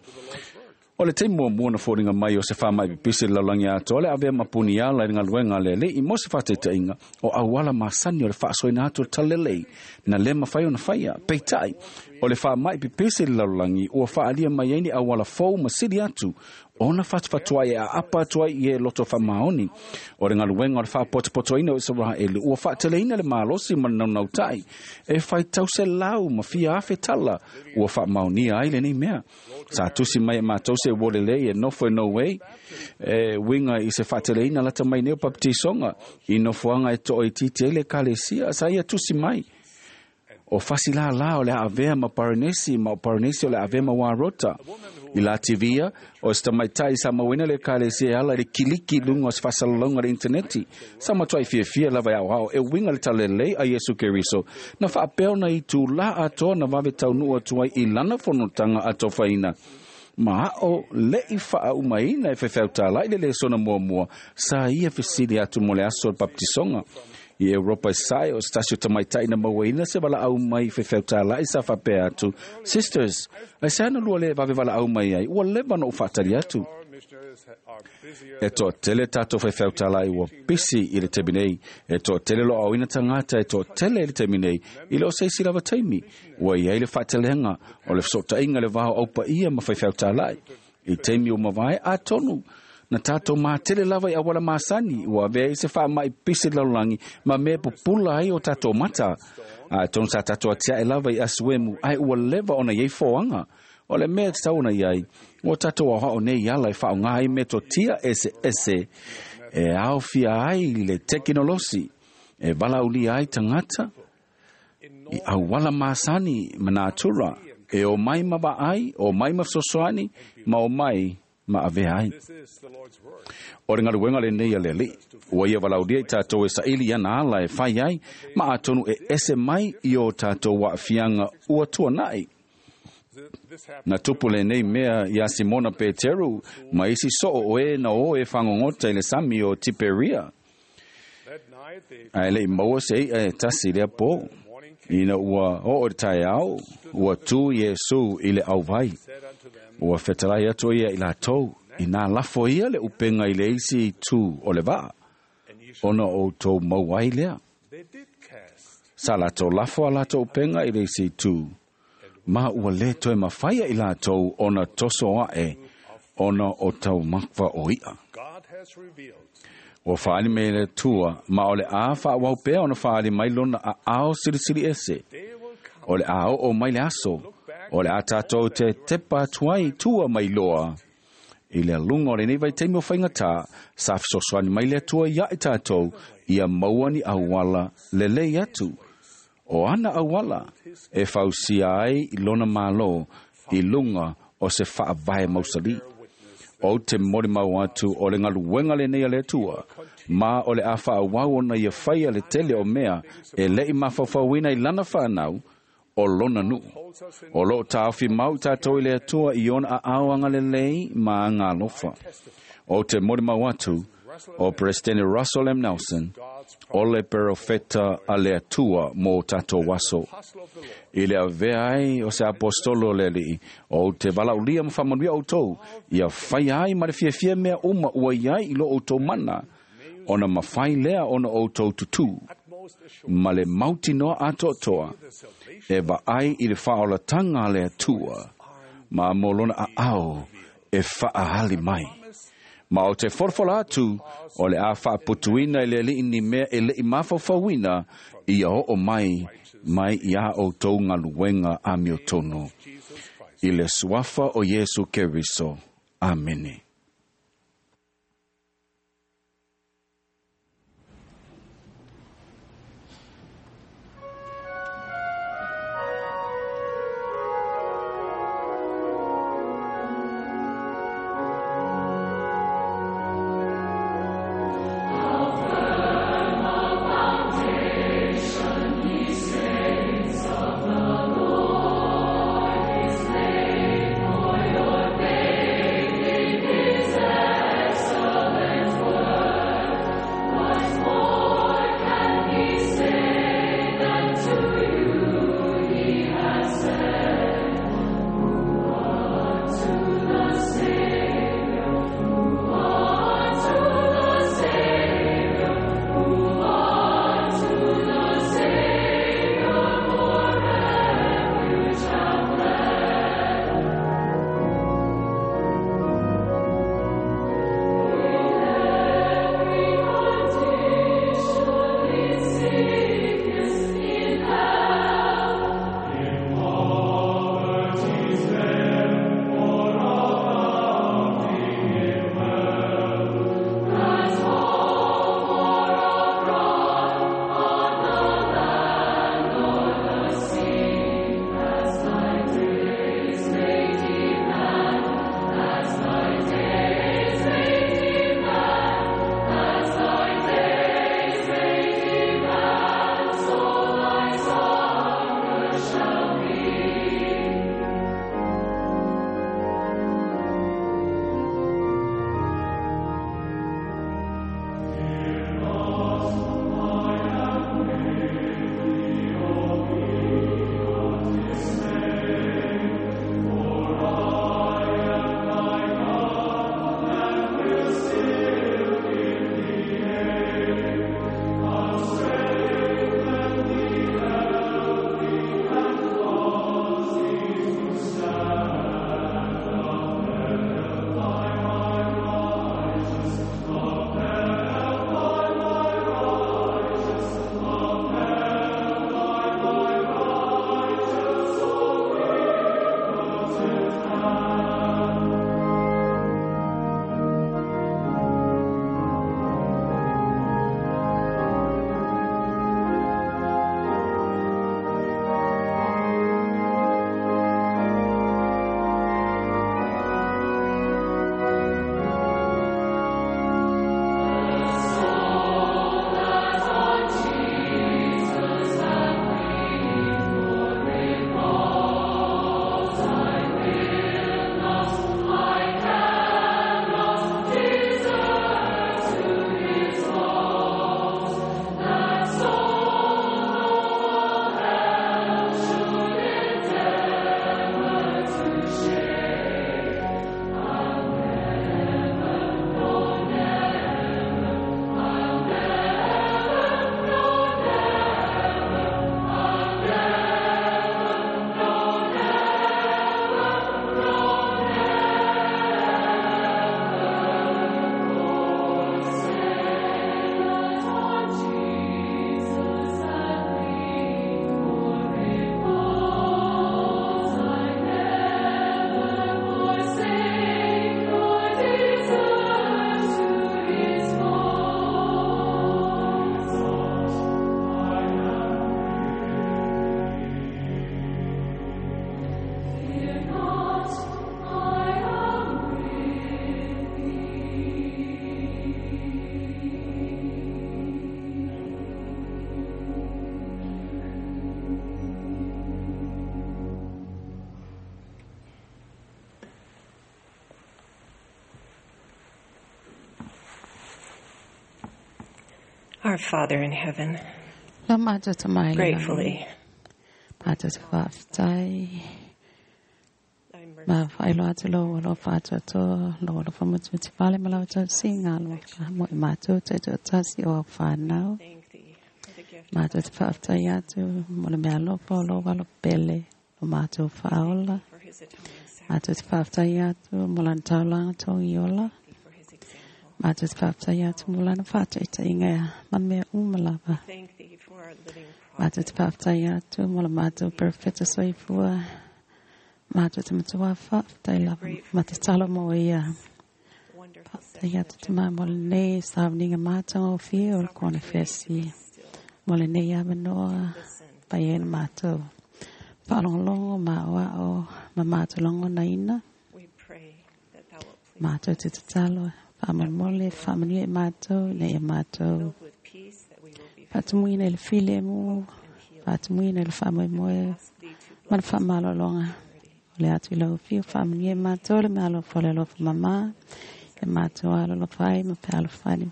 O le taimi muamua na foliga mai o se faamaʻi pipisi le lalolagi atoa le avea ma puni ala i le galuega a le Alii mo se faataitaʻiga o auala masani o le faasoaina atu o le talalelei na lē mafai ona faia. Peitaʻi o le faamaʻi pipisi le lalolagi ua faaalia mai ai ni auala fou ma sili atu ona fatufatuai e aapa atu ai i e loto faamaoni. O le galuega o le faapotopotoina o Isaraelu ua faateleina le malosi ma le naunautaʻi e faitau selau ma fia afe tala ua faamaonia ai lenei mea. Sa tusi mai e matou se ua lelei e nofo e Norway e uiga i se faateleina lata mai nei o papatisoga i nofoaga e toʻoitiiti ai le ekalesia. Sa ia tusi mai o fasilālā o le aavea ma Paranesi ma o Paranesi o le avea ma Warota. I Lativia, o se tamaitai sa mauina le ekalesia e ala i le kiliki i luga o se faasalalauga le interneti. Sa matuai fiafia lava e aoao e uiga le talalelei a Iesu Keriso na faapea ona i tulā atoa na vave taunuu atu ai i lana fonotaga atofaina. Ma ao leʻi faaumaina e faifeautalaʻi le lesona muamua sa ia fesili atu mo le aso o le papatisoga. I Europa i sae o se tasi o tamaitaʻi na mauaina se valaau mai faifeautalaʻi sa faapea atu, Sisters, ai se ana lua le vave valaau mai ai, ua leva ona ou faatali atu. E toatele tatou faifeautalaʻi ua pisi i le taimi nei, e toatele loaoina tagata e toatele i le taimi nei, i le o se isi lava taimi, ua iai le faatelega o le fesoʻotaʻiga le vao aupaia ma faifeautalaʻi. I taimi o mavae atonu, na tātou mātele lava i awala masani, ua avea i se faamaʻi pisi le lalolagi ma mea pupula ai o tātou mata. A tonu sa tātou atiaʻe lava i asuemu, ae ua leva ona iai foaga. O le mea e tatau ona iai, ua tātou aoao nei ala e faaaogā ai metotia eseese e aofia ai le tekinolosi, e valaulia ai tagata i auala masani ma natura, e o mai ma vaai, o mai ma fesoasoani, ma o mai ma avea ai. O le galuega lenei a le Alii, ua ia valaulia i tatou e saʻili ana ala e fai ai, ma atonu e ese mai i o tatou aafiaga ua tuanaʻi. Na tupu lenei mea iā Simona Peteru ma isi soo o e na o e fagogota i le sami o Tiperia. Ae leʻi maua se iʻa e tasi lea pō. Ina ua oo i le taeao, ua tū Iesu i le auvai. Ua fetalai atu ia i latou, i nā lafo ia le upenga i le isi itu o le vaa, ona outou maua ai lea. Sa latou lafo a latou upenga i le isi itu, ma ua lē toe mafaia i latou ona toso aʻe ona o taumafa o iʻa. Ua faaali mai le Atua, ma o le a faaauau pea ona faaali mai lona aao silisili ese. O le a oo mai le aso, o le a tatou te tepa atu ai tua mai loa. I le aluga o lenei vaitaimi o faigatā, sa fesoasoani mai le Atua iaʻe tatou ia maua ni auala lelei atu. O ana auala e fausia ai i lona Mālō i luga o se faavae mausali. O te molimau atu o le galuega lenei a le Atua, ma o le a faaauau ona ia faia le tele o mea e leʻi mafaufauina i lana fanau o lona nuu. O loo taofi mau i tatou i le Atua i ona aao agalelei ma agalofa. O te molimau atu o Presidente Russell M. Nelson, o le perofeta a le Atua mo tatou aso. I le avea ai o se apostolo o le Alii, o te valaulia ma faamanuia outou, ia faia ai ma le fiafia mea uma ua iai i lo outou mana, ona mafai lea ona outou tutū, ma le mautinoa atoatoa, e vaai i le faaolataga a le Atua, ma mo lona aao e faaali mai. Ma o te folafola atu, o le a faaputuina i le Alii ni mea e leʻi mafaufauina, ia oo mai mai iā outou galuega amiotonu. I le suafa o Iesu Keriso. Amene. Saints of the Lord is laid for your Our Father in heaven, La mātou te mai le gratefully, Mātou te whaaftai. Ma whailo atu lo lo whaatoatoa, lo lo whamutu te whale ma lau tau singa lo mo i mātou te te tasi o au whānau. Mātou te whaaftai atu, mo le mea lopa o lo walo pele, lo mātou whaola. Mātou te whaaftai atu, mo lana taulanga tō i ola. Mātou te whaaftai atu, mo lana whaataita inga ma mea umalava. Mātou te whaaftai atu, mo la mātou perfecta soifua. Mātou te matua whaaftai lava, ma te talo mo ia. Whaaftai atu te maa mo le nei sāwninga mātanga o whia o le kone whesi. Mo le nei awanoa, pai ena mātou. Whaalongolongo ma oa o, ma mātou longo na ina. Mātou te tatalo, whaamolmole, whaamanui e mātou, nei e mātou. Whaatumuina i le file mu, whaatumuina i le whaamoemoe, ma le whaamalolonga. O le atu i lau whiu, whaamanui e mātou, le mea alofa le alofa mama, e mātou alolofa ai, ma pe alofa ni,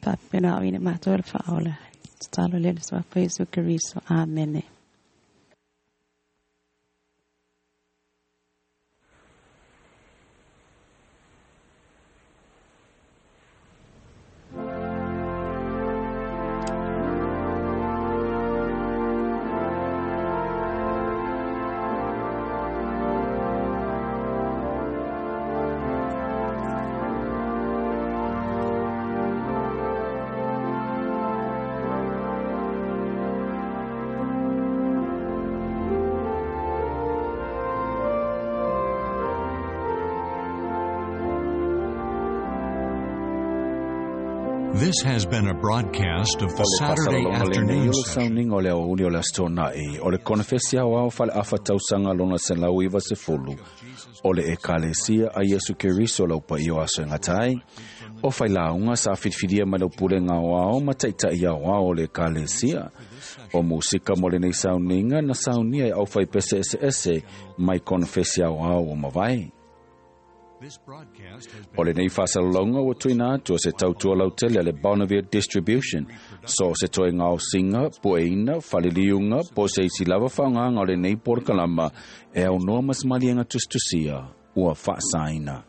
pāpena au ina mātou le whaola. Tatalo le le swafa Yesu Keriso. Amene. This has been a broadcast of the Saturday afternoon session. Sauniga o le aoauli o le aso tona'i o le konefesi aoao faleafa tausaga lona selau iva sefulu o le ekalesia a Iesu Keriso lau paia o aso e gata ai o failauga sa filifilia mai lau pulega aoao ma taʻitaʻi aoao o le ekalesia o musika mo lenei sauniga na saunia e aufaipese eseese mai konefesi aoao o mavae. O lenei faasalalauga ua tuuina atu o se tautua lautele a le Bonneville Distribution so o se toe gaosiga pueina faliliuga po se isi lava faaaogaga o lenei polokalama e aunoa ma se maliega tusitusia ua faasaina.